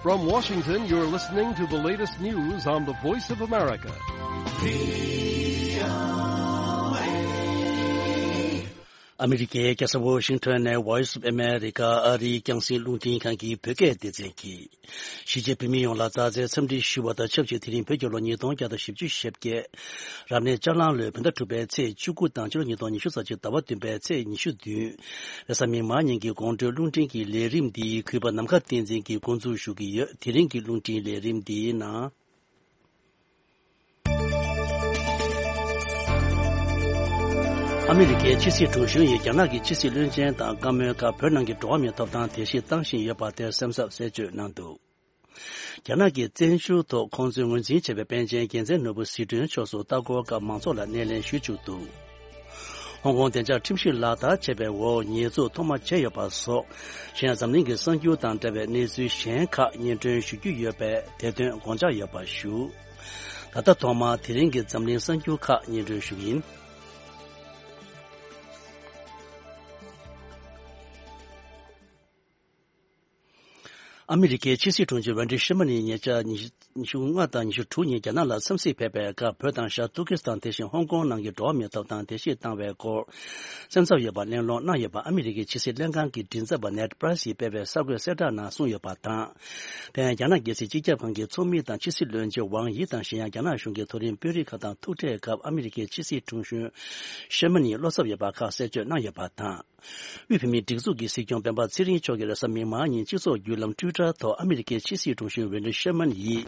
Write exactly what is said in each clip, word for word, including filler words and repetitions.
From Washington, you're listening to the latest news on the Voice of America. ཨ་མི་རི་ཀའི་རྒྱལ་ས་ཝོ་ཤིང་ཊོན་ནས་Voice of America ཨ་རིའི་རྒྱང་སྲིང་རླུང་འཕྲིན་ཁང་གི་བོད་སྐད་སྡེ་ཚན་གྱིས། གཞིས་བྱེས་བོད་མི་ཡོངས་ལ་མཛའ་བརྩེའི་འཚམས་འདྲི་ཞུ་བ་དང་ཆབས་ཅིག་དེ་རིང་བོད་རྒྱལ་ལོ་ཉིས་སྟོང་བརྒྱ་དང་བཞི་བཅུ་ཞེ་བརྒྱད། རབ་གནས་ལྕགས་གླང་ལོའི་བོད་ཟླ་དྲུག་པའི་ཚེས་བཅུ་དགུ་དང་ཕྱི་ལོ་ཉིས་སྟོང་ཉི་ཤུ་རྩ་གཅིག་ཟླ་བ་བདུན་པའི་ཚེས་ཉི་ཤུ་བདུན། རེས་གཟའ་མིག་དམར་ཉིན་གྱི་དགོང་དྲོའི་རླུང་འཕྲིན་གྱི་ལས་རིམ་འདི་གུས་པ་ནམ་མཁའ་བསྟན་འཛིན་གྱིས་འགོ་འཛུགས་ཞུ་གི་ཡོད། དེ་རིང་གི་རླུང་འཕྲིན་ལས་རིམ་འདིའི་ནང་། ཨ་མི་རི་ཀའི་ཕྱི་སྲིད་དྲུང་གཞོན་ཡིས་རྒྱ་ནག་གི་ཕྱི་སྲིད་བློན་ཆེན་དང་བཀའ་མོལ་སྐབས་བོད་ནང་གི་འགྲོ་བ་མིའི་ཐོབ་ཐང་དེ་བཞིན་བཏང་བཞིན་ཡོད་པ་དེར་སེམས་འཚབ་གསལ་བརྗོད་གནང་འདུག་རྒྱ་ནག་གི་བཙན་བྱོལ་ཐོག་ཁོང་ཚོས་ངོས་འཛིན་བྱས་པའི་པཎ་ཆེན་རྒྱལ་མཚན་ནོར་བུ་ཟི་ཁྲོན་མཆོག་སོགས་ལྟ་སྐོར་སྐབས་མང་ཚོགས་ལ་སྣེ་ལེན་ཞུས་བཅུག་འདུག་ཧོང་ཀོང་བདེ་འཇགས་ཁྲིམས་གཞི་ལག་བསྟར་བྱས་པའི་འོག་ཉེས་འཛུགས་ཐོག་མ་བྱས་ཡོད་པ་སོགས་གཞན་ཡང་འཛམ་གླིང་གི་གསར་འགྱུར་དང་འབྲེལ་བའི་གནས་ཚུལ་གཞན་ཁག་སྙན་སྒྲོན་ཞུ་རྒྱུ་ཡོད་པས་དེ་དོན་དགོངས་འཇགས་ཡོད་པ་ཞུ། ད་ལྟ་ཐོག་མར་དེ་རིང་གི་འཛམ་གླིང་གསར་འགྱུར་ཁག་སྙན་སྒྲོན་ཞུ་གི་ཡིན། ཨ་མི་རི་ཀའི་ཕྱི་སྲིད་དྲུང་ཆེ་ཝེན་ཌི་ཤེར་མན་ནི་ཉེ་ཆར་ཉི་ཤུ་ཉི་ཤུ་ལྔ་དང་ཉི་ཤུ་དྲུག་ཉིན་རྒྱ་ནག་ལ་འཚམས་གཟིགས་ཕེབས་པའི་སྐབས་བོད་དང་ཤར་ཏུར་ཀི་སི་ཐན་དེ་བཞིན་ཧོང་ཀོང་ནང་གི་འགྲོ་བ་མིའི་ཐོབ་ཐང་བརྡལ་བཤིག་བཏང་བའི་སྐོར་སེམས་འཚབ་ཡོད་པ་གླེང་སློང་གནང་ཡོད་པ་ཨ་མི་རི་ཀའི་ཕྱི་སྲིད་ལྷན་ཁང་གི་མགྲིན་ཚབ་པ་ནེཌ་པྲེ་སི་ཡིས་སྤེལ་བའི་གསར་འགོད་གསལ་བསྒྲགས་ནང་གསུངས་ཡོད་པ་དང་། དེ་ཡང་རྒྱ་ནག་རྒྱལ་སྲིད་སྤྱི་ཁྱབ་ཁང་གི་ཚོགས་མི་དང་ཕྱི་སྲིད་བློན་ཆེན་ཝང་ཡི་དང་གཞན་ཡང་རྒྱ་ནག་གཞུང་གི་མཐོ་རིམ་དཔོན་རིགས་ཁག་དང་ཐུག་འཕྲད་སྐབས་ཨ་མི་རི་ཀའི་ཕྱི་སྲིད་དྲུང་གཞོན་ཤེར་མན་ནིས་བློ་འཚབ་ཡོད་པ་ཁག་གསལ་བརྗོད་གནང་ཡོད་པ་དང་། དབུས་བོད་མིའི་སྒྲིག་འཛུགས་ཀྱི་སྲིད་སྐྱོང་སྤེན་པ་ཚེ་རིང་མཆོག་གིས་རེས་གཟའ་མིག་དམར་ཉིན་སྤྱི་ཚོགས་བརྒྱུད་ལམ་ཊུའི་ཊར་ཐོག་ཨ་མི་རི་ཀའི་ཕྱི་སྲིད་དྲུང་གཞོན་ཝེན་ཌི་ཤེར་མན་ཡིས།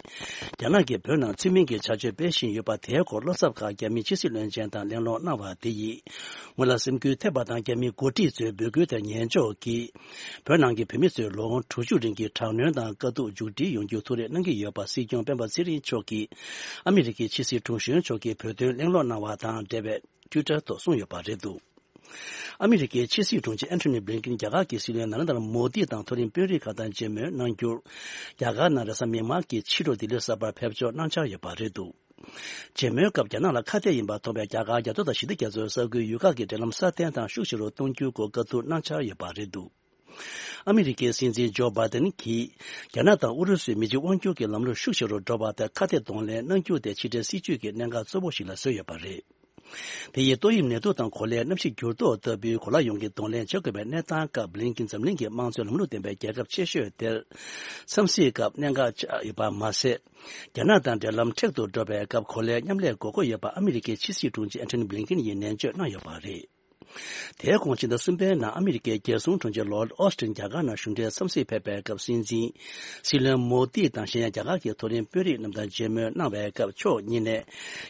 རྒྱ་ནག་གིས་བོད་ནང་ཚུལ་མིན་གྱི་བྱ་སྤྱོད་སྤེལ་བཞིན་ཡོད་པ་དེའི་སྐོར་བློ་འཚབ་ཁག་རྒྱ་མིའི་ཕྱི་སྲིད་བློན་ཆེན་དང་གླེང་སློང་གནང་བ་དེ་ཡིས། ངོས་ལ་སེམས་འགུལ་ཐེབས་པ་དང་རྒྱ་མིའི་འགོ་ཁྲིད་ཚོའི་འབོད་སྐུལ་དེར་ཉན་འཇོག་གིས། བོད་ནང་གི་བོད་མི་ཚོས་ལོ་ངོ་དྲུག་ཅུ་རིང་གི་དྲག་གནོན་དང་དཀའ་སྡུག་མཇུག་སྒྲིལ་ཡོང་རྒྱུར་ཐུགས་རེ་གནང་གི་ཡོད་པ་སྲིད་སྐྱོང་སྤེན་པ་ཚེ་རིང་མཆོག་གིས། ཨ་མི་རི་ཀའི་ཕྱི་སྲིད་དྲུང་གཞོན་མཆོག་གིས་བོད་དོན་གླེང་སློང་གནང་བ་དང་འབྲེལ་བའི། ཊུའི་ཊར་ཐོག་གསུངས་ཡོད་པ་རེད་འདུག་ཨ་མི་རི་ཀའི་ཕྱི་སྲིད་དྲུང་ཆེ་ཨན་ཐོ་ནི་བྷི་ལིན་ཀིན་རྒྱ་གར་གྱི་སྲིད་བློན་ནཱ་རེན་དྲ་མོ་དི་དང་མཐོ་རིམ་དཔོན་རིགས་ཁག་དང་མཇལ་མོལ་གནང་རྒྱུར། རྒྱ་གར་ནང་རེས་གཟའ་མིག་དམར་གྱི་ཕྱི་དྲོ་ལྡི་ལི་གསར་པར་ཕེབས་འབྱོར་གནང་འཆར་ཡོད་པ་རེད་འདུག་མཇལ་མོལ་སྐབས་རྒྱ་ནག་ལ་ཁ་གཏད་ཡིན་པ་མཐོང་བའི་རྒྱ་གར་རྒྱ་མཚོ་དང་ཞི་བདེ་རྒྱ་མཚོའི་ས་ཁུལ་ཡུལ་ཁག་གི་འབྲེལ་ལམ་སྲ་བརྟན་དང་ཤུགས་ཆེ་རུ་གཏོང་རྒྱུའི་སྐོར་བཀའ་བསྡུར་གནང་འཆར་ཡོད་པ་རེད་འདུག་ཨ་མི་རི་ཀའི་སྲིད་འཛིན་ཇོ་བྷའི་ཏན་གྱིས། རྒྱ་ནག་དང་ཨུ་རུ་སུའི་མི་གཅིག་དབང་སྒྱུར་གྱི་ལམ་ལུགས་ཤུགས་ཆེ་རུ་འགྲོ་བ་དེར་ཁ་གཏད་གདོང་ལེན་གནང་རྒྱུ་དེ་ཕྱི་འབྲེལ་སྲིད་ཇུས་ཀྱི་གནད་འགག་གཙོ་བོ་ཞིག་ལ་བཟོས་ཡོད་པ་རེད། དེ་ཡིས་ཏོག་དབྱིབས་ནད་དུག་དང་གོ་ལའི་གནམ་གཤིས་འགྱུར་ལྡོག་ལྟ་བུའི་གོ་ལ་ཡོངས་ཀྱི་གདོང་ལེན་བྱེད་དགོས་པའི་གནས་སྟངས་སྐབས་བྷི་ལིན་ཀིན་འཛམ་གླིང་གི་དམངས་གཙོའི་ལམ་ལུགས་ལྡན་པའི་རྒྱལ་ཁབ་ཆེ་ཤོས་དེར། འཚམས་གཟིགས་སྐབས་གནད་འགག་ཆགས་ཡོད་པ་མ་ཟད། རྒྱ་ནག་དང་འབྲེལ་ལམ་མཁྲེགས་སུ་འགྲོ་བའི་སྐབས་གོ་ལའི་མཉམ་ལས་དགོས་མཁོ་ཡོད་པ་ཨ་མི་རི་ཀའི་ཕྱི་སྲིད་དྲུང་ཆེ་ཨན་ཐོ་ནི་བྷི་ལིན་ཀིན་ཡིས་ནན་བརྗོད་གནང་ཡོད་པ་རེད། དེའི་གོང་ཕྱི་ཟླ་གསུམ་པའི་ནང་ཨ་མི་རི་ཀའི་རྒྱལ་སྲུང་དྲུང་ཆེ་ལོར་ཨོ་སི་ཊིན་རྒྱ་གར་ནང་གཞུང་འབྲེལ་འཚམས་གཟིགས་ཕེབས་པའི་སྐབས་སྲིད་འཛིན། སྲིད་བློན་མོ་དི་དང་གཞན་ཡང་རྒྱ་གར་གྱི་མཐོ་རིམ་དཔོན་རིགས་རྣམས་དང་མཇལ་མོལ་གནང་བའི་སྐབས་ཕྱོགས་གཉིས་ནས།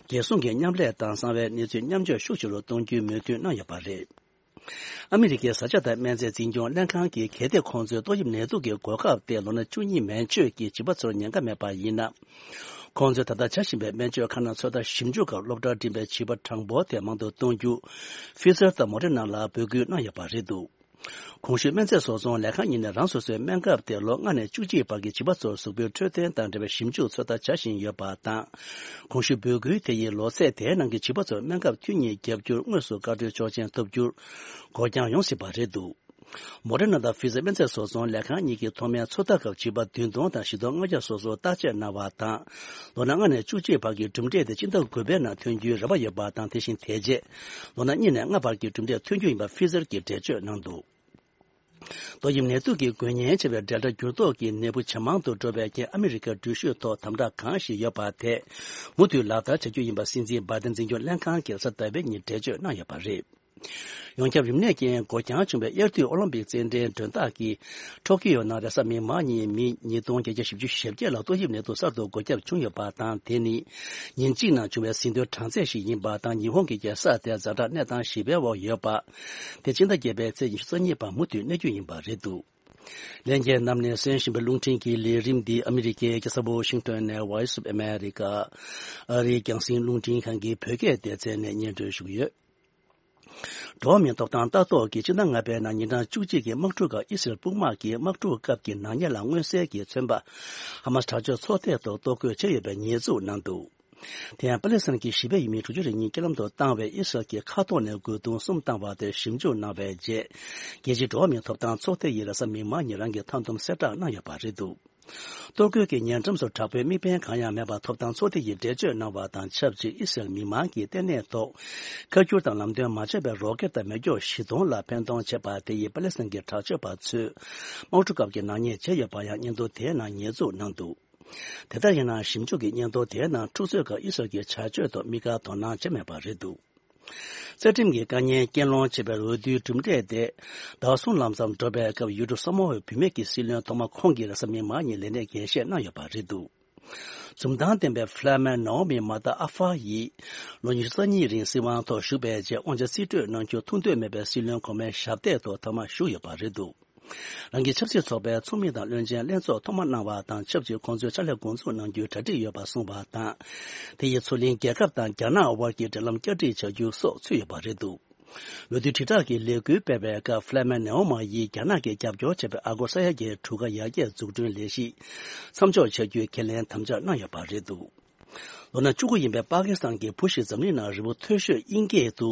རྒྱལ་སྲུང་གི་མཉམ་ལས་དང་གསང་བའི་གནས་ཚུལ་མཉམ་སྤྱོད་ཤུགས་ཆེ་རུ་གཏོང་རྒྱུའི་མོས་མཐུན་གནང་ཡོད་པ་རེད། ཨ་མི་རི་ཀའི་བཟའ་བཅའ་དང་སྨན་རྫས་འཛིན་སྐྱོང་ལྷན་ཁང་གིས་གལ་ཏེ་ཁོང་ཚོའི་ཏོག་དབྱིབས་ནད་དུག་གི་འགོག་ཁབ་དེ་ལོ་ན་བཅུ་གཉིས་མན་ཆོད་ཀྱི་བྱིས་པ་ཚོར་ཉན་ཀ་མེད་པ་ཡིན་ན། ཁོང་ཚོས་ད་ལྟ་བྱ་བཞིན་པའི་སྨན་བཅོས་ཁང་ནང་ཚོད་ལྟ་ཞིབ་འཇུག་སྐབས་སློབ་གྲྭར་འགྲིམས་པའི་བྱིས་པ་གྲངས་འབོར་དེ་མང་དུ་གཏོང་རྒྱུ། ཕི་ཛར་དང་མོ་ཌེ་ན་ལ་འབོད་སྐུལ་གནང་ཡོད་པ་རེད་འདུག་གོང་ཞུས་སྨན་རྫས་བཟོ་ཚོང་ལས་ཁང་གཉིས་ནས་རང་སོ་སོའི་སྨན་ཁབ་དེ་ལོ་ལྔ་ནས་བཅུ་གཅིག་བར་གྱི་བྱིས་པ་ཚོར་གཟུགས་པོའི་འཕྲོད་བསྟེན་དང་འབྲེལ་བའི་ཞིབ་འཇུག་ཚོད་ལྟ་བྱ་བཞིན་ཡོད་པ་དང་། གོང་ཞུས་འབོད་སྐུལ་དེ་ཡིས་ལོ་ཚད་དེའི་ནང་གི་བྱིས་པ་ཚོར་སྨན་ཁབ་ཐུན་གཉིས་བརྒྱབ་རྒྱུར་དངོས་སུ་བཀའ་འཁྲོལ་ཆོག་མཆན་ཐོབ་རྒྱུར་འགོར་འགྱངས་ཡོང་སྲིད་པ་རེད་འདུག་མོ་ཌེ་ན་དང་ཕི་ཛར་སྨན་རྫས་བཟོ་ཚོང་ལས་ཁང་གཉིས་ཀྱིས་ཐོག་མའི་ཚོད་ལྟ་སྐབས་བྱིས་པ་བདུན་སྟོང་དང་བཞི་སྟོང་ལྔ་བརྒྱ་སོ་སོར་བརྟག་དཔྱད་གནང་བ་དང་། ལོ་ན་ལྔ་ནས་བཅུ་གཅིག་བར་གྱི་གྲུབ་འབྲས་དེ་སྤྱི་ཟླ་དགུ་པའི་ནང་ཐོན་རྒྱུའི་རེ་བ་ཡོད་པ་དང་། དེ་བཞིན་དེ་རྗེས་ལོ་ན་གཉིས་ནས་ལྔ་བར་གྱི་གྲུབ་འབྲས་ཐོན་རྒྱུ་ཡིན་པ་ཕི་ཛར་གྱིས་འགྲེལ་བརྗོད་གནང་འདུག་ཏོག་དབྱིབས་ནད་དུག་གི་འགོས་ཉེན་ཆེ་བའི་ཌེལ་ཊ་འགྱུར་ལྡོག་གི་ནད་འབུ་ཇེ་མང་དུ་འགྲོ་བའི་རྐྱེན། ཨ་མི་རི་ཀའི་འགྲུལ་བཞུད་ཐོག་དམ་དྲག་གང་ཞིག་ཡོད་པ་དེ་མུ་མཐུད་ལག་བསྟར་བྱ་རྒྱུ་ཡིན་པ་སྲིད་འཛིན་བྷའི་ཏན་འཛིན་སྐྱོང་ལྷན་ཁང་གིས་གཟའ་ཟླ་བའི་ཉིན་འགྲེལ་བརྗོད་གནང་ཡོད་པ་རེད། ཡོངས་ཁྱབ་རིམས་ནད་ཀྱིས་འགོས་འགྱངས་བྱུང་བའི་དབྱར་དུས་ཨོ་ལིམ་པིག་རྩེད་འགྲན་མགྲོན་བདག་གི་ཊོ་ཀི་ཡོ་ནང་རེས་གཟའ་མིག་དམར་ཉིན་མི་ཉིས་སྟོང་བརྒྱད་བརྒྱ་བཞི་བཅུ་ཞེ་བརྒྱད་ལ་ཏོག་དབྱིབས་ནད་དུག་གསར་དུ་འགོས་ཁྱབ་བྱུང་ཡོད་པ་དང་། དེ་ནི་ཉིན་གཅིག་ནང་བྱུང་བའི་ཟིན་ཐོའི་གྲངས་ཚད་ཞིག་ཡིན་པ་དང་། ཉི་ཧོང་གི་རྒྱལ་ས་དེ་ཛ་དྲག་གནས་སྟངས་ཞི་བའི་འོག་ཡོད་པ། དེ་སྤྱི་ཟླ་བརྒྱད་པའི་ཚེས་ཉི་ཤུ་རྩ་གཉིས་བར་མུ་མཐུད་གནས་རྒྱུ་ཡིན་པ་རེད་འདུག་ལྷན་རྒྱས་རྣམས་ནས་གསན་བཞིན་པའི་རླུང་འཕྲིན་གྱི་ལས་རིམ་འདི་ཨ་མི་རི་ཀའི་རྒྱལ་ས་ཝོ་ཤིང་ཊོན་ནས་Voice of America ཨ་རིའི་རྒྱང་སྲིང་རླུང་འཕྲིན་ཁང་གི་བོད་སྐད་སྡེ་ཚན་ནས་སྙན་སྒྲོན་ཞུ་གི་ཡོད། འགྲོ་བ་མིའི་ཐོབ་ཐང་ལྟ་རྟོག་གིས་ཕྱི་ཟླ་ལྔ་པའི་ནང་ཉིན་གྲངས་བཅུ་གཅིག་གི་དམག་འཁྲུག་སྐབས་ཨི་སི་རལ་དཔུང་དམག་གིས་དམག་འཁྲུག་སྐབས་ཀྱི་ནག་ཉེས་ལ་མངོན་གསལ་གྱིས་མཚོན་པ། ཧ་མ་སི་དྲག་སྤྱོད་ཚོགས་སྡེའི་ཐོག་གཏོར་རྒོལ་བྱས་ཡོད་པའི་ཉེས་འཛུགས་གནང་འདུག་དེ་ཡང་པ་ལེ་སི་ཐན་གྱི་གཞིས་སྤོས་ཡུལ་མི་དྲུག་ཅུ་རེ་གཉིས་རྐྱེན་ལམ་དུ་བཏང་བའི་ཨི་སི་རལ་གྱི་མཁའ་ཐོག་ནས་རྒོལ་རྡུང་གསུམ་བཏང་བ་དེར་ཞིབ་འཇུག་གནང་བའི་རྗེས། རྒྱལ་སྤྱིའི་འགྲོ་བ་མིའི་ཐོབ་ཐང་ཚོགས་སྡེ་ཡིས་རེས་གཟའ་མིག་དམར་ཉིན་རང་གི་མཐའ་སྡོམ་གསལ་བསྒྲགས་གནང་ཡོད་པ་རེད་འདུག་གཏོར་རྒོལ་གྱི་ཉེ་འགྲམ་སུ་དྲག་པོའི་དམིགས་འབེན་གང་ཡང་མེད་པར་ཐོབ་ཐང་ཚོགས་སྡེ་ཡིས་འགྲེལ་བརྗོད་གནང་བ་དང་ཆབས་ཅིག་ཨི་སི་རལ་མི་མང་གིས་ལྟེ་གནས་ཐོག་ཁ་སྒྱུར་དང་ལམ་སྟོན་མ་བྱས་པའི་རོ་ཀེད་དང་མེ་སྒྱོགས་བཞི་སྟོང་ལ་འཕེན་གཏོང་བྱས་པ་དེ་ཡིས་པ་ལེ་སི་ཐན་གྱི་དྲག་སྤྱོད་པ་ཚོས་དམག་འཁྲུག་སྐབས་ཀྱི་ནག་ཉེས་བྱས་ཡོད་པ་ཡང་སྙན་ཐོ་དེའི་ནང་ཉེས་འཛུགས་གནང་འདུག་དེ་ལྟར་ཡིན་ན་ཞིབ་འཇུག་གི་སྙན་ཐོ་དེའི་ནང་འཁྲུག་རྩོད་སྐབས་ཨི་སི་རལ་གྱི་བྱ་སྤྱོད་ཐོག་དམིགས་བཀར་དོ་སྣང་བྱས་མེད་པ་རེད་འདུག་རྩ་ཁྲིམས་ཀྱི་དཀའ་ཉེན་རྐྱེན་སློང་བྱས་པའི་འོས་བསྡུའི་གྲུབ་འབྲས་དེ་ཟླ་བ་གསུམ་ལམ་ཙམ་འགྲོ་བའི་སྐབས་ཡུལ་གྲུ་ས་མོ་ཝའི་བུད་མེད་ཀྱི་སྲིད་བློན་ཐོག་མ་ཁོང་གིས་རེས་གཟའ་མིག་དམར་ཉིན་ལས་གནས་འགན་བཞེས་གནང་ཡོད་པ་རེད་འདུག་འཛུམ་མདངས་ལྡན་པའི་ཕ་ལ་མེ་ནའོ་མི་མ་ཏཱ་ཨ་ཧྥ་ཡིས་ལོ་ཉི་ཤུ་རྩ་གཉིས་རིང་སྲིད་དབང་ཐོག་བཞུགས་པའི་རྗེས་དབང་ཆ་རྩིས་སྤྲོད་གནང་རྒྱུ་ཐུགས་འདོད་མེད་པའི་སྲིད་བློན་གོང་མའི་ཞབས་སྟེགས་ཐོག་ཐོག་མ་བཞུགས་ཡོད་པ་རེད་འདུག་རང་གི་ཆབ་སྲིད་ཚོགས་པའི་ཚོགས་མི་དང་བློན་ཆེན་ལྷན་ཚོགས་ཐོག་མ་གནང་བ་དང་ཆབས་ཅིག་ཁོང་ཚོའི་ཕྱག་ལས་འགོ་འཛུགས་གནང་རྒྱུའི་གྲ་སྒྲིག་ཡོད་པ་གསུངས་པ་དང་། དེ་ཡིས་མཚོ་གླིང་རྒྱལ་ཁབ་དང་རྒྱ་ནག་དབར་གྱི་འབྲེལ་ལམ་བསྐྱར་སྒྲིག་བྱ་རྒྱུ་སོགས་ཚུད་ཡོད་པ་རེད་འདུག་འོས་བསྡུ་དྲིལ་བསྒྲགས་ཀྱི་ལས་འགུལ་སྤེལ་བའི་སྐབས་ཕ་ལ་མེ་ནེའོ་མ་ཡིས་རྒྱ་ནག་གིས་རྒྱབ་སྐྱོར་བྱས་པའི་ཨ་སྒོར་ས་ཡ་བརྒྱའི་གྲུ་ཁ་ཡར་རྒྱས་འཛུགས་སྐྲུན་ལས་གཞི་མཚམས་འཇོག་བྱ་རྒྱུའི་ཁས་ལེན་དམ་བཅའ་གནང་ཡོད་པ་རེད་འདུག་ལོ་ན་བཅུ་དགུ་ཡིན་པའི་པ་ཀི་སི་ཐན་གྱི་བུ་ཞིག་འཛམ་གླིང་ནང་རི་བོ་མཐོ་ཤོས་དབྱིན་སྐད་དུ་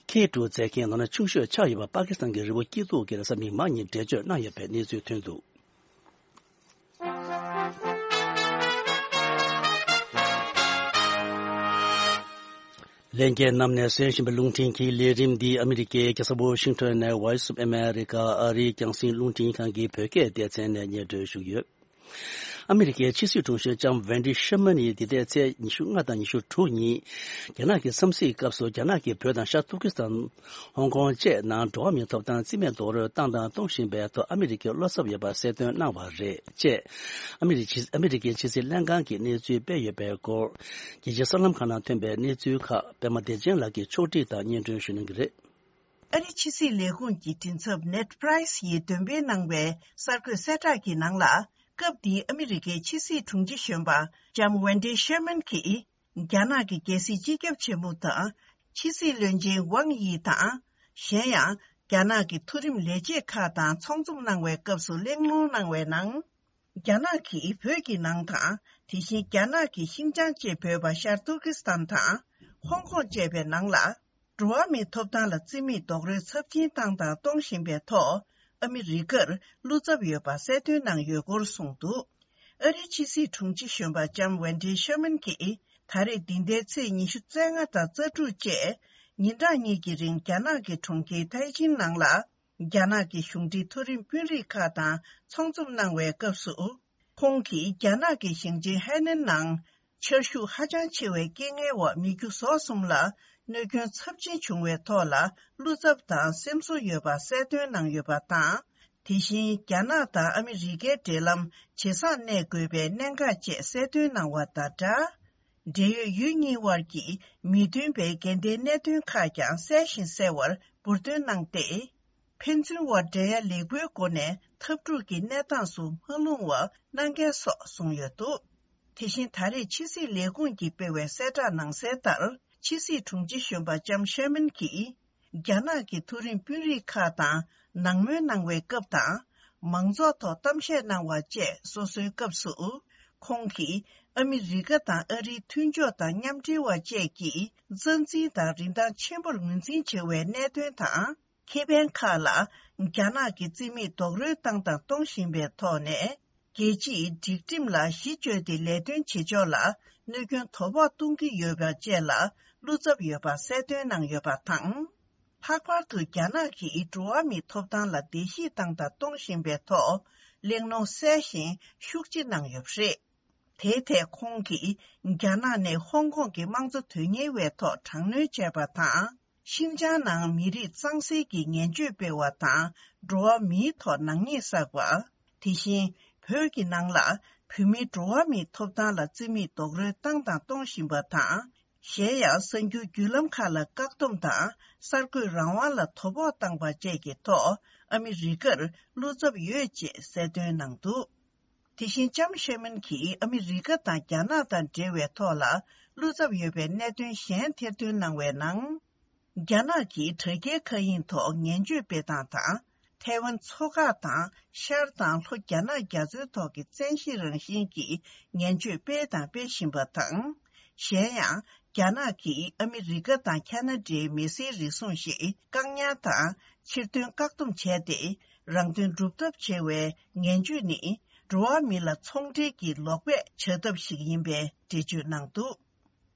ཁེ་ཊུ་མཛད་མཁན་ལོ་ན་ཆུང་ཤོས་ཆགས་ཡོད་པ་པ་ཀི་སི་ཐན་གྱི་རི་བོ་སྐྱིད་སྡུག་གིས་རེས་གཟའ་མིག་དམར་ཉིན་འགྲེལ་བརྗོད་གནང་ཡོད་པའི་གནས་ཚུལ་ཐོན་འདུག་ལྷན་རྒྱས་རྣམས་ནས་གསན་བཞིན་པའི་རླུང་འཕྲིན་གྱི་ལས་རིམ་འདི་ཨ་མི་རི་ཀའི་རྒྱལ་ས་ཝོ་ཤིང་ཊོན་ནས་Voice of America ཨ་རིའི་རྒྱང་སྲིང་རླུང་འཕྲིན་ཁང་གི་བོད་སྐད་སྡེ་ཚན་ནས་སྙན་སྒྲོན་ཞུས་ཡོད། ཨ་མི་རི་ཀའི་ཕྱི་སྲིད་དྲུང་ཆེ་ལྕམ་ཝེན་ཌི་ཤེར་མན་ཡིས་འདི་ཟླའི་ཚེས་ཉི་ཤུ་ལྔ་དང་ཉི་ཤུ་དྲུག་ཉིན་རྒྱ་ནག་གི་འཚམས་གཟིགས་སྐབས་སུ་རྒྱ་ནག་གིས་བོད་དང་ཤར་ཏུར་ཀི་སི་ཐན། ཧོང་ཀོང་བཅས་ནང་འགྲོ་བ་མིའི་ཐོབ་ཐང་རྩིས་མེད་རྡོག་རོལ་བཏང་དང་གཏོང་བཞིན་པའི་ཐོག་ཨ་མི་རི་ཀའི་བློ་འཚབ་ཡོད་པ་གསལ་སྟོན་གནང་བ་རེད་ཅེས་ཨ་མི་རི་ཕྱི་ཨ་མི་རི་ཀའི་ཕྱི་སྲིད་ལྷན་ཁང་གིས་གནས་ཚུལ་སྤེལ་ཡོད་པའི་སྐོར། རྒྱལ་སྤྱིའི་གསར་ལམ་ཁག་ནང་ཐོན་པའི་གནས་ཚུལ་ཁག་པད་མ་བདེ་ཆེན་ལགས་ཀྱིས་ཕྱོགས་སྒྲིག་དང་སྙན་སྒྲོན་ཞུ་གནང་གི་རེད། ཨ་རི་ཕྱི་སྲིད་ལས་ཁུངས་ཀྱི་མགྲིན་ཚབ་ནེད་པྲའི་སི་ཡིས་འདོན་སྤེལ་གནང་བའི་གསར་འགོད་གསལ་བསྒྲགས་ཀྱི་ནང་ལ། སྐབས་འདིའི་ཨ་མི་རི་ཀའི་ཕྱི་སྲིད་དྲུང་ཆེ་གཞོན་པ་ལྕམ་ཝེན་ཌི་ཤེར་མན་གྱིས། རྒྱ་ནག་གི་རྒྱལ་སྲིད་སྤྱི་ཁྱབ་ཆེན་མོ་དང་། ཕྱི་སྲིད་བློན་ཆེན་ཝང་ཡི་དང་། གཞན་ཡང་། རྒྱ་ནག་གི་མཐོ་རིམ་ལས་བྱེད་ཁག་དང་ཚོགས་འཛོམས་གནང་བའི་སྐབས་སུ་གླེང་སློང་གནང་བའི་ནང་། རྒྱ་ནག་གིས་བོད་ཀྱི་ནང་དང་། དེ་བཞིན་རྒྱ་ནག་གི་ཤིན་ཅང་ཅེས་འབོད་པ་ཤར་ཏུར་ཀི་སི་ཐན་དང་། ཧོང་ཀོང་བཅས་པའི་ནང་ལ། འགྲོ་བ་མིའི་ཐོབ་ཐང་ལ་རྩིས་མེད་རྡོག་རོལ་ཚབས་ཆེན་བཏང་དང་གཏོང་བཞིན་པའི་ཐོག་ཨ་མི་རི་ཀར་བློ་འཚབ་ཡོད་པ་གསལ་སྟོན་གནང་ཡོད་སྐོར་གསུངས་འདུག་ཨ་རིའི་ཕྱི་སྲིད་དྲུང་ཆེ་གཞོན་པ་ལྕམ་ཝེན་ཌི་ཤེར་མན་གྱིས་ད་རེས་འདི་ཟླའི་ཚེས་ཉི་ཤུ་རྩ་ལྔ་དང་རྩ་དྲུག་བཅས་ཉིན་གྲངས་གཉིས་ཀྱི་རིང་རྒྱ་ནག་གི་གྲོང་ཁྱེར་ཐའེ་ཅིན་ནང་ལ། རྒྱ་ནག་གི་གཞུང་འབྲེལ་མཐོ་རིམ་དཔོན་རིགས་ཁག་དང་ཚོགས་འཛོམས་གནང་བའི་སྐབས་སུ། ཁོང་གིས་རྒྱ་ནག་གི་ཞིང་ཆེན་ཧའེ་ནན་ནང་ཆར་ཤུགས་ཧ་ཅང་ཆེ་བའི་རྐྱེན་ངན་འོག་མི་རྒྱུ་ཟོག་གསུམ་ལ་གནོད་སྐྱོན་ཚབས་ཆེན་བྱུང་བའི་ཐོག་ལ་བློ་འཚབ་དང་སེམས་གསོ་ཡོད་པ་གསལ་སྟོན་གནང་ཡོད་པ་དང་། དེ་བཞིན་རྒྱ་ནག་དང་ཨ་མི་རི་ཀའི་འབྲེལ་ལམ་ཇེ་བཟང་གནས་དགོས་པའི་གནད་འགག་བཅས་གསལ་སྟོན་གནང་བ་དང་སྦྲགས། འབྲེལ་ཡོད་ཡུལ་གཉིས་དབར་གྱི་མི་མཐུན་པའི་འགལ་ཟླའི་གནད་དོན་ཁག་ཀྱང་གསལ་ཞིང་གསལ་བར་འབུར་འདོན་གནང་སྟེ། ཕན་ཚུན་དབར་འབྲེལ་ཡ་ལེགས་པོའི་སྒོ་ནས་འཐབ་འཁྲུག་གི་གནས་སྟངས་སུ་མ་ལྷུང་བ་གནང་གལ་སོགས་གསུངས་ཡོད་འདུག་དེ་བཞིན་ད་རེས་ཕྱི་སྲིད་ལས་ཁུངས་ཀྱིས་སྤེལ་བའི་གསལ་བསྒྲགས་ནང་གསལ་ལྟར། ཕྱི་སྲིད་དྲུང་ཆེ་གཞོན་པ་ལྕམ་ཤེར་མན་གྱིས། རྒྱ་ནག་གི་མཐོ་རིམ་དཔོན་རིགས་ཁག་དང་ནང་མོལ་གནང་བའི་སྐབས་དང་། མང་ཚོགས་ཐོག་གཏམ་བཤད་གནང་བ་བཅས་སོ་སོའི་སྐབས་སུ། ཁོང་གིས་ཨ་མི་རི་ཀ་དང་ཨ་རིའི་མཐུན་ཕྱོགས་དང་མཉམ་འབྲེལ་བ་བཅས་ཀྱིས་རྩ་འཛིན་དང་རིན་ཐང་ཆེན་པོར་ངོས་འཛིན་བྱེད་པའི་གནད་དོན་དང་། ཁེ་ཕན་ཁག་ལ་རྒྱ་ནག་གིས་རྩིས་མེད་རྡོག་རོལ་བཏང་དང་གཏོང་བཞིན་པའི་ཐོག་ནས། རྒྱལ་སྤྱིའི་སྒྲིག་ཁྲིམས་ལ་གཞི་བཅོལ་ཏེ་ལས་དོན་བྱེད་ཕྱོགས་ལ་གནོད་སྐྱོན་དོ་ཕོག་གཏོང་གི་ཡོད་པ་བཅས་ལ་བློ་འཚབ་ཡོད་པ་གསལ་སྟོན་གནང་ཡོད་པ་དང་། ལྷག་པར་དུ་རྒྱ་ནག་གིས་འགྲོ་བ་མིའི་ཐོབ་ཐང་ལ་བརྡལ་བཤིག་བཏང་དང་གཏོང་བཞིན་པའི་ཐོག་གླེང་སློང་གསལ་ཞིང་ཤུགས་ཆེ་གནང་ཡོད་པ་རེད། དེའི་ཐད་ཁོང་གིས་རྒྱ་ནག་ནས་ཧོང་ཀོང་གི་དམངས་གཙོ་དོན་གཉེར་བའི་ཐོག་དྲག་གནོན་བྱས་པ་དང་། ཤིན་ཅང་ནང་མི་རིགས་གཙང་སེལ་གྱི་ངན་བྱུས་སྤེལ་བ་དང་འགྲོ་བ་མིའི་ཐོག་ནག་ཉེས་བསགས་པ། དེ་བཞིན་བོད་ཀྱི་ནང་ལ་བོད་མིའི་འགྲོ་བ་མིའི་ཐོབ་ཐང་ལ་རྩིས་མེད་རྡོག་རོལ་བཏང་དང་གཏོང་བཞིན་པ་དང་། གཞན་ཡང་གསར་འགྱུར་བརྒྱུད་ལམ་ཁག་ལ་བཀག་སྡོམ་དང་གསར་འགོད་རང་དབང་ལ་དོ་ཕོག་བཏང་པ་བཅས་ཀྱི་ཐོག་ཨ་མི་རི་ཀར་བློ་འཚབ་ཡོད་ཅེས་གསལ་སྟོན་གནང་འདུག་དེ་བཞིན་ལྕམ་ཤེར་མན་གྱིས་ཨ་མི་རི་ཀ་དང་རྒྱ་ནག་དང་འབྲེལ་བའི་ཐོག་ལ་བློ་འཚབ་ཡོད་པའི་གནད་དོན་གཞན་ཐེར་འདོན་གནང་བའི་ནང་། རྒྱ་ནག་གིས་དྲ་རྒྱའི་མཁའ་དབྱིངས་ཐོག་ངན་བྱུས་སྤེལ་སྟངས་དང་། ཐའེ་ཝན་མཚོ་འགག་དང་ཤར་དང་ལྷོ་རྒྱ་ནག་རྒྱ་མཚོའི་ཐོག་གི་བཙན་ཤེད་རང་བཞིན་གྱི་ངན་བྱུས་སྤེལ་དང་སྤེལ་བཞིན་པ་དང་། གཞན་ཡང་། རྒྱ་ནག་གིས་ཨ་མི་རི་ཀ་དང་ཁ་ན་ཌའི་མི་སེར་རེ་ཟུང་ཞིག་བཀག་ཉར་དང་ཕྱིར་ཐོན་བཀག་སྡོམ་བྱས་ཏེ། རང་དོན་སྒྲུབ་ཐབས་བྱེད་པའི་ངན་བྱུས་ནི། འགྲོ་བ་མི་ལ་ཚོང་འབྲེལ་གྱི་ལོག་པས་བྱ་ཐབས་ཤིག་ཡིན་པའི་འགྲེལ་བརྗོད་གནང་འདུག་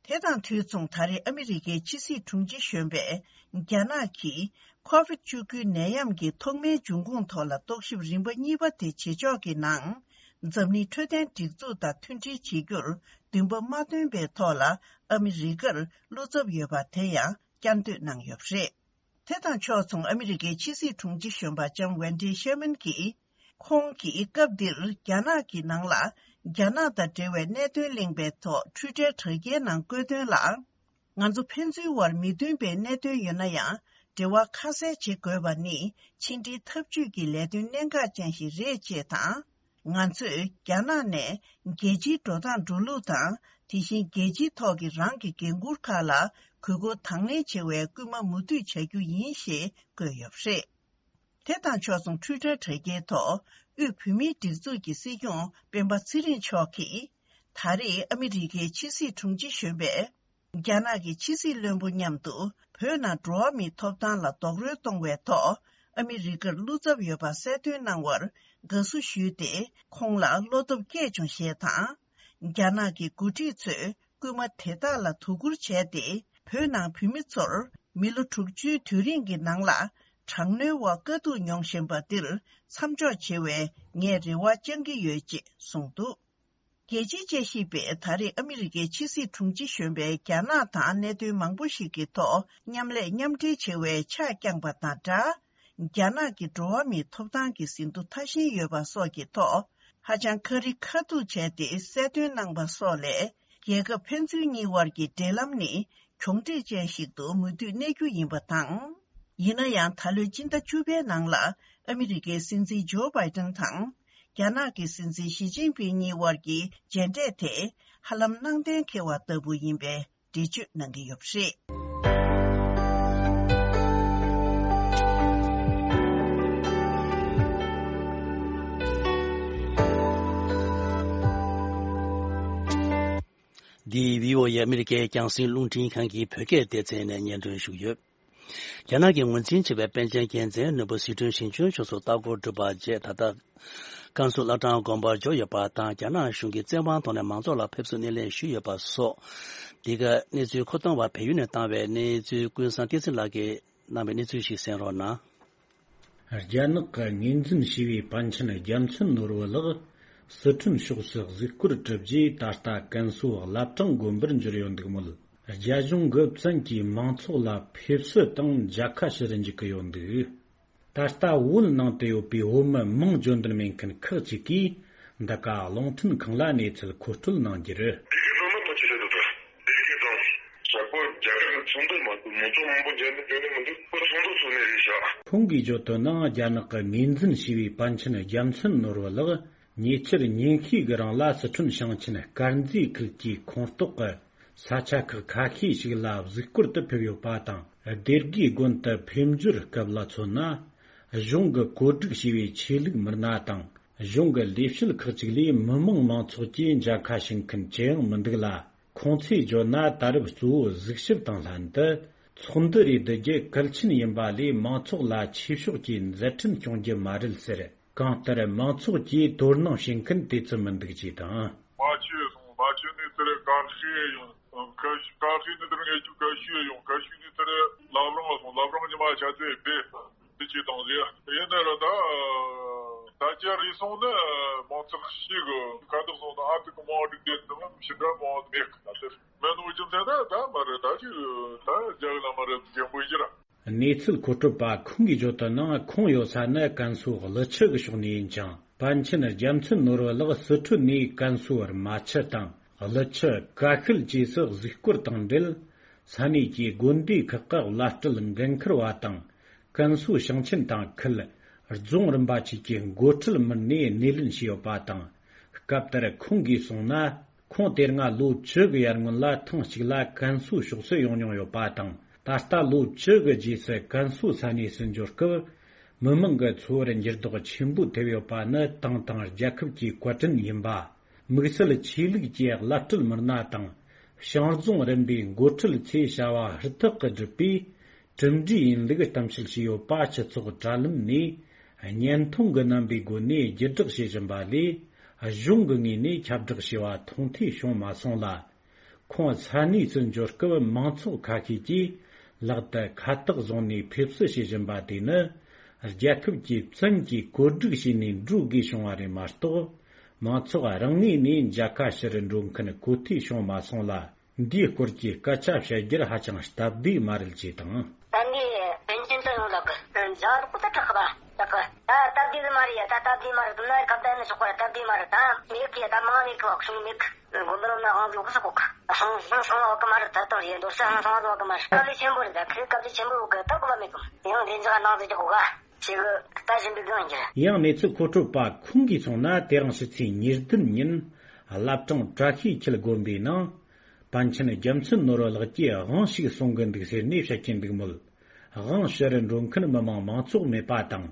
དེ་དང་དུས་མཚུངས། ད་རེས་ཨ་མི་རི་ཀའི་ཕྱི་སྲིད་དྲུང་ཆེ་གཞོན་པས་རྒྱ་ནག་གིས་ཁོ་ཝིད་བཅུ་དགུ་ནད་ཡམས་ཀྱི་ཐོག་མའི་འབྱུང་ཁུངས་ཐོག་ལ་རྟོག་ཞིབ་རིམ་པ་གཉིས་པ་དེ་བྱེད་ཕྱོགས་ཀྱི་ནང་། འཛམ་གླིང་འཕྲོད་བསྟེན་སྒྲིག་འཛུགས་དང་མཐུན་སྒྲིལ་བྱེད་རྒྱུར་འདུན་པ་མ་བཏོན་པའི་ཐོག་ལ་ཨ་མི་རི་ཀར་བློ་འཚབ་ཡོད་པ་དེ་ཡང་བསྐྱར་ཟློས་གནང་ཡོད་པ་རེད། དེ་དང་ཕྱོགས་མཚུངས། ཨ་མི་རི་ཀའི་ཕྱི་སྲིད་དྲུང་ཆེ་གཞོན་པ་ལྕམ་ཝན་ཌི་ཤེར་མན་གྱིས། ཁོང་གིས་སྐབས་འདིར་རྒྱ་ནག་གི་ནང་ལ་རྒྱ་ནག་དང་འབྲེལ་བའི་གནད་དོན་གླེང་པའི་ཐོག་ཊུའི་ཊར་དྲ་རྒྱའི་ནང་བཀོད་དོན་ལ། ང་ཚོ་ཕན་ཚུན་དབར་མི་མཐུན་པའི་གནད་དོན་ཡོད་ན་ཡང་། འབྲེལ་བ་ཁ་གསལ་བྱེད་དགོས་པ་ནི་ཕྱི་འབྲེལ་འཐབ་ཇུས་ཀྱི་ལས་དོན་གནད་འགག་ཅན་ཞིག་རེད་ཅེས་དང་། ང་ཚོས་རྒྱ་ནག་ནས་རྒྱལ་སྤྱིའི་འགྲོ་སྟངས་འགྲོ་ལུགས་དང་། དེ་བཞིན་རྒྱལ་སྤྱིའི་ཐོག་གི་རང་གི་འགན་འཁུར་ཁག་ལ་གུས་བཀུར་དང་ལེན་བྱེད་པའི་སྐུལ་མ་མུ་མཐུད་བྱ་རྒྱུ་ཡིན་ཞེས་བཀོད་ཡོད་པ་རེད། དེ་དང་ཕྱོགས་མཚུངས། ཊུའི་ཊར་དྲ་རྒྱའི་ཐོག་དབུས་བོད་མིའི་སྒྲིག་འཛུགས་ཀྱི་སྲིད་སྐྱོང་སྤེན་པ་ཚེ་རིང་མཆོག་གིས། ད་རེས་ཨ་མི་རི་ཀའི་ཕྱི་སྲིད་དྲུང་ཆེ་གཞོན་པས། རྒྱ་ནག་གི་ཕྱི་སྲིད་བློན་པོ་མཉམ་དུ་བོད་ནང་འགྲོ་བ་མིའི་ཐོབ་ཐང་ལ་རྡོག་རོལ་གཏོང་བའི་ཐོག་ཨ་མི་རི་ཀར་བློ་འཚབ་ཡོད་པ་གསལ་སྟོན་གནང་བར་དགའ་བསུ་ཞུས་ཏེ། ཁོང་ལ་བློ་སྟོབས་སྐྱེས་བྱུང་ཞེས་དང་། རྒྱ་ནག་གི་འགོ་ཁྲིད་ཚོས་སྐུལ་མ་དེ་དག་ལ་དོ་ཁུར་བྱས་ཏེ། བོད་ནང་བོད་མི་ཚོར་མི་ལོ་དྲུག་ཅུའི་དུས་རིང་གི་ནང་ལ་དྲག་གནོན་འོག་དཀའ་སྡུག་མྱོང་བཞིན་པ་འདིར་མཚམས་འཇོག་བྱེད་པའི་ངས་རེ་བ་བཅང་གི་ཡོད་ཅེས་གསུངས་འདུག་རྒྱལ་སྤྱིའི་དཔྱད་ཞིབ་པས་ད་རེས་ཨ་མི་རི་ཀའི་ཕྱི་སྲིད་དྲུང་ཆེ་གཞོན་པས་རྒྱ་ནག་དང་གནད་དོན་མང་པོ་ཞིག་གི་ཐོག་མཉམ་ལས་མཉམ་འབྲེལ་བྱེད་པའི་ཕྱག་བརྐྱངས་པ་དང་སྦྲགས། རྒྱ་ནག་གི་འགྲོ་བ་མིའི་ཐོབ་ཐང་གི་ཟིན་ཐོ་མཐའ་ཞེན་ཡོད་པ་སོགས་ཀྱི་ཐོག་ཧ་ཅང་ཁ་རི་ཁ་ཐུག་བྱས་ཏེ་གསལ་སྟོན་གནང་པ་སོགས་ལས། རྒྱལ་ཁབ་ཕན་ཚུན་གཉིས་དབར་གྱི་འབྲེལ་ལམ་ནི་གྱོང་འདྲེས་ཅན་ཞིག་ཏུ་མུ་མཐུད་གནས་རྒྱུ་ཡིན་པ་དང་། ཡིན་ན་ཡང་། ད་ལོའི་སྤྱི་ཟླ་བཅུ་པའི་ནང་ལ་ཨ་མི་རི་ཀའི་སྲིད་འཛིན་ཇོ་བྷའི་ཏན་དང་། རྒྱ་ནག་གི་སྲིད་འཛིན་ཞི་ཅིན་ཕིང་གཉིས་དབར་གྱི་མཇལ་འཕྲད་དེ་ཧ་ལམ་གནང་གཏན་འཁེལ་བ་ལྟ་བུ་ཡིན་པའི་འགྲེལ་བརྗོད་གནང་གི་ཡོད་པ་རེད། འདི་བྷི་ཨོ་ཨེ་ཨ་མི་རི་ཀའི་རྒྱང་སྲིང་རླུང་འཕྲིན་ཁང་གི་བོད་སྐད་སྡེ་ཚན་ནས་སྙན་སྒྲོན་ཞུས་ཡོད། རྒྱ་ནག་གི་ངོས་འཛིན་བྱས་པའི་པཎ་ཆེན་རྒྱལ་མཚན་ནོར་བུ་ཟི་ཁྲོན་ཞིང་ཆེན་ཕྱོགས་སུ་ལྟ་སྐོར་གྲུབ་པ་རྗེས། ད་ལྟ་ཀན་སུའུ་བླ་བྲང་དགོན་པར་འབྱོར་ཡོད་པ་དང་། རྒྱ་ནག་གཞུང་གིས་བཙན་དབང་ཐོག་ནས་མང་ཚོགས་ལ་ཕེབས་བསུ་སྣེ་ལེན་ཞུས་ཡོད་པ་སོགས། འདི་ག་གནས་ཚུལ་མཁོ་གཏོང་བར་བལ་ཡུལ་ནས་བཏང་བའི་གནས་ཚུལ། ཀུན་བཟང་བསྟན་འཛིན་ལགས་ཀྱིས་གནང་བའི་གནས་ཚུལ་ཞིག་གསན་རོགས་གནང་། རྒྱ་ནག་གི་ངོས་འཛིན་བྱས་པའི་པཎ་ཆེན་རྒྱལ་མཚན་ནོར་བུ་ལགས་སི་ཁྲོན་ཕྱོགས་སུ་གཟིགས་སྐོར་གྲུབ་རྗེས། ད་ལྟ་ཀན་སུའུ་བླ་བྲང་དགོན་པར་འབྱོར་ཡོད་འདུག་མོད། རྒྱ་གཞུང་གིས་བཙན་གྱིས་མང་ཚོགས་ལ་ཕེབས་བསུ་དང་མཇལ་ཁ་ཞུ་རུ་འཇུག་གི་ཡོད་འདུག་ད་ལྟ་བོད་ནང་དུ་ཡོད་པའི་བོད་མི་མིང་བརྗོད་འདོད་མེད་མཁན་ཁག་ཅིག་གིས་འདི་ག་རླུང་འཕྲིན་ཁང་ལ་གནས་ཚུལ་མཁོ་སྤྲོད་གནང་རྒྱུར། སྡེ་དགེ་རྫོང་ནི་ཕལ་ཆེར་རེད་འདུག་ད། སྡེ་དགེ་རྫོང་། ཞག་པོ་རྒྱ་གར་ནས་ཚོགས་འདུ་མ་གཏོགས་མང་ཚོགས་མང་པོ་མཇལ་འདོད་འཇོན་ནི་མི་འདུག་ཁོ་ཚོགས་འདུ་ཚོགས་ནས་རེད་ཤག་ཁོང་གིས་བརྗོད་དོན་ནང་། རྒྱ་ནག་གི་ངོས་འཛིན་བྱས་པའི་པཎ་ཆེན་རྒྱལ་མཚན་ནོར་བུ་ལགས་ཉེ་ཆར་ཉིན་ཤས་ཀྱི་རིང་ལ་སི་ཁྲོན་ཞིང་ཆེན་དཀར་མཛེས་ཁུལ་གྱི་ཁོངས་གཏོགས་ཀྱི་ས་ཆ་ཁག་ཁ་ཤས་ཤིག་ལ་གཟིགས་སྐོར་དུ་ཕེབས་ཡོད་པ་དང་། སྡེ་དགེ་དགོན་དུ་ཕེབས་འབྱོར་སྐབས་ལ་མཚོན་ན། གཞུང་གིས་བཀོད་སྒྲིག་བྱས་པའི་ཆོས་ལུགས་མི་སྣ་དང་། གཞུང་གི་ལས་བྱེད་ཁག་ཅིག་ལས་མི་མང་མང་ཚོགས་ཀྱིས་མཇལ་ཁ་ཞུ་མཁན་ཅི་ཡང་མི་འདུག་ལ། ཁོང་ཚོས་བརྗོད་ན། ད་རེབ་གཙོ་བོ་གཟིགས་ཞིབ་དང་ལྷན་དུ་ཚོགས་འདུ་རེ་བསྡུ་རྒྱུ་གལ་ཆེན་ཡིན་པ་ལས། མང་ཚོགས་ལ་ཆོས་ཕྱོགས་ཀྱི་མཛད་འཕྲིན་སྐྱོང་རྒྱུ་མ་རེད་ཟེར། གང་ལྟར་མང་ཚོགས་ཀྱིས་དོ་སྣང་བྱེད་མཁན་དེ་ཙམ་མི་འདུག་ཅེས་དང་། མ་ཆོས་སོང་། མ་ཆོས་ནས་དེར་གར་ཤི་ཡོང་། གར་ཤི་གར་ཤི་ནས་དེར་ངེད་ཀྱི་གར་ཤི་ཡོང་། གར་ཤི་ནས་དེར་ལབ་རང་ལ་སོང་། ལབ་རང་ཉི་མ་ཆ་ཚེ་བེ་དེ་ཅི་དང་ཟེར། ཡིན་ན་ར་ད་ད་ཅི་རེད་སོང་ན་མང་ཚོགས་ཤིག་གི་ཁ་ཐུག་སོང་ན་ཨ་ཐུག་གི་མང་སྒྲིག་དེ་དང་ཞི་འདྲ་མང་མེད་གི། ད་དེར་མེད་ནོ་རྒྱུ་མཚན་ད་ད་མ་རེད། ད་ཅི་ད་རྒྱ་གི་ལ་མ་རེད། རྒན་པོ་ཡིན་ར། གནས་ཚུལ་མཁོ་སྤྲོད་པ་ཁོང་གིས་བརྗོད་དོན་ནང་། ཁོང་ཡོད་ས་ནི་ཀན་སུའུ་ཀླུ་ཆུ་གི་ཕྱོགས་ནས་ཡིན་ཅིང་། པཎ་ཆེན་རྒྱལ་མཚན་ནོར་བུ་ལགས་སི་ཁྲོན་ནས་ཀན་སུའུ་རྨ་ཆུ་དང་ཀླུ་ཆུ་ཀ་ཤུལ་བཅས་སུ་གཟིགས་སྐོར་དང་འབྲེལ། ས་གནས་ཀྱི་དགོན་སྡེ་ཁག་གི་བླ་སྤྲུལ་འགན་འཁུར་བ་དང་། ཀན་སུའུ་ཞིང་ཆེན་དང་ཁུལ་རྫོང་རིམ་པ་བཅས་ཀྱི་འགོ་ཁྲིད་མི་སྣས་སྣེ་ལེན་བྱས་ཡོད་པ་དང་། སྐབས་དེར་ཁོང་གིས་གསུངས་ན། ཁོང་དེ་སྔ་ལོ་བཅུ་གི་ཡར་སྔོན་ལ་ཐེངས་གཅིག་ལ་ཀན་སུའུ་ཕྱོགས་སུ་ཡོང་མྱོང་ཡོད་པ་དང་། ད་ལྟ་ལོ་བཅུ་གི་རྗེས་སུ་ཀན་སུའུ་ས་གནས་སུ་འབྱོར་སྐབས། མི་མང་གི་འཚོ་བར་འགྱུར་ལྡོག་ཆེན་པོ་ཐེབས་ཡོད་པ་ནི་ཏང་དང་རྒྱལ་ཁབ་ཀྱི་བཀའ་དྲིན་ཡིན་པ། དམིགས་བསལ་ཆོས་ལུགས་ཀྱི་བླ་སྤྲུལ་མི་སྣ་དང་། ཞང་རྫོང་རིམ་པའི་འགོ་ཁྲིད་ཚོས་བྱ་བ་ཧུར་ཐག་གིས་བསྒྲུབས་པས། གྲུབ་འབྲས་ཡིན་ལུགས་གཏམ་བཤད་བྱས་ཡོད་པ་སྤྱི་ཚོགས་དྲ་ལམ་ནས་བརྙན་ཐུང་གི་རྣམ་པའི་སྒོ་ནས་བརྒྱུད་བསྒྲགས་བྱེད་བཞིན་པ་ལས། གཞུང་གི་ངོས་ནས་ཁྱབ་བསྒྲགས་བྱས་པ་མཐོང་ཐོས་བྱུང་མ་སོང་ལ། ཁོང་ས་གནས་སུ་འབྱོར་སྐབས་མང་ཚོགས་ཁ་ཤས་ཀྱིས་ལག་ཏུ་ཁ་བཏགས་བཟུང་ནས་ཕེབས་བསུ་བྱེད་བཞིན་པ་དེ་ནི། རྒྱལ་ཁབ་ཀྱི་བཙན་གྱིས་བཀོད་སྒྲིག་བྱས་ནས་འགྲོ་དགོས་བྱུང་བ་རེད་མ་གཏོགས། མང་ཚོགས་རང་ངོས་ནས་མཇལ་ཁ་ཞུ་རུ་འགྲོ་མཁན་གོ་ཐོས་བྱུང་མ་སོང་ལ། འདིའི་སྐོར་གྱི་སྐད་ཆ་བཤད་རྒྱུར་ཧ་ཅང་སྟབས་བདེ་མ་རེད་ཅེས་དང་། ད་འདི་པཎ་ཆེན་དུ་ཡོང་ལ་གི་མཇལ་རོགས་ད་དྲག་གི་ད་དྲག་གི་ད་སྟབས་བདེ་གི་མ་རེད་ཡ། ད་སྟབས་བདེ་མ་རེད། དུ་ན་ཁ་བརྡ་ནི་ཆོག་པ་སྟབས་བདེ་མ་རེད། ད་མེད་གི་ད་མང་མེད་གི་བ་གསུང་མེད་གི་དགོན་པ་རོ་ན་དབང་དུ་གི་ས་གོ་གི་སང་སང་སང་བ་གི་མ་རེད། ད་དོ་ཡེ་འདོར་ས་སང་སང་བ་གི་མ་རེད། སྐབས་ལས་ཆེན་པོ་རེད། ད་ཁི་སྐབས་ལས་ཆེན་པོ་གི་ད་གོ་བ་མེད་གི་ཡང་དེ་འཇག་ནང་དུ་རྒྱག་གོ་ག་ཞེ་གི་ད་བཞིན་པའི་སྒང་རྒྱུ། ཡང་གནས་ཚུལ་མཁོ་སྤྲོད་པ་ཁོང་གིས་གསུངས་ན། དེ་རིང་ཕྱི་ཚེས་ཉེར་བདུན་ཉིན་བླ་བྲང་བཀྲ་ཤིས་འཁྱིལ་དགོན་པའི་ནང་པཎ་ཆེན་རྒྱལ་མཚན་ནོར་བུ་ལགས་ཀྱིས་དབང་ཞིག་གསུང་གི་འདུག་ཟེར་ནས་བཤད་ཀྱིན་འདུག་མོད། དབང་ཞུ་རུ་འགྲོ་མཁན་མི་མང་མང་ཚོགས་མེད་པ་དང་།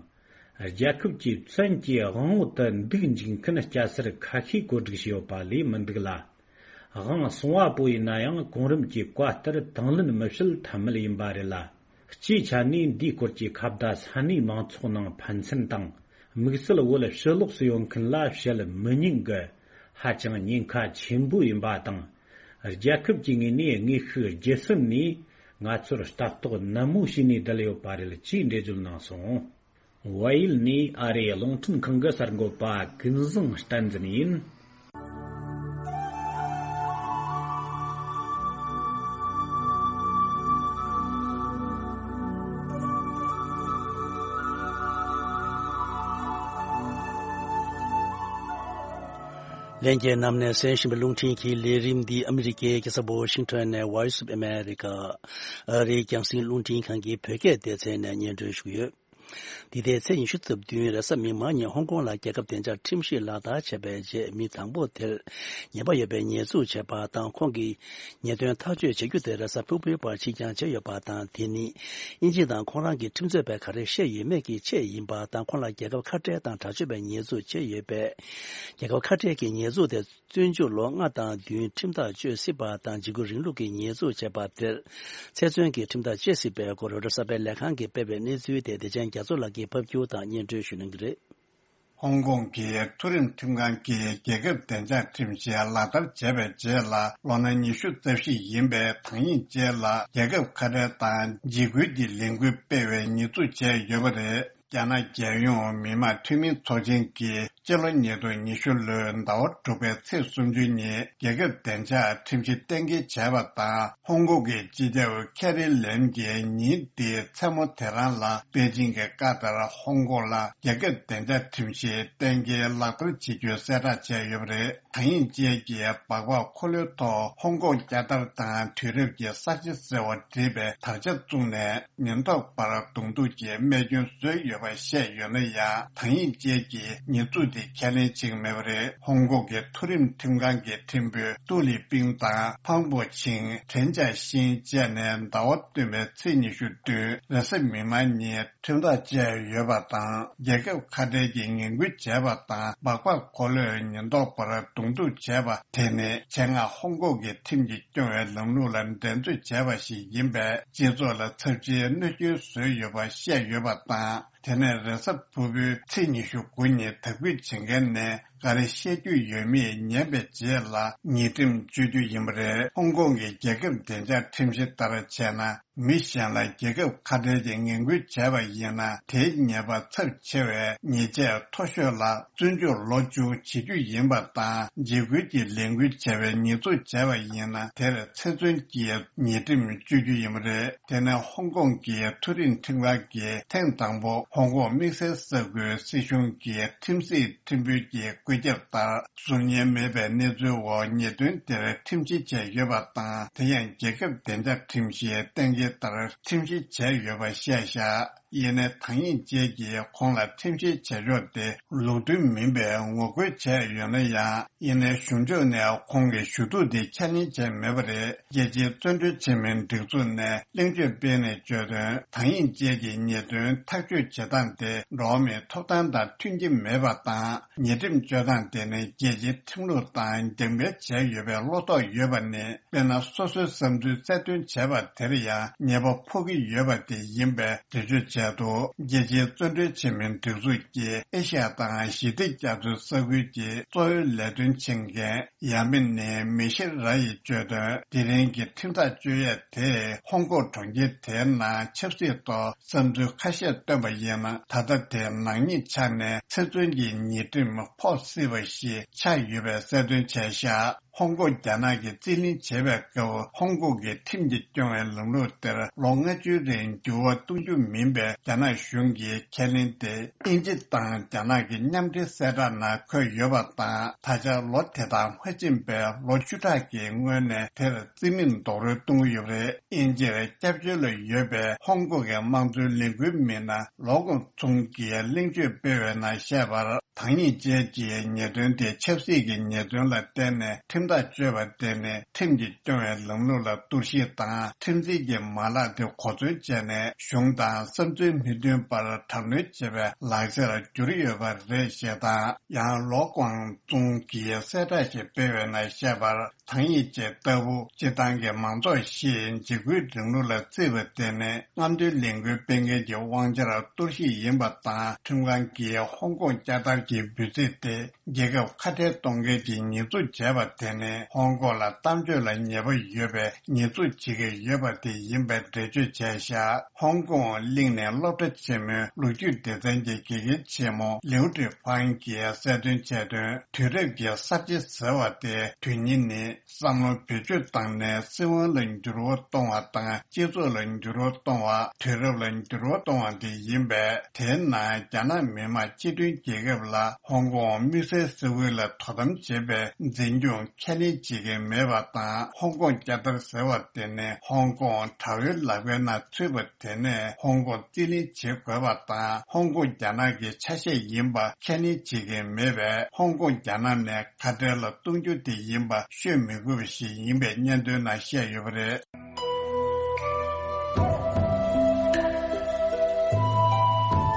རྒྱལ་ཁབ་ཀྱི་བཙན་གྱི་དབང་འོག་ཏུ་འདུག་འཇུག་མཁན་སྐྱ་སེར་ཁ་ཤས་བཀོད་སྒྲིག་བྱས་ཡོད་པ་ལས་མི་འདུག་ལ། དབང་སོང་བ་པོ་ཡིན་ན་ཡང་གོང་རིམ་གྱི་བཀའ་ལྟར་དང་ལེན་མི་བྱེད་ཐབས་མེད་ཡིན་པ་རེད་ལ། སྤྱིའི་ཆ་ནས་འདིའི་སྐོར་གྱི་ཁ་བརྡ་ས་གནས་མང་ཚོགས་ནང་ཕན་ཚུན་དང་དམིགས་བསལ་བོད་ཕྱི་ལོགས་སུ་ཡོད་མཁན་ལ་བཤད་མི་ཉན་གི་ཧ་ཅང་ཉེན་ཁ་ཆེན་པོ་ཡིན་པ་དང་། རྒྱལ་ཁབ་ཀྱི་ངོས་ནས་དངོས་ཤུགས་བརྒྱུད་གསུམ་ནས་ང་ཚོར་ལྟ་རྟོག་ནན་མོ་བྱས་ནས་བསྡད་ཡོད་པ་རེད་ཅེས་འགྲེལ་བརྗོད་གནང་སོང་། ཝཱ་ཡིལ་ནས་ཨ་རིའི་རླུང་འཕྲིན་ཁང་གི་གསར་འགོད་པ་ཀུན་བཟང་བསྟན་འཛིན་ཡིན། ལྷན་རྒྱས་རྣམས་ནས་གསན་བཞིན་པའི་རླུང་འཕྲིན་གྱི་ལས་རིམ་འདི་ཨ་མི་རི་ཀའི་རྒྱལ་ས་ཝ་ཤིང་ཊོན་ནས་Voice of America ཨ་རིའི་རྒྱང་སྲིང་རླུང་འཕྲིན་ཁང་གི་བོད་སྐད་སྡེ་ཚན་ནས་སྙན་སྒྲོན་ཞུ་གི་ཡོད། འདི་ཟླའི་ཚེས་ཉི་ཤུ་རྩ་བདུན་རེས་གཟའ་མིག་དམར་ཉིན་ཧོང་ཀོང་ལ་རྒྱལ་ཁབ་བདེ་འཇགས་ཁྲིམས་གཞི་ལག་བསྟར་བྱས་པའི་རྗེས་མི་དང་པོ་དེར་ཉེས་པ་ཡོད་པའི་ཉེས་འཛུགས་བྱས་པ་དང་། ཁོང་གིས་ཉེས་དོན་ཐག་གཅོད་བྱེད་རྒྱུ་དེ་རེས་གཟའ་ཕུར་བུའི་བར་ཕྱིར་འགྱངས་བྱས་ཡོད་པ་དང་། དེ་ནི་དབྱིན་ཇི་དང་ཁོང་རང་གི་ཁྲིམས་རྩོད་པས་ག་རེ་བཤད་ཡོད་མེད་ཀྱི་ཆེད་ཡིན་པ་དང་། ཁོང་ལ་རྒྱལ་ཁབ་ཁ་བྲལ་དང་དྲག་སྤྱོད་པའི་ཉེས་འཛུགས་བྱས་ཡོད་པས། རྒྱལ་ཁབ་ཁ་བྲལ་གྱི་ཉེས་འཛུགས་དེ། བཙོན་འཇུག་ལོ་ལྔ་དང་བདུན། ཁྲིམས་ཐག་གཅོད་སྲིད་པ་དང་འཇིགས་སྐུལ་རིང་ལུགས་ཀྱི་ཉེས་འཛུགས་བྱས་པ་དེར་ཚེ་བཙོན་གྱི་ཁྲིམས་ཐག་བཅད་སྲིད་པའི་སྐོར་རོའི་ཊར་གསར་པའི་ལས་ཁང་གིས་སྤེལ་བའི་གནས་ཚུལ་དེ་བདེ་ཆེན་རྒྱ་མཚོ་ལགས་ཀྱིས་ཕབ་སྒྱུར་དང་སྙན་སྒྲོན་ཞུ་གནང་གི་རེད། ཧོང་ཀོང་གི་མཐོ་རིམ་ཁྲིམས་ཁང་གིས་རྒྱལ་ཁབ་བདེ་འཇགས་ཁྲིམས་གཞི་ལག་བསྟར་བྱས་པའི་རྗེས་ལ། ལོ་ན་ཉི་ཤུ་རྩ་བཞི་ཡིན་པའི་དང་ཡིན་ཅེ་ལ་རྒྱལ་ཁབ་ཁ་བྲལ་དང་འཇིགས་སྐུལ་གྱི་ལས་འགུལ་སྤེལ་བའི་ཉེས་འཛུགས་བྱས་ཡོད་པ་རེད། རྒྱ་ནག་རྒྱལ་ཡོངས་མི་དམངས་འཐུས་མིའི་ཚོགས་ཆེན་གྱིས་སྤྱི་ལོ་ཉིས་སྟོང་ཉི་ཤུ་ལོའི་ཟླ་བ་དྲུག་པའི་ཚེས་སུམ་ཅུ་ཉིན་རྒྱལ་ཁབ་བདེ་འཇགས་ཁྲིམས་གཞི་གཏན་འཁེལ་བྱས་པ་དང་། ཧོང་ཀོང་གི་སྤྱི་ཁྱབ་ཁེ་རི་ལེམ་གྱིས་ཉིན་འདིའི་མཚན་མོ་དེ་རང་ལ་པེ་ཅིང་གི་བཀའ་ལྟར་ཧོང་ཀོང་ལ་རྒྱལ་ཁབ་བདེ་འཇགས་ཁྲིམས་གཞི་གཏན་འཁེལ་ལག་བསྟར་བྱེད་རྒྱུའི་གསལ་བསྒྲགས་བྱས་ཡོད་པ་རེད། དང་ཡིན་ཅེ་གིས་སྦག་སྦག་འཁོར་ལོའི་ཐོག་ཧོང་ཀོང་རྒྱལ་དར་དང་དུས་རབས་ཀྱི་ས་བྱི་ཟེར་བ་བྲིས་པའི་དར་ཆ་བཙུགས་ནས། ཉེན་རྟོག་པར་གདོང་ཐུག་གི་རྨས་སྐྱོན་བཟོས་ཡོད་པ་བཤད་ཡོད་ན་ཡང་། དང་ཡིན་ཅེ་གིས་ཉེས་འཛུགས་དེ་ཁས་ལེན་བྱེད་ཀྱི་མེད་པ་རེད། ཧོང་ཀོང་གི་མཐོ་རིམ་ཁྲིམས་ཁང་གི་ཁྲིམས་དཔོན་ཏུའུ་ལི་པིང་དང་ཕང་པོ་ཆིང་། ཁྲེན་ཅཱ་ཤིང་བཅས་ནས་ཟླ་བ་སྟོན་པའི་ཚེས་ཉི་ཤུ་བདུན་རེས་གཟའ་མིག་དམར་ཉིན་ཁྲིམས་ཐག་བཅད་ཡོད་པ་དང་། རྒྱལ་ཁབ་ཁ་བྲལ་གྱི་ངན་སྐུལ་བྱས་པ་དང་། སྦག་སྦག་འཁོར་ལོས་ཉེན་རྟོག་པར་གདོང་ཐུག་བྱས་པ་དེ་ནི་ཆེད་མངགས་ཧོང་ཀོང་གི་ཁྲིམས་ཀྱིས་སྐྱོང་བའི་ལམ་ལུགས་ལ་འགྲན་རྩོད་བྱས་པ་ཞིག་ཡིན་པས། སྤྱི་ཚོགས་ལ་ཚབས་ཆེའི་གནོད་སྐྱོན་བཟོས་ཡོད་པ་བཤད་ཡོད་པ་དང་། དེ་ནས་རེས་གཟའ་ཕུར་བུའི་ཚེས་ཉི་ཤུ་དགུ་ཉིན་དག་འབུད་བྱེད་མཁན་ནས་ག་རེ་བཤད་རྒྱུ་ཡོད་མེད་ཉན་པའི་རྗེས་ལ་ཉེས་ཁྲིམས་གཅོད་རྒྱུ་ཡིན་པ་རེད། ཧོང་ཀོང་གི་རྒྱལ་ཁབ་བདེ་འཇགས་ཁྲིམས་གཞི་ལྟར་བྱས་ན། མི་གཞན་ལ་རྒྱལ་ཁབ་ཁ་བྲལ་གྱི་ངན་སྐུལ་བྱས་པ་ཡིན་ན། དེའི་ཉེས་པ་ཚབས་ཆེ་བའི་ཉེས་ཆད་མཐོ་ཤོས་ལ་བཙོན་འཇུག་ལོ་བཅུ་བྱེད་རྒྱུ་ཡིན་པ་དང་། འཇིགས་སྐུལ་གྱི་ལས་འགུལ་བྱས་པའི་ཉེས་འཛུགས་བྱས་པ་ཡིན་ན། དེར་ཚེ་བཙོན་གྱི་ཉེས་ཁྲིམས་གཅོད་རྒྱུ་ཡིན་པ་རེད། དེ་ནས་ཧོང་ཀོང་གི་མཐོ་རིམ་ཁྲིམས་ཁང་གིས་ཐེངས་དང་པོ་ཧོང་ཀོང་དམིགས་བསལ་ས་ཁུལ་སྲིད་གཞུང་གི་ཁྲིམས་སྲིད་ཁྲིམས་དཔོན་གྱི་བཀོད་ཁྱབ་ལྟར། གཟུགས་བརྙན་མེད་པའི་གནས་ཚུལ་འོག་ཉེས་དོན་དེར་ཁྲིམས་བཤེར་བྱས་ཡོད་པ་དང་། དེ་ཡང་རྒྱལ་ཁབ་བདེ་འཇགས་ཁྲིམས་གཞིའི་གཏན་འཁེལ་ལྟར་ཁྲིམས་བཤེར་བྱས་ཡོད་པ་བཤད་བཞག་ཡིན་ནའི་དང་ཡིན་ཅེ་གིས་ཁོང་ལ་ཁྲིམས་བཤེར་བྱེད་ཕྱོགས་དེ་ལུགས་མཐུན་མིན་པའི་ངོ་རྒོལ་བྱས་ཡོད་ན་ཡང་། ཡིན་ནའི་གཞུང་ཕྱོགས་ནས་ཁོང་གི་ཞུ་གཏུག་དེ་ཁས་ལེན་བྱས་མེད་པ་རེད། རྒྱལ་སྤྱིའི་བཙོན་གྲོལ་ཆེན་མོའི་སྒྲིག་འཛུགས་ནས་གླེང་བརྗོད་སྤེལ་ནས་བརྗོད་དོན། དང་ཡིན་ཅེ་གིས་ཉེས་དོན་ཐག་གཅོད་ བྱེད་སྟངས་དེ་འགྲོ་བ་མིའི་ཐོབ་ཐང་དང་མཐུན་གྱི་མེད་པ་དང་། ཉེས་ཁྲིམས་གཅོད་སྟངས་དེ་ནི་རྒྱལ་སྤྱིའི་ཁྲིམས་ལུགས་དང་འགལ་འབྲེལ་བྱས་ཡོད་པའི་བློ་དོགས་ཡོད་པ་ནི། དཔེར་ན། སོ་སོའི་བསམ་ཚུལ་གསལ་སྟོན་བྱས་པ་དེར་ཡང་ཉེས་པ་ཕོག་གི་ཡོད་པ་དེ་ཡིན་པའི་འགྲེལ་བརྗོད་བྱས་འདུག་རྒྱལ་སྤྱིའི་བཙོན་གྲོལ་བྱེད་མིའི་སྒྲིག་འཛུགས་ཀྱིས་ཨེ་ཤ་ཡ་དང་ཞི་བདེ་རྒྱ་མཚོའི་ས་ཁུལ་གྱི་གཙོ་བོའི་ལས་དོན་བྱེད་མཁན་ཡ་མི་ནི་མི་ཤེ་ར་ཡིས་བརྗོད་དོན། དེ་རིང་གི་ཁྲིམས་ཐག་གཅོད་ཡས་དེས་ཧོང་ཀོང་གྲོང་ཁྱེར་དེའི་ནང་ཆབ་སྲིད་ཐོག་བསམ་ཚུལ་ཁ་ཤས་བཏོན་པ་ཡིན་ན། ད་ལྟ་དེ་ནག་ཉེས་ཆ་ནས་ཚེ་བཙོན་གྱི་ཉེས་ཁྲིམས་ཕོག་སྲིད་པ་ཞིག་ཆགས་ཡོད་པའི་གསལ་སྟོན་བྱས་བཞག་ཧོང་ཀོང་རྒྱ་ནག་གིས་རྩིས་ལེན་བྱེད་པའི་སྐབས། ཧོང་ཀོང་གི་ཁྲིམས་ཀྱིས་སྐྱོང་བའི་ལམ་ལུགས་དེར་ལོ་ལྔ་བཅུའི་རིང་འགྱུར་བ་གཏོང་རྒྱུ་མིན་པའི་རྒྱ་ནག་གཞུང་གི་ཁས་ལེན་དེ། དབྱིན་ཇི་དང་རྒྱ་ནག་གི་མཉམ་འབྲེལ་གསལ་བསྒྲགས་ནང་འཁོད་ཡོད་པ་དང་། ད་ཆ་ལོ་དེ་དང་མ་ཕྱིན་པའི་ལོ་བཅུ་ཕྲག་གི་སྔོན་ནས་དེར་རྩིས་མེད་རྡོག་རོལ་གཏོང་གི་ཡོད་པ་རེད། དབྱིན་ཇིར་སྐྱབས་བཅོལ་ལ་ཡོད་པའི་ཧོང་ཀོང་གི་དམངས་གཙོའི་ལས་འགུལ་མི་སྣ་ལོ་ཀོང་ཙུང་གིས་གླེང་བརྗོད་སྤེལ་བའི་ནང་བཤད་པར། ཐང་ཡིག་ཅན་གྱི་ཉེས་དོན་དེ་ཆབ་སྲིད་ཀྱི་ཉེས་དོན་ལ་བརྟེན་ནས་ཁྲིམས་ཐག་གཅོད་པ་དེ་ནི་ཁྲིམས་ཀྱིས་སྐྱོང་བའི་ལམ་ལུགས་ལ་གཏོར་བཤིག་དང་། ཁྲིམས་འཛིན་གྱི་མ་ལག་དེ་གོ་མཚོན་བྱས་ནས་གཞུང་དང་བསམ་ཚུལ་མི་མཐུན་པར་དྲག་གནོན་བྱེད་པའི་ལག་ཆར་གྱུར་ཡོད་པ་རེད་ཞེས་དང་། ཡང་ལོ་ཀོང་ཙུང་གིས་གསལ་བསྒྲགས་ཤིག་སྤེལ་བའི་ནང་བཤད་པར། ཐང་ཡིག་ཅན་ལྟ་བུ་སྤྱིར་བཏང་གི་མང་ཚོགས་ཤིག་འཇིགས་སྐུལ་རིང་ལུགས་ལ་བརྩིས་པ་དེ་ནི་རྔམ་སྟོན་ལས་འགུལ་སྤེལ་མཁན་གྱི་དབང་ཆར་གཏོར་བཤིག་ཡིན་པ་དང་། ཁྲིམས་ཁང་གིས་ཧོང་ཀོང་བསྐྱར་དར་གྱི་འབོད་ཚིག་དེ་རྒྱལ་ཁབ་ཁ་བྲལ་གཏོང་མཁན་གྱི་ཉེས་འཛུགས་བྱས་པ་དེ་ནི་ཧོང་ཀོང་ལ་གཏམ་བརྗོད་ལ་ཉེས་པ་ཡོད་པའི་ཉེས་འཛུགས་བྱེད་ཀྱི་ཡོད་པ་དེ་ཡིན་པའི་འགྲེལ་བརྗོད་བྱས་བཞག་ཧོང་ཀོང་གླིང་ནས་སློབ་གྲྭ་ཆེན་མོའི་ལོ་རྒྱུས་སྡེ་ཚན་གྱི་དགེ་རྒན་ཆེན་མོ་ལིའུ་ཀྲི་ཕང་གིས་གསལ་སྟོན་བྱས་དོན། དུས་རབས་ཀྱི་གསར་བརྗེ་ཟེར་བ་དེ་དོན་སྙིང་ནི། བསམ་བློ་བེད་སྤྱོད་བཏང་ནས་སྲིད་དབང་ལ་འགྱུར་བ་གཏོང་བ་དང་། སྤྱི་ཚོགས་ལ་འགྱུར་བ་གཏོང་བ། དུས་རབས་ལ་འགྱུར་བ་གཏོང་བ་དེ་ཡིན་པས། དེའི་ནང་རྒྱ་ནག་མི་དམངས་སྤྱི་མཐུན་རྒྱལ་ཁབ་ལ་ཧོང་ཀོང་དམིགས་བསལ་སྲིད་དབང་ལ་དོ་དམ་བྱེད་པའི་འཛིན་སྐྱོང་ཁས་ལེན་བྱེད་ཀྱི་མེད་པ་དང་། ཧོང་ཀོང་བསྐྱར་དར་ཟེར་བ་དེ་ནི་ཧོང་ཀོང་དགྲ་བོའི་ལག་པའི་ནང་ཚུད་པ་དེ་ནས་ཧོང་ཀོང་རྩིས་ལེན་བྱེད་དགོས་པ་དང་། ཧོང་ཀོང་རྒྱ་ནག་གི་ཆ་ཤས་ཡིན་པ་ཁས་ལེན་བྱེད་ཀྱི་མེད་པས། ཧོང་ཀོང་རྒྱ་ནག་ནས་ཁ་བྲལ་ལ་གཏོང་རྒྱུ་དེ་ཡིན་པ་ཤོད་མི་དགོས་པ་ཞིག་ཡིན་པའི་སྙན་ཐོའི་ནང་བཤད་ཡོད་པ་རེད།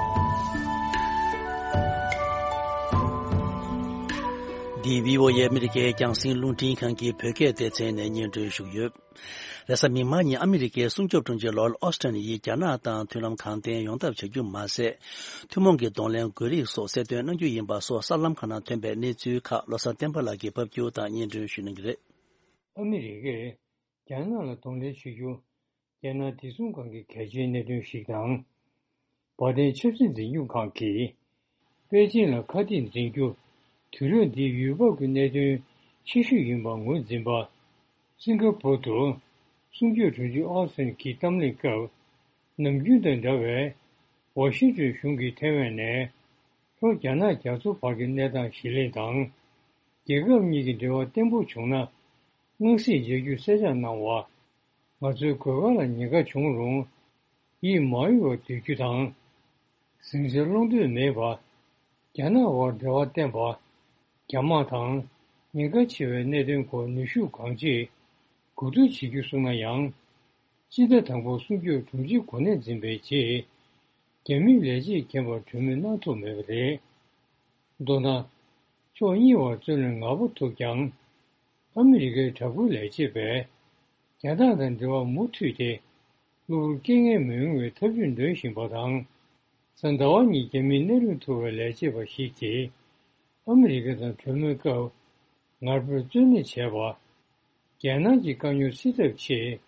འདི་བྷི་ཨོ་ཨེ་ཨ་མི་རི་ཀའི་རྒྱང་སྲིང་རླུང་འཕྲིན་ཁང་གི་བོད་སྐད་སྡེ་ཚན་ནས་སྙན་སྒྲོན་ཞུས་ཡོད། རེས་གཟའ་མིག་དམར་ཉིན་ཨ་མི་རི་ཀའི་སྲུང་སྐྱོབ་དྲུང་ཆེ་ལོར་ཨོ་སི་ཊོན་ཡིས་རྒྱ་ནག་དང་མཐུན་ལམ་གང་བརྟན་ཡོང་ཐབས་བྱ་རྒྱུ་མ་ཟད། ཐུན་མོང་གི་གདོང་ལེན་དགོས་རིགས་སོགས་གསལ་སྟོན་གནང་རྒྱུ་ཡིན་པ་སོགས་གསར་ལམ་ཁག་ནང་ཐོན་པའི་གནས་ཚུལ་ཁག་བློ་བཟང་བསྟན་པ་ལགས་ཀྱིས་ཕབ་སྒྱུར་དང་སྙན་སྒྲོན་ཞུ་གནང་གི་རེད། ཨ་མི་རི་ཀས་རྒྱ་ནག་ལ་གདོང་ལེན་བྱེད་རྒྱུ། རྒྱལ་ནང་བདེ་སྲུང་ཁང་གི་གལ་ཆེའི་གནད་དོན་ཞིག་དང་། བར་ལྡན་ཆབ་སྲིད་འཛིན་སྐྱོང་ཁང་གིས། པེ་ཅིན་ལ་ཁ་གཏད་འཛིན་རྒྱུ། དུས་རབས་འདིའི་ཡུལ་བབ་ཀྱི་གནད་དོན་ཆེ་ཤོས་ཡིན་པར་ངོས་འཛིན་པ། སིང་ག་པུར་དུ། སྲུང་སྐྱོབ་དྲུང་ཆེ་ཨོ་སི་ཊིན་གྱིས་གཏམ་གླེང་སྐབས། ནམ་རྒྱུན་དང་འདྲ་བའི། ཝ་ཤིང་ཏོན་གཞུང་གིས་ཐེ་ཝན་ནས། ལྷོ་རྒྱ་ནག་རྒྱ་མཚོ་བར་གྱི་གནས་སྟངས་གཞི་གླེང་དང་། རྒྱལ་ཁབ་གཉིས་ཀྱི་འབྲེལ་བ་བརྟན་པོ་བྱུང་ན། དམངས་སྲིད་མཇལ་རྒྱུ་གསལ་བསྒྲགས་གནང་བ། ང་ཚོའི་གོས་དཀར་ལ་ཉེན་ཁ་བྱུང་རུང་། ཡིད་མ་གཡོ་བར་སྡོད་རྒྱུ་དང་། ཟིང་ཆ་སློང་འདོད་མེད་པ། རྒྱ་ནག་དབར་འབྲེལ་བ་བརྟན་པ། རྒྱ་དམག་དང་ཉེན་ཁ་ཆེ་བའི་གནད་དོན་སྐོར་ནུས་ཤུགས་གང་ཆེ་གོ་བསྡུར་བྱེད་རྒྱུ་གསུངས་ན་ཡང་། སྤྱི་ཟླ་དང་པོ་སྲུང་སྐྱོབ་དྲུང་ཆེ་གོ་གནས་འཛིན་པའི་རྗེས། རྒྱ་མིའི་ལས་བྱེད་མཁྱེན་པར་གྲོས་མོལ་གནང་ཐུབ་མེད་པ་རེད། མདོར་ན། ཕྱོགས་གཉིས་བར་རྩོད་གླེང་ངར་པོ་ཐུབ་ཀྱང་། ཨ་མི་རི་ཀའི་དྲག་པོའི་ལས་བྱེད་པས། རྒྱ་ནག་དང་འབྲེལ་བ་མུ་མཐུད་དེ། གློ་བུར་སྐྱེ་ངན་མི་ཡོང་བའི་ཐབས་ཇུས་འདོན་བཞིན་པ་དང་། གཟའ་ཟླ་བ་ཉིན་རྒྱ་མིའི་སྣེ་ལེན་ཐུབ་པའི་ལས་བྱེད་པ་ཞིག་གིས། ཨ་མི་རི་ཀ་དང་གྲོས་མོལ་སྐབས། ངར་པོས་རྩོད་གླེང་བྱས་པ། རྒྱལ་ནང་གི་དཀའ་རྙོག་སེལ་ཐབས་ཆེད།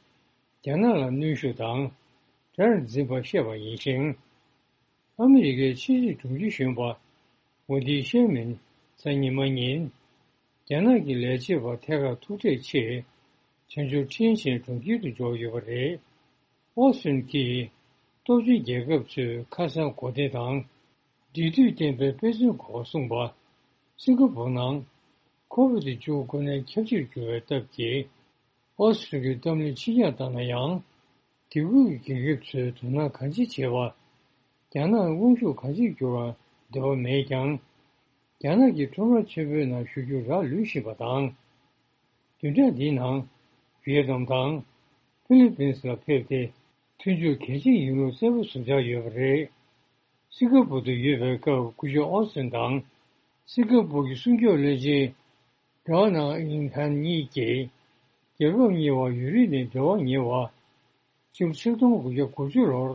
རྒྱ་ནག་ལ་གནོན་ཤུགས་དང་། དགྲར་འཛིན་པ་བཤད་པ་ཡིན་ཞིང་། ཨ་མི་རི་ཀའི་ཕྱི་སྲིད་དྲུང་ཆེ་གཞོན་པ། ཝེན་ཏི་ཤེར་མན། གཟའ་ཉི་མ་ཉིན། རྒྱ་ནག་གི་ལས་བྱེད་པ་ཐད་ཀར་ཐུག་འཕྲད་ཆེད། བྱང་ཕྱོགས་ཁྲིན་ཆན་གྲོང་ཁྱེར་དུ་འབྱོར་ཡོད་པ་རེད། ཨོ་སི་ཀྲིན་གྱིས། སྟོབས་ཆེན་རྒྱལ་ཁབ་ཚོས་ཁ་སང་གོ་བདེ་དང་། འབྲེལ་མཐུད་ལྡན་པའི་དཔེ་མཚོན་སྐོར་གསུངས་པ། སིང་ག་པུར་ནང་། ཁོ་བིད་བཅུ་དགུ་ནད་ཁྱབ་ཆེར་གྱུར་བའི་སྟབས་ཀྱིས། ཨོ་སི་ཀྲིན་གྱི་གཏམ་གླེང་ཕྱི་གྱངས་བཏང་ན་ཡང་། དེ་ཁུལ་གྱི་རྒྱལ་ཁབ་ཚོས་དོ་སྣང་གང་ཆེ་བྱེད་པ། རྒྱ་ནག་དབང་ཤུགས་གང་ཆེར་འགྱུར་བར་འདོད་པ་མེད་ཀྱང་། རྒྱ་ནག་གི་ཁྲོམ་ར་ཆེན་པོའི་ནང་ཞུགས་རྒྱུ་རག་ལུས་བཞིན་པ་དང་། བདུན་ཕྲག་འདིའི་ནང་། ཝི་ཡེ་ནམ་དང་། ཧྥི་ལི་པིན་སི་ལ་ཕེབས་ཏེ། མཐུན་འཇུག་གལ་ཆེན་ཡིན་ལུགས་གསལ་པོ་ཟུར་འཇགས་ཡོད་པ་རེད། སིང་ག་པུར་དུ་ཡོད་པའི་སྐབས་སྐུ་ཞབས་ཨོ་སིན་དང་སིང་ག་པུར་གྱི་སྲུང་སྐྱོབ་བློན་ཆེན་ཌོ་ནལ་ཨིན་ཧན་གཉིས་ཀྱིས་རྒྱལ་ཁབ་གཉིས་བར་ཡུན་རིང་ནས་འབྲེལ་བ་ཉེ་བ། སྤྱི་ལོ་ཆིག་སྟོང་དགུ་བརྒྱ་དགུ་བཅུ་ལོར་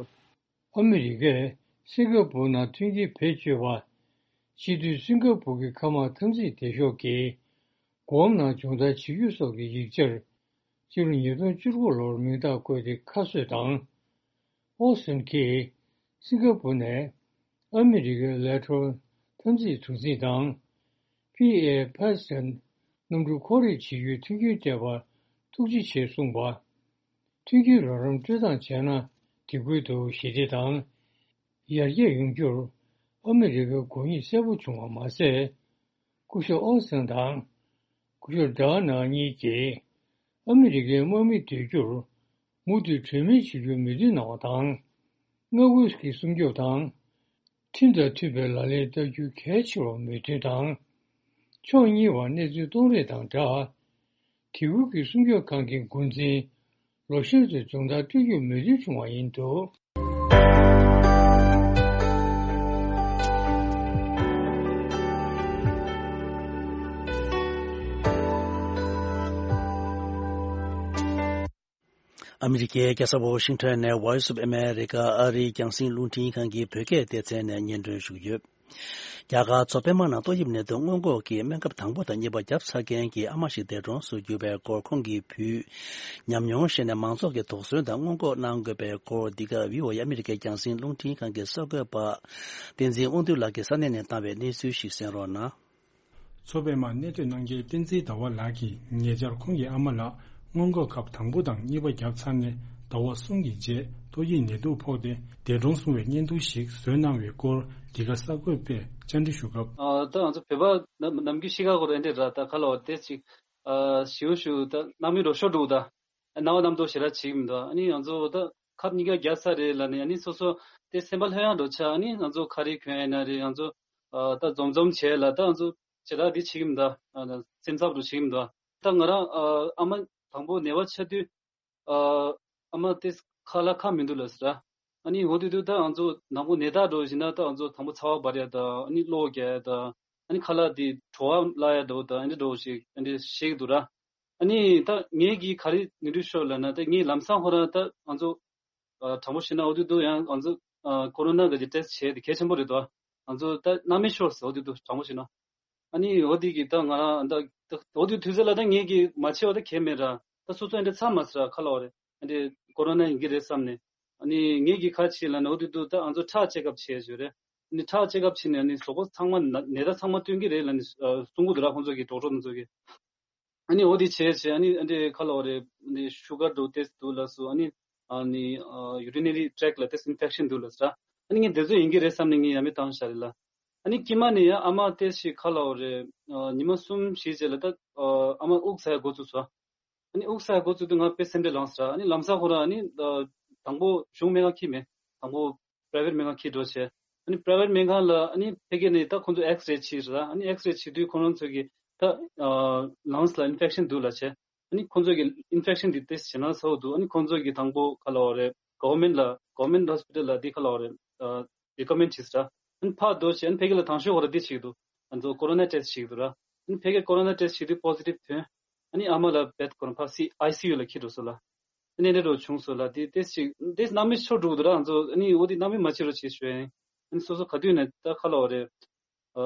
ཨ་མི་རི་ཀས་སིང་ག་པུར་ནང་མཐུན་རྐྱེན་བེད་སྤྱོད་པ། སྤྱི་འཐུས་སིང་ག་པུར་གྱི་མཁའ་དམག་འཐབ་འཛིང་སྡེ་ཤོག་གིས་སྒོམ་ནང་སྦྱོང་བརྡར་བྱེད་རྒྱུ་སོགས་ཀྱི་ཡིག་ཆར་སྤྱི་ལོ་ཉིས་སྟོང་བཅུ་དགུ་ལོར་མིང་རྟགས་བཀོད་དེ་ཁ་གསོས་དང་། ཨོ་སིན་གྱིས་སིང་ག་པུར་ནས་ཨ་མི་རི་ཀའི་ལས་འཕྲོ་འཐབ་འཛིང་གྲུ་གཟིངས་དང་། པི་ཨེ་ཕ་སི་ཕིག་གནམ་གྲུ་འཁོར་རེས་བྱེད་རྒྱུའི་མཐུན་རྐྱེན་སྤྲད་པར་ཐུགས་རྗེ་ཆེ་གསུངས་པ། མཐུན་རྐྱེན་རོགས་རམ་སྤྲོད་སྟངས་བྱས་ན་དེ་ཁུལ་དུ་ཞི་བདེ་དང་ཡར་རྒྱས་ཡོང་རྒྱུར་ཨ་མི་རི་ཀའི་དགོས་ངེས་གསལ་པོ་བྱུང་བ་མ་ཟད། སྐུ་ཞབས་ཨོ་སན་དང་སྐུ་ཞབས་ཌོ་ནལ་གཉིས་ཀྱིས་ཨ་མི་རི་ཀའི་དམག་མི་སྡོད་རྒྱུར་མུ་མཐུད་གྲོས་མོལ་བྱེད་རྒྱུར་མོས་མཐུན་གནང་བ་དང་། མངའ་ཁུལ་གྱི་སྲུང་སྐྱོབ་དང་། ཁྲིམས་དང་མཐུན་པའི་ལག་ལེན་བསྟར་རྒྱུ་གལ་ཆེ་བར་མོས་མཐུན་དང་། ཕྱོགས་གཉིས་བར་གནས་ཚུལ་གཏོང་རེས་དང་སྦྲགས། དེ་ཁུལ་གྱི་སྲུང་སྐྱོབ་ཁང་གི་འགོ་འཛིན་ལོ་ཤོན་ཚོས་སྦྱོང་བརྡར་སྤྲོད་རྒྱུར་མོས་མཐུན་བྱུང་བ་ཡིན་འདུག། ཨ་མི་རི་ཀའི་རྒྱལ་ས་ཝ་ཤིང་ཊོན་ནས་Voice of America ཨ་རིའི་རྒྱང་སྲིང་རླུང་འཕྲིན་ཁང་གི་བོད་སྐད་སྡེ་ཚན་ནས་སྙན་སྒྲོན་ཞུ་གི་ཡོད། རྒྱ་གར་མཚོ་པདྨ་ནང་ཏོག་དབྱིབས་ནད་དུག་སྔོན་འགོག་གི་སྨན་ཁབ་དང་པོ་དང་གཉིས་པ་བརྒྱབ་ཚར་མཁན་གྱི་ཨ་མ་ཞིག་འདས་གྲོངས་སུ་གྱུར་པའི་སྐོར་ཁོང་གིས་ཕུལ། ཉམས་མྱོང་བཤད་ནས་མང་ཚོགས་ཀྱི་དོགས་ཟོན་དང་སྔོན་འགོག་གནང་དགོས་པའི་སྐོར། འདི་ག་བྷི་ཨོ་ཨེ་ཨ་མི་རི་ཀའི་རྒྱང་སྲིང་རླུང་འཕྲིན་ཁང་གི་གསར་འགོད་པ་བསྟན་འཛིན་དབང་འདུས་ལགས་ཀྱིས་ས་གནས་ནས་བཏང་བའི་གནས་ཚུལ་ཞིག་གསན་རོགས་གནང་། མཚོ་པདྨ་གནས་སྡོད་གནང་མཁན་བསྟན་འཛིན་ཟླ་བ་ལགས་ཀྱིས་ཉེ་ཆར་ཁོང་གི་ཨ་མ་ལགས་སྔོན་འགོག་ཁབ་དང་པོ་དང་གཉིས་པ་བརྒྱབ་ཚར་ནས་ཟླ་བ་གསུམ་གྱི་རྗེས་ཏོག་དབྱིབས་ནད་དུག་ཕོག་སྟེ་འདས་གྲོངས་སོང་བའི་བརྙན་ཐུང་ཞིག་བཟོས་གནང་བའི་སྐོར། འདི་ག་གསར་འགོད་པས་བཅར་འདྲི་ཞུ་སྐབས། ཨ་ད་ང་ཚོ་བོད་པ་ནམ་ནམ་རྒྱུན་ཤི་ཁ་གོ་རེ་འདྲ་ར་ད་ཁ་ལོ་དེ་ཅིག་ཨ་ཞིའུ་ཞིའུ་ད་སྣང་མེད་འགྲོ་ཤོར་འགྲོ་ད་སྣང་བ་རྣམ་རྟོག་ཞེ་དྲག་བྱེད་ཀྱི་མི་འདུག་ཨ་ནི་ང་ཚོ་ད་ཁབ་གཉིས་ཀ་རྒྱག་ས་རེད་ལ་ནི་ཨ་ནི་སོ་སོ་དེ་སེམས་པ་ལྷོད་ཡངས་འགྲོ་ཆ་ཨ་ནི་ང་ཚོ་ཁ་རི་གྱོན་ཡིན་ན་རེད་ང་ཚོ་ཨ་ད་འཛོམས་འཛོམས་བྱས་ལ་ད་ང་ཚོ་ཅི་ར་འདི་བྱེད་ཀྱི་མི་འདུག་ཨ་སེམས་འཚབ་རུ་བྱེད་ཀྱི་མི་འདུག་ད་ང་རང་ཨ་ཨ་མ་དང་པོ་ནད་པ་ཆགས་དུས་ཨ་ཨ་མ་དེ་ཁ་ལ་ཁ་མི་འདུག་ལབ་ཟེར། ཨ་ནི་འོ་དེ་དུས་ད་ང་ཚོ་དང་པོ་ནད་རྟགས་འགྲོ་བཞིན་ན་ད་ང་ཚོ་དང་པོ་ཚ་བ་འབར་ཡ་ད་ཨ་ནི་གློ་བོ་རྒྱག་ཡ་ད་ཨ་ནི་ཁ་ལག་དེ་བྲོ་བ་བརླག་ཡ་འདྲ་བོ་ད་ཨ་འདྲ་འདྲ་བོ་ཞིག་ཨ་འདྲ་ཤེས་ཀྱི་འདུག་ར། ཨ་ནི་ད་ངེད་ཀྱིས་ག་རེ་ནུས་མཐུ་ཤོར་ལབ་ན་ད་ངས་ལམ་སང་ཁོ་རང་ད་ང་ཚོ་ཨ་དྲང་པོ་བཤད་ན་འོ་དེ་དུས་ཡང་ང་ཚོ་ཨ་ཀོ་རོ་ན་གི་ཊེ་སི་བྱས་དེ་གལ་ཆེན་པོ་རེད་དོ། ང་ཚོ་ད་སྣང་མེད་ཤོར་སོང་འོ་དེ་དུས་དྲང་པོ་བཤད་ན། ཨ་ནི་འོ་དེ་གི་ད་ང་རང་ད་ད་འོ་དེ་དུས་ཚོད་ལ་ད་ངེད་ཀྱིས་མ་བྱས་པ་ད་གལ་མེད་ར། ད་སོ་སོ་འདྲ་ཚ་མ་ཟེར་ར་ཁ་ལོ་རེད། འདི་ཀོ་རོ་ན་ཡིན་གྱི་རེད་བསམ་ནས། ཨ་ནི་ངེད་ཀྱིས་ག་བྱས་ལབ་ན་འོ་དེ་དུས་ད་ང་ཚོ་ཁྲག་ཅེག་ཨབ་བྱས་བྱས་རེད། ཨ་ནི་ཁྲག་ཅེག་ཨབ་བྱས་ནས་ཨ་ནི་གཟུགས་པོ་ཚང་མ་ན་ནད་རྟགས་ཚང་མ་སྟོན་གྱི་རེད་ལབ་ནས་ཨ་གསུང་གི་འདུག་ར་ཁོང་ཚོ་གི་ཌོག་ཊར་ཁོང་ཚོ་གི། ཨ་ནི་འོ་དེ་བྱས་བྱས་ཨ་ནི་ཨ་འདྲས་ཁ་ལོ་རེད་འདི་ཤུ་གར་འདྲ་བོ་ཏོག་ཙམ་འདུག་ལབ་སོང་ཨ་ནི། ཨ་ནི་ཨ་ཡུ་རི་ནེ་རི་ཊེག་ལ་ཏོག་ཙམ་ཨིན་ཕེག་ཤན་འདུག་ལབ་སོང་། ཨ་ནི་ངས་དེ་ཚོ་ཡིན་གྱི་རེད་བསམ་ནས་ངས་ཡ་མེད་བཏང་བཞག་རེད་ལ། ཨ་ནི་དཀྱིལ་མ་ནས་ཡ་ཨ་མ་ཏོག་ཙམ་ཁ་ལོ་རེད་ཨ་ཉི་མ་གསུམ་བཞི་རྗེས་ལ་ད་ཨ་མ་དབུགས་ཟ་ཡ་འགོ་བཙུགས་སོང་། ཨ་ནི་དབུགས་ཟ་ཡ་འགོ་བཙུགས་དུས་ང་དཔེ་སེམས་ཁྲལ་ལངས་སོང་། ཨ་ནི་ལམ་སང་ཁོ་རང་ཨ་ནི་ཨ་དང་པོ་གཞུང་སྨན་ཁང་འཁྱེར་མེད། དང་པོ་པ་རའི་ཝེཊ་སྨན་ཁང་འཁྱེར་འགྲོ་བྱས། ཨ་ནི་པ་རའི་ཝེཊ་སྨན་ཁང་ལ་ཨ་ནི་ཕ་གི་ནས་ད་ཁོང་ཚོ་ཨེགས་རེ་བྱས་ར། ཨ་ནི་ཨེགས་རེ་བྱེད་དུས་ཁོ་རང་ཚོ་གིས་ད་ཨ་ལངས་ལ་ཨིན་ཕེག་ཤན་འདུག་ལབ་བྱས། ཨ་ནི་ཁོང་ཚོ་གིས་ཨིན་ཕེག་ཤན་འདི་ཏོག་ཙམ་ཞེད་སྣང་ཚ་པོ་འདུག་ཨ་ནི་ཁོང་ཚོ་གིས་དང་པོ་ག་ལབ་དགོས་རེད། གོ་ཝར་མེན་ཊི་ལ་གོ་ཝར་མེན་ཊི་ཧོ་སི་པི་ཊལ་ལ་འདི་ག་ལབ་དགོས་རེད། ཨ་རི་ཀོ་མེན་ཊི་བྱས་ར། ཨ་ནི་ཕར་འགྲོ་བྱས་ཨ་ནི་ཕ་གི་ལ་དང་ཤོས་ཁོ་རང་འདི་བྱེད་ཀྱི་འདུག་ང་ཚོ་ཀོ་རོ་ན་ཊེ་སི་ཊི་བྱེད་ཀྱི་འདུག་ར། ཨ་ནི་ཕ་གིར་ཀོ་རོ་ན་ཊེ་སི་ཊི་བྱེད་དུས་པོ་སི་ཊིབ་ཐོན། ཨ་ནི་ཨ་མ་ལ་བེད་ཁོ་རང་ཕར་སི་ཨའི་སི་ཡུ་ལ་འཁྱེར་འགྲོ་སོང་ལ། ཨ་ནི་འདི་འདྲ་བྱུང་སོང་ལ་དེ་ཏོག་ཙམ་ཏོག་ཙམ་སྣང་མེད་ཤོར་འགྲོ་གི་འདུག་ར། ང་ཚོ་ཨ་ནི་འོ་དེ་སྣང་མེད་མ་བྱེད་རོགས་བྱེད་ཞུ་ཡ་ཡིན། ཨ་ནི་སོ་སོ་ག་དུས་ནས་ད་ག་ལབ་དགོས་རེད། ཨ་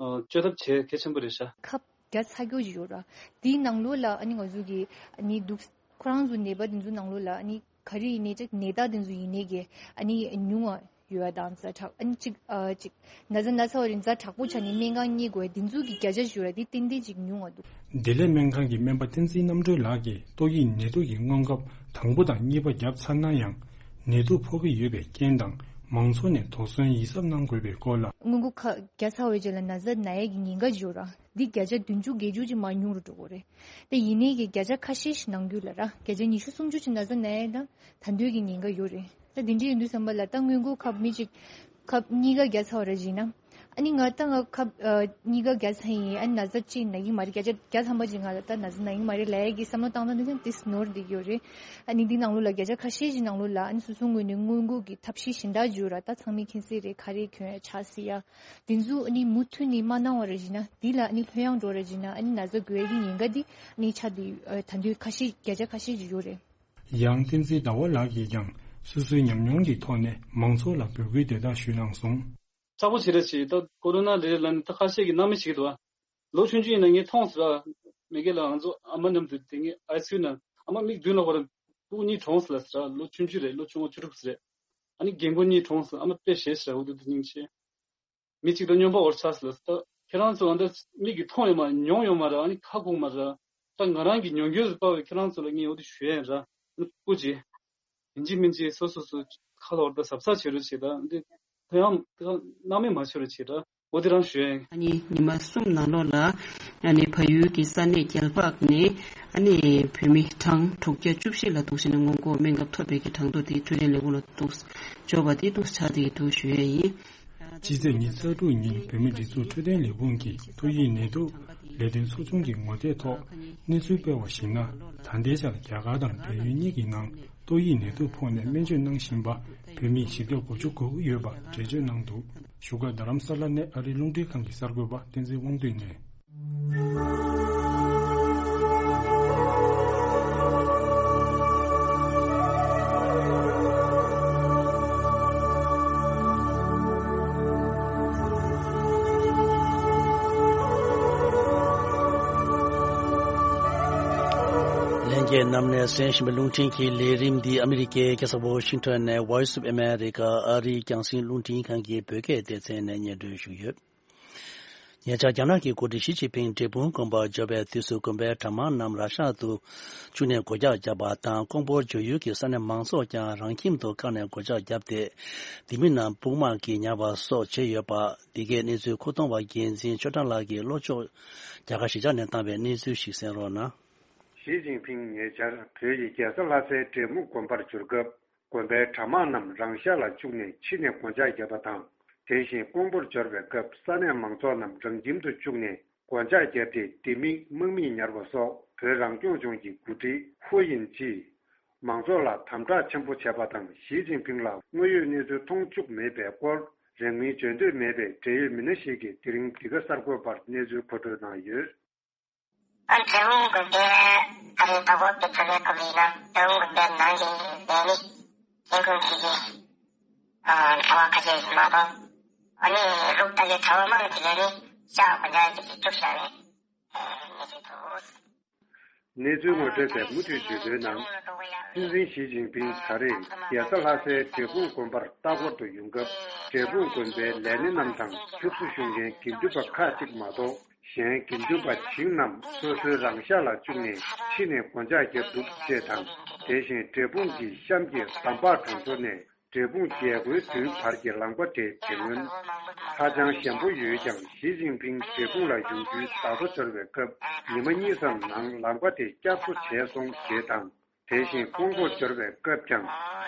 ཨ་བཅོས་ཐབས་བྱེད་གལ་ཆེན་པོ་རེད་ཤག་ཁབ་བརྒྱབ་ཚར་རྒྱུ་ཅིག་ཡོད་ར། དེའི་ནང་ལོགས་ལ་ཨ་ནི་ང་ཚོ་གི་ཨ་ནི་འདུག་ཁོ་རང་ཚོ་ནད་པ་དེ་ཚོ་ནང་ལོགས་ལ་ཨ་ནི་ག་རེ་ཡིན་ནའི་ཅིག་ནད་རྟགས་དེ་ཚོ་ཡིན་ནའི་གི་ཨ་ནི་ཉུང་བ་ཡོད་པ་དང་ཛ་དྲག་ཨ་ནི་ཅིག་ཨ་ཅིག་ན་ཚ་ན་ཚ་བ་རེད་ཛ་དྲག་པོ་ཆགས་ནས་སྨན་ཁང་གཉིད་དགོས་དེ་ཚོ་གི་བརྒྱ་ཆ་ཞིག་ཡོད་ར། དེ་ཏན་ཏན་ཅིག་ཉུང་བ་འདུག་བདེ་ལེགས་སྨན་ཁང་གི་སྨན་པ་བསྟན་འཛིན་རྣམ་གྲོལ་ལགས་ཀྱིས་ཏོག་དབྱིབས་ནད་དུག་གི་སྔོན་ཁབ་དང་པོ་དང་གཉིས་པ་བརྒྱབ་ཚར་ན་ཡང་ནད་དུག་ཕོག་གི་ཡོད་པའི་རྐྱེན་དང་མང་ཚོགས་ནས་དོགས་ཟོན་ཡིད་གཟབ་གནང་དགོས་པའི་སྐོར་ལ། སྔོན་འགོག་ཁབ་བརྒྱབ་ཚར་བའི་རྗེས་ལ་ན་ཚ་ན་ཡས་ཀྱི་ཉེན་ཁ་ཡོད་ར། འདི་བརྒྱ་ཆ་བདུན་ཅུ་བརྒྱད་ཅུ་ཅིག་མར་ཉུང་རུ་འགྲོ་གི་རེད། དེ་ཡིན་ནའི་གི་བརྒྱ་ཆ་ཁ་ཤས་ཤིག་ནང་རྒྱུད་ལ་ར་བརྒྱ་ཆ་ཉི་ཤུ་སུམ་ཅུ་ཅིག་ན་ཚ་ན་ཡས་དང་ད་དུང་གི་ཉེན་ཁ་ཡོད་རེད། ད་དེ་འདྲ་ཡིན་དུས་ཙམ་པ་ལ་ད་སྔོན་འགོག་ཁབ་མི་གཅིག་ཁབ་གཉིས་ཀ་བརྒྱབ་ཚར་བ་ར་བྱས་ན་ ཨ་ནི་ང་ད་ང་ཁབ་གཉིས་ཀ་བརྒྱབ་ཚར་ཡིན། ཨ་ནི་ན་ཚ་ཅིག་ན་གི་མ་རེད། བརྒྱ་ཆ་བརྒྱ་ཐམ་པ་ཅིག་ང་ད་ན་ཚ་ན་གི་མ་རེད་ལབ་ཡ་གི་བསམ་བློ་བཏང་སྟངས་འདི་ཀྱང་ཏིས་ནོར་བསྡད་ཀྱི་ཡོད་རེད། ཨ་ནི་འདི་ནང་ལོགས་ལ་བརྒྱ་ཆ་ཁ་ཤས་ཅིག་ནང་ལོགས་ལ་ཨ་ནི་སོ་སོ་ངོས་ནས་སྔོན་འགོག་གི་ཐབས་ཤེས་གཞན་དག་བརྒྱབ་ར། ད་ཚང་མས་མཁྱེན་གསལ་རེད། ཁ་རས་གྱོན་ཡ་ཆགས་སྲིད་ཡ། འདི་ཚོ་ཨ་ནི་མུ་མཐུད་ནས་མ་གནང་བ་རེད་བྱས་ན། འདི་ལ་ཨ་ནི་ལྷོད་ཡངས་འགྲོ་རེད་བྱས་ན། ཨ་ནི་ན་ཚ་འགོས་ཡ་གི་ཉེན་ཁ་འདི་ཨ་ནི་ཆགས་བསྡད་ཡོད། ད་དུང་ཁ་ཤས་བརྒྱ་ཆ་ཁ་ཤས་ཅིག་ཡོད་རེད། ཡང་བསྟན་འཛིན་ཟླ་བ་ལགས་ཀྱིས་ཀྱང་སོ་སོའི་ཉམས་མྱོང་གི་ཐོག་ནས་མང་ཚོགས་ལ་འབོད་སྐུལ་དེ་དག་ཞུས་གནང་སོང་། ཚ་པོ་བྱེད་ར་བྱེད། ད་ཀོ་རོ་ན་ལས་ལ་ནི་ད་ཁ་ཤས་ཀྱིས་སྣང་མེད་བྱེད་ཀྱི་འདུག་ཨ། ལོ་ཆུང་ཆུང་ཡིན་ན་ངས་མཐོང་ཟེར་ར། མི་སྒེར་ལ་ང་ཚོ་ཨ་མ་མཉམ་དུ་དེ་ངས་ཨའི་སི་ཡུ་ན་ཨ་མ་མིག་མདུན་ལ་ཧོ་ར་སྤུ་གུ་གཉིས་གྲོངས་ཟེར་ལ་ཟེར་ར། ལོ་ཆུང་ཆུང་རེད། ལོ་ཆུང་ངུ་བཅུ་དྲུག་ཟེར་རེད། ཨ་ནི་རྒན་རྒོན་གཉིས་གྲོངས་ཟེར། ཨ་མ་དཔེ་ཞེད་ཟེར་ར། འུ་དུ་དུ་སྙིང་རྗེ། མི་གཅིག་དང་སྨྱོན་པ་འོར་ཆགས་ཟེར་ལ་ཟེར། ད་ཁྱེད་རང་ཚོ་ཨ་འདྲ་མིག་གིས་མཐོང་ཡོད་མ་མྱོང་ཡོད་མ་ར། ཨ་ནི་ཁ་སྐོང་མ་ར། ད་ང་རང་གི་ཉོན་སྐྱོན་ཟེར་པ་བས་ཁྱེད་རང་ཚོ་ལ་ངས་འོ་དེ་ཞུ་ཡ་ཡིན་ར། ཨ་ནི་སྤུ་གུ་ཅིག་ཡིན་གཅིག་མིན་གཅིག་སོ་སོ་སོ་ཁ་ལོར་ད་གཟབ་གཟབ་བྱེད་རོགས་བྱེད། ད་འདི་ཐོ་ཡང་ད་སྣང་མེད་མ་བྱེད་རོགས་བྱེད་ད། འོ་དེ་རང་ཞུ་ཡ་ཡིན། ཨ་ནི་ཉི་མ་གསུམ་ནང་ལོགས་ལ་ཨ་ནི་བལ་ཡུལ་གྱི་ས་གནས་རྒྱལ་འཕགས་ནས་ཨ་ནི་བོད་མི་གྲངས་དྲུག་བརྒྱ་བཅུ་བཞི་ལ་གཏུགས་བྱས་ནས་སྔོན་འགོག་སྨན་ཁབ་ཐོབ་པའི་གི་གྲངས་ཐོ་དེ་འཕྲོད་བསྟེན་ལས་ཁུངས་ལ་གཏུགས་འབྱོར་བ་དེ་གཏུགས་ཆགས་དེ་འདུག་ཞུ་ཡ་ཡིན། སྤྱི་ཚེས་ཉི་ཤུ་རྩ་དྲུག་ཉིན་བོད་མིའི་སྒྲིག་འཛུགས་འཕྲོད་བསྟེན་ལས་ཁུངས་ཀྱི་ཏོག་དབྱིབས་ནད་དུག་ལས་དོན་ཚོགས་ཆུང་གི་ངོ་དེབ་ཐོག་གནས་ཚུལ་སྤེལ་བར་གཞིགས་ན། ད་ལྟའི་ཆར་རྒྱ་གར་དང་བལ་ཡུལ་གཉིས་ཀྱི་ནང་ཏོག་དབྱིབས་ནད་དུག་ཕོག་ནས་སྨན་བཅོས་གནང་བཞིན་པ་བོད་མི་བཞི་བརྒྱ་དགུ་བཅུ་གོ་དགུ་ཡོད་པ་འགྲེལ་བརྗོད་གནང་འདུག་བཞུགས་སྒར་རྡ་རམ་ས་ལ་ནས་ཨ་རིའི་རླུང་འཕྲིན་ཁང་གི་གསར་འགོད་པ་བསྟན་འཛིན་དབང་འདུས་ནས། ལྷན་རྒྱས་རྣམས་ནས་གསན་བཞིན་པའི་རླུང་འཕྲིན་གྱི་ལས་རིམ་འདི་ཨ་མི་རི་ཀའི་རྒྱལ་ས་ཝ་ཤིང་ཊོན་ནས་Voice of America ཨ་རིའི་རྒྱང་སྲིང་རླུང་འཕྲིན་ཁང་གི་བོད་སྐད་སྡེ་ཚན་ནས་སྙན་སྒྲོན་ཞུས་ཡོད། ཉེ་ཆར་རྒྱ་ནག་གི་འགོ་ཁྲིད་ཞི་ཅིན་ཕིང་འབྲས་སྤུངས་དགོན་པར་འབྱོར་བའི་དུས་སུ་དགོན་པའི་གྲྭ་མང་རྣམས་ར་ཤ་ཏུ་བཅུག་ནས་སྒོ་རྒྱག་བརྒྱབ་པ་དང་། ཀོང་པོར་འབྱོར་ཡུལ་གྱི་ས་གནས་མང་ཚོགས་ཀྱང་རང་ཁྱིམ་དུ་བཀག་ནས་སྒོ་ལྕགས་བརྒྱབ་སྟེ། སྡེ་མི་རྣམས་དཔུང་དམག་གིས་ཉར་བ་སོགས་བྱས་ཡོད་པ། འདི་གའི་གནས་ཚུལ་ཁུངས་གཏོང་བ་འགན་འཛིན་ཆོས་གྲགས་ལགས་ཀྱིས་ལྷོ་ཕྱོགས་རྒྱ་གར་གཞིས་ཆགས་ནས་བཏང་བའི་གནས་ཚུལ་ཞིག་གསན་རོགས་གནང་། ཞི་ཅིན་ཕིང་ཉེ་ཆར་བོད་ཡི་རྒྱལ་ས་ལྷ་སའི་འབྲས་སྤུངས་དགོན་པར་འབྱོར་སྐབས། དགོན་པའི་གྲྭ་མང་རྣམས་རང་ཤག་ལ་བཅུག་ནས་ཕྱི་ནས་སྒོ་ལྕགས་བརྒྱབ་པ་དང་། དེ་བཞིན་ཀོང་པོར་འབྱོར་བའི་སྐབས་ས་གནས་མང་ཚོགས་རྣམས་རང་ཁྱིམ་དུ་བཅུག་ནས་སྒོ་ལྕགས་བརྒྱབ་སྟེ། སྡེ་མི་དམག་མིས་ཉར་བ་སོགས་བོད་རང་སྐྱོང་ལྗོངས་ཀྱི་འགོ་ཁྲིད་ཧུའུ་དབྱིན་ཇིས་མང་ཚོགས་ལ་དམ་དྲག་ཆེན་པོ་བྱས་པ་དང་། ཞི་ཅིན་ཕིང་ལ་དངོས་ཡོད་གནས་ཚུལ་མཐོང་བཅུག་མེད་པའི་སྐོར། རིང་མིན་བརྗོད་འདོད་མེད་པའི་འབྲེལ་ཡོད་མི་སྣ་ཞིག་གིས་དེ་རིང་འདི་ག་གསར་འགོད་པར་གནས་ཚུལ་མཁོ་སྤྲོད་གནང་ཡོད། ཨ་འབྲས་སྤུངས་དགོན་པའི་ཨ་རིའི་ད་གོ་པའི་ཚ་བའི་སྐབས་ཡིན་ན་འབྲས་སྤུངས་དགོན་པའི་ནང་གི་ལས་མི་ལས་ཁུངས་ཀྱི་ཨ་གྲྭ་པ་ཁ་ཤས་ཤིག་མ་གཏོགས། ཨ་ནི་ལུག་ལྟ་གི་གྲྭ་པ་མང་གི་ལས་མི་ཤག་གོ་འདྲ་གི་ཅིག་བཅུག་བཞག་རེད། ཨ་ནི་ཅིག་ཐུག་སྲིད། གནས་ཚུལ་ངོ་སྤྲོད་པས་མུ་མཐུད་བརྗོད་དོན་ནང་། སྲིད་འཛིན་ཞི་ཅིན་ཕིང་ད་རེས་རྒྱལ་ས་ལྷ་སའི་འབྲས་སྤུངས་དགོན་པར་ལྟ་སྐོར་དུ་ཡོང་སྐབས། འབྲས་སྤུངས་དགོན་པའི་ལས་སྣེ་རྣམས་དང་ཕྱུགས་སུ་ཞུགས་མཁན་དགེ་འདུན་པ་ཁག་ཅིག་མ་གཏོགས། གཞན་དགེ་འདུན་པ་བྱིངས་རྣམས་སོ་སོའི་རང་ཤག་ལ་བཅུག་ནས་ཕྱི་ནས་སྒོ་ལྕགས་བརྒྱབ་འདུག་ཅེས་དང་། དེ་བཞིན་འབྲས་སྤུངས་ཀྱི་གཤམ་གྱི་འདམ་བག་གྲོང་ཚོ་ནས་འབྲས་སྤུངས་རྒྱལ་སྒོའི་མདུན་བར་གྱི་ལམ་ཁ་དེ་དེ་སྔོན་ཧ་ཅང་ཞན་པོ་ཡོད་ཀྱང་། ཞི་ཅིན་ཕིང་འབྲས་སྤུངས་ལ་ཡོང་རྒྱུའི་བརྡ་ཐོ་འབྱོར་བའི་སྐབས། ཉི་མ་གཉིས་ཙམ་ནང་ལམ་ཁ་དེ་བསྐྱར་གསོ་བྱས་སོང་ཞེས་དང་། དེ་བཞིན་ཀོང་པོར་འབྱོར་བའི་སྐབས་ཀྱང་།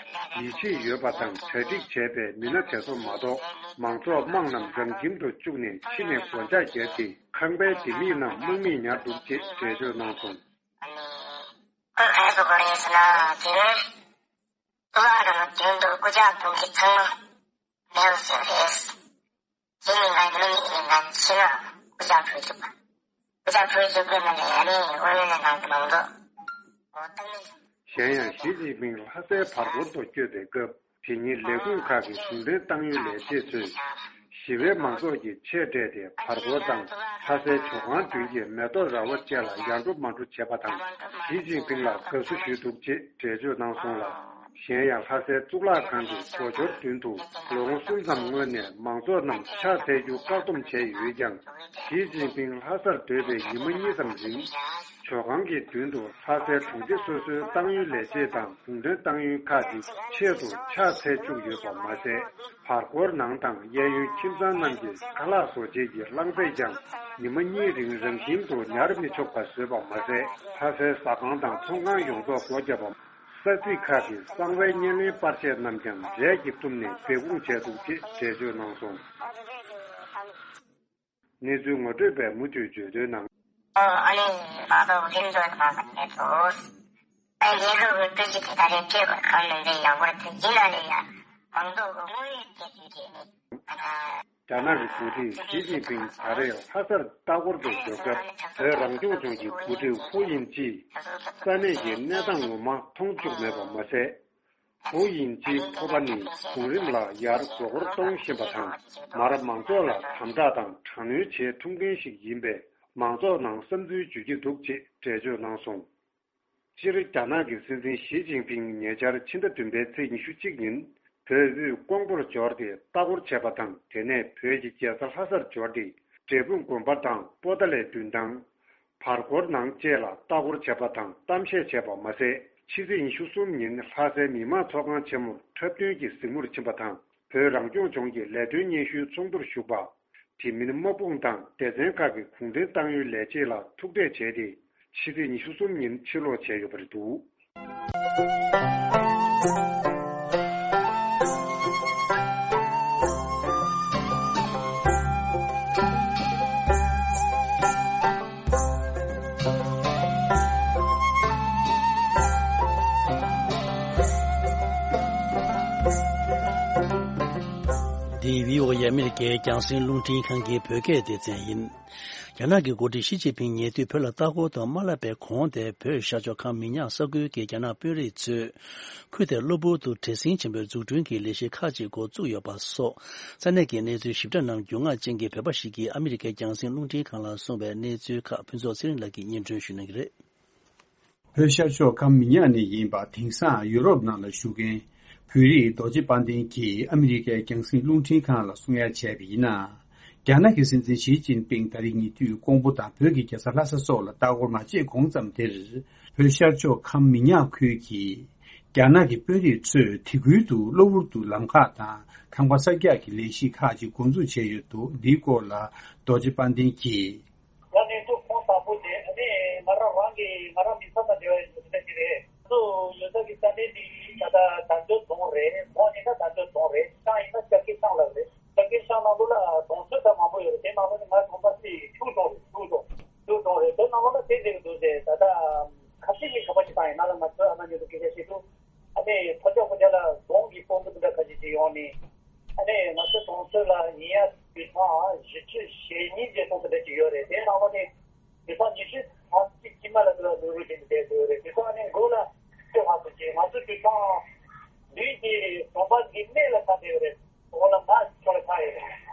ཡིད་ཆེས་ཡོད་པ་དང་གྲ་སྒྲིག་བྱས་པའི་མི་སྣ་དེ་ཚོ་མ་གཏོགས། མང་ཚོགས་དམངས་རྣམས་རང་ཁྱིམ་དུ་བཅུག་ནས་ཕྱི་ནས་སྒོ་ལྕགས་བརྒྱབ་སྟེ། ཁང་པའི་ལྡེ་མིག་རྣམས་དམག་མིས་ཉར་འདུག་ཅེས་འགྲེལ་བརྗོད་གནང་སོང་། ཁོས་ག་རེ་ཟེར་གོ་རེད་ཟེར་ན། དེ་རིང་གཙུག་ལག་ཁང་གི་མདུན་དུ་སྐུ་ལྕགས་དུང་གི་ཚང་མ་མེད་པ་བཟོས་རེད། དེ་ནི་ང་ཉི་མ་གཉིས་ཀྱི་ནང་ཕྱི་ནང་སྐུ་ལྕགས་ཕུལ་བཅུག་པ། སྐུ་ལྕགས་ཕུལ་བཅུག་པའི་ནང་ནས་ཨ་ནི་དབང་ཡོད་ལས་ནང་གི་མང་ཚོགས་འོ་ཏང་ནི། གཞན་ཡང་ཞི་ཅིན་ཕིང་ལྷ་སའི་བར་སྐོར་དུ་བསྐྱོད་པའི་སྐབས། དེ་ཉིན་ལས་ཁུངས་ཁག་གི་ཟུང་འབྲེལ་ཏང་ཡོན་ལས་བྱེད་ཚོས་ཞི་བའི་མང་ཚོགས་ཀྱི་ཆེད་སྤྲད་དེ་བར་སྐོར་དང་ལྷ་སའི་ཇོ་ཁང་མདུན་གྱི་མེ་ཏོག་ར་བ་བཅས་ལ་ཡར་འགྲོ་མར་འགྲོ་བྱས་པ་དང་། ཞི་ཅིན་ཕིང་ལ་དགའ་བསུ་ཞུས་འདུག་ཅེས་འགྲེལ་བརྗོད་གནང་སོང་ལ། གཞན་ཡང་ལྷ་སའི་གཙུག་ལག་ཁང་གི་སྒོ་འབྱོར་མདུན་དུ་ལོ་ངོ་གསུམ་ཙམ་སྔོན་ནས་མང་ཚོགས་རྣམས་ཕྱག་འཚལ་རྒྱུ་བཀག་སྡོམ་བྱས་ཡོད་ཀྱང་། ཞི་ཅིན་ཕིང་ལྷ་སར་སྡོད་པའི་ཉི་མ་གཉིས་ཙམ་རིང་། ཇོ་ཁང་གི་མདུན་དུ་ལྷ་སའི་གྲོང་སྡེ་སོ་སོའི་ཏང་ཡོན་ལས་བྱེད་དང་ཟུང་འབྲེལ་ཏང་ཡོན་ཁག་ཅིག་ཆེད་དུ་ཕྱག་འཚལ་བཅུག་ཡོད་པ་མ་ཟད། བར་སྐོར་ནང་དང་གཡས་གཡོན་ཁྱིམ་ཚང་རྣམས་ཀྱི་ཁ་ལག་བཟོ་བྱེད་ཀྱི་རླངས་པས་ཀྱང་ཉི་མ་གཉིས་རིང་རང་ཁྱིམ་དུ་ཉར་མི་ཆོག་པ་བཟོས་པ་མ་ཟད། ལྷ་སའི་ཟ་ཁང་དང་ཚོང་ཁང་ཡོངས་རྫོགས་སྒོ་བརྒྱབ་པ། ས་ཚིགས་ཁག་གི་གསང་བའི་བརྙན་ལེན་པར་ཆས་རྣམས་ཀྱང་རས་ཀྱིས་བཏུམས་ནས་སྦས་སྐུང་བྱས་འདུག་ཅེས་འགྲེལ་བརྗོད་གནང་སོང་། གནས་ཚུལ་ངོ་སྤྲོད་པས་མུ་མཐུད་བརྗོད་དོན་ནང་། ཨ་ནི་མང་ཚོགས་འགྲིམ་འགྲུལ་གནང་བ་ནས་ཚོ། ཨ་རྒྱལ་ཁབ་ཀྱི་སྤུས་ཚད་ཀྱི་ད་རེས་སྤྲད་པར་གང་ནན་ཏན་ཡང་བར་དུ་ཡིན་ན་ལས་ཡ་མང་ཚོགས་ཀྱི་དངོས་ཡོད་སྐད་ཆ་དེ་ནི། རྒྱ་ནག་གི་འགོ་ཁྲིད་ཞི་ཅིན་ཕིང་ད་རེས་ལྷ་སར་ལྟ་སྐོར་དུ་འབྱོར་སྐབས། བོད་རང་སྐྱོང་ལྗོངས་ཀྱི་འགོ་ཁྲིད་ཧུའུ་དབྱིང་ཅིས་ས་གནས་ཀྱི་གནས་སྟངས་ངོ་མ་མཐོང་བཅུག་མེད་པ་མ་ཟད། ཧུའུ་དབྱིང་ཅིའི་ཕོར་པ་ནི་གོང་རིམ་ལ་ཡར་རྒྱ་སྒོར་གཏོང་བཞིན་པ་དང་། མར་མང་ཚོགས་ལ་དམ་དྲག་དང་དྲག་གནོན་བྱེད་ཐུབ་མཁན་ཞིག་ཡིན་པས། མང་ཚོགས་ནང་བསམ་ཚུལ་བརྗོད་ཀྱི་འདུག་ཅེས་འགྲེལ་བརྗོད་གནང་སོང་། སྤྱིར་རྒྱ་ནག་གི་སྲིད་འཛིན་ཞི་ཅིན་ཕིང་ཉེ་ཆར་ཕྱི་ཟླ་བདུན་པའི་ཚེས་ཉི་ཤུ་གཅིག་ཉིན་བོད་དབུས་ཀོང་པོར་འབྱོར་ཏེ་ལྟ་སྐོར་བྱས་པ་དང་། དེ་ནས་བོད་ཀྱི་རྒྱལ་ས་ལྷ་སར་འབྱོར་ཏེ་འབྲས་སྤུངས་དགོན་པ་དང་པོ་ཏཱ་ལའི་མདུན་ཐང་། བར་སྐོར་ནང་བཅས་ལ་ལྟ་སྐོར་བྱས་པ་དང་གཏམ་བཤད་བྱས་པ་མ་ཟད། ཕྱི་ཚེས་ཉི་ཤུ་གསུམ་ཉིན་ལྷ་སའི་མི་དམངས་ཚོགས་ཁང་ཆེན་མོར་འཁྲབ་སྟོན་གྱི་གཟིགས་མོར་ཕྱིན་པ་དང་། བོད་རང་སྐྱོང་ལྗོངས་ཀྱི་ལས་དོན་སྙན་ཞུའི་ཚོགས་འདུར་ཞུགས་པ། དེ་མིན་དམག་དཔུང་དང་སྡེ་ཚན་ཁག་གི་གུང་ཁྲན་ཏང་ཡོན་ལས་བྱེད་ལ་ཐུག་འཕྲད་བྱས་ཏེ། ཕྱི་ཚེས་ཉི་ཤུ་གསུམ་ཉིན་ཕྱིར་ལོག་བྱས་ཡོད་པ་རེད་འདུག། འདི་བྷི་ཨོ་ཨེ་ཨ་མི་རི་ཀའི་རྒྱང་སྲིང་རླུང་འཕྲིན་ཁང་གི་བོད་སྐད་སྡེ་ཚན་ཡིན། རྒྱ་ནག་གི་འགོ་ཁྲིད་ཞི་ཅིན་ཕིང་ཉེ་དུས་བོད་ལ་ལྟ་སྐོར་དུ་མ་སླེབས་པའི་གོང་དེ། བོད་ཤར་ཕྱོགས་ཁམས་མི་ཉག་ས་ཁུལ་གྱི་རྒྱ་ནག་དཔོན་རིགས་ཚོས་ཁུལ་དེར་གློ་བུར་དུ་བྲེལ་ཟིང་ཆེན་པོས་འཛུགས་སྐྲུན་གྱི་ལས་གཞི་ཁག་ཅིག་འགོ་བཙུགས་ཡོད་པ་སོགས། ས་གནས་ཀྱི་གནས་ཚུལ་ཞིབ་ཕྲ་རྣམས་རྒྱུས་མངའ་ཅན་གྱི་བོད་པ་ཞིག་གིས་ཨ་མི་རི་ཀའི་རྒྱང་སྲིང་རླུང་འཕྲིན་ཁང་ལ་གསུངས་པའི་གནས་ཚུལ་ཁག་ཕུན་ཚོགས་ཚེ་རིང་ལགས་ཀྱིས་སྙན་སྒྲོན་ཞུ་གནང་གི་རེད། བོད་ཤར་ཕྱོགས་ཁམས་མི་ཉག་ནས་ཡིན་པ། དེང་སང་ཡུ་རོབ་ནང་ལ་བཞུགས་མཁན་བོད་རིགས་རྡོ་རྗེ་དཔལ་ལྡན་གྱིས་ཨ་མི་རི་ཀའི་རྒྱང་སྲིང་རླུང་འཕྲིན་ཁང་ལ་གསུང་ཡ་བྱས་པ་ཡིན་ན། རྒྱ་ནག་གི་སྲིད་འཛིན་ཞི་ཅིན་ཕིང་ད་རེས་ཉེ་དུས་ཀོང་པོ་དང་བོད་ཀྱི་རྒྱལ་ས་ལྷ་ས་སོགས་ལ་ལྟ་སྐོར་མ་བྱས་གོང་ཙམ་དེར། བོད་ཤར་ཕྱོགས་ཁམས་མི་ཉག་ཁུལ་གྱི་རྒྱ་ནག་གི་དཔོན་རིགས་ཚོས་དེ་ཁུལ་དུ་གློ་བུར་དུ་ལམ་ཁ་དང་ཁང་པ་གསར་རྒྱག་གི་ལས་གཞི་ཁག་ཅིག་འགོ་འཛུགས་བྱས་ཡོད་འདུག། འདིའི་སྐོར་ལ་རྡོ་རྗེ་དཔལ་ལྡན་གྱིས། ང་གནས་ཚུལ་ཁུངས་དག་པོ་དེ་ཨ་ནི་ང་རང་རང་གི་ང་རང་མི་ཚང་དང་འབྲེལ་བ་ཡོད་པ་ཞིག་རེད། ང་ཚོ་ཡོད་ས་གི་ས་གནས་འདི་ད་ལྟ་དར་ལྕོག་རྫོང་རེད། རྫོང་ཡིན་ན་དར་ལྕོག་རྫོང་རེད། ཤང་ཡིན་ན་སྐྱ་ཁེ་ཤང་ལབ་རེད། སྐྱ་ཁེ་ཤང་ནང་ལོགས་ལ་གྲོང་ཚོ་ད་མང་པོ་ཡོད་རེད། དེ་ནང་ལོགས་ནས་ང་གྲོང་པ་སི་ཆུ་གྲོང་རེད། ཆུ་གྲོང་ཆུ་གྲོང་རེད། དེ་ནང་ལོགས་ལ་དེ་ཟེར་གི་འདུག་ཟེར། ད་ལྟ་ཁ་ཤས་ཀྱིས་ག་པ་ཞིག་བཏང་ཡིན་ན་ལ་ང་ཚོའི་ཨ་མ་ཉིད་དུ་སྐད་ཆ་བཤད་དུས། ཨ་ནི་ཕོ་རྒྱག་ཕོ་རྒྱག་ལ་རྫོང་གི་དཔོན་པོ་དེ་འདྲ་ཁ་ཤས་ཅིག་ཡོང་ནས། ཨ་ནི་ང་ཚོའི་གྲོང་ཚོ་ལ་ཉེ་ཡ་དུད་ཚང་བཞི་བཅུ་ཞེ་གཉིས་བརྒྱད་སྟོང་དེ་འདྲ་ཅིག་ཡོད་རེད། དེའི་ནང་ལོགས་ནས་དུད་ཚང་ཉི་ཤུ་ཐམ་ཅིག་དཀྱིལ་མ་ལ་དུ་ལ་ལུ་རུ་བྱེད་དུ་བསྡད་ཡོད་རེད། དུད་ཚང་ནི་མགོ་ལ་ལྟོས་ཧ་སུ་ཅིག་ང་ཚོའི་དུད་ཚང་བདུན་གྱི་གྲོང་པ་གི་སྨད་ལ་ཆགས་བསྡད་ཡོད་རེད། འོག་ལ་མར་ཕྱོགས་ལ་ཆགས་ཡོད་རེད།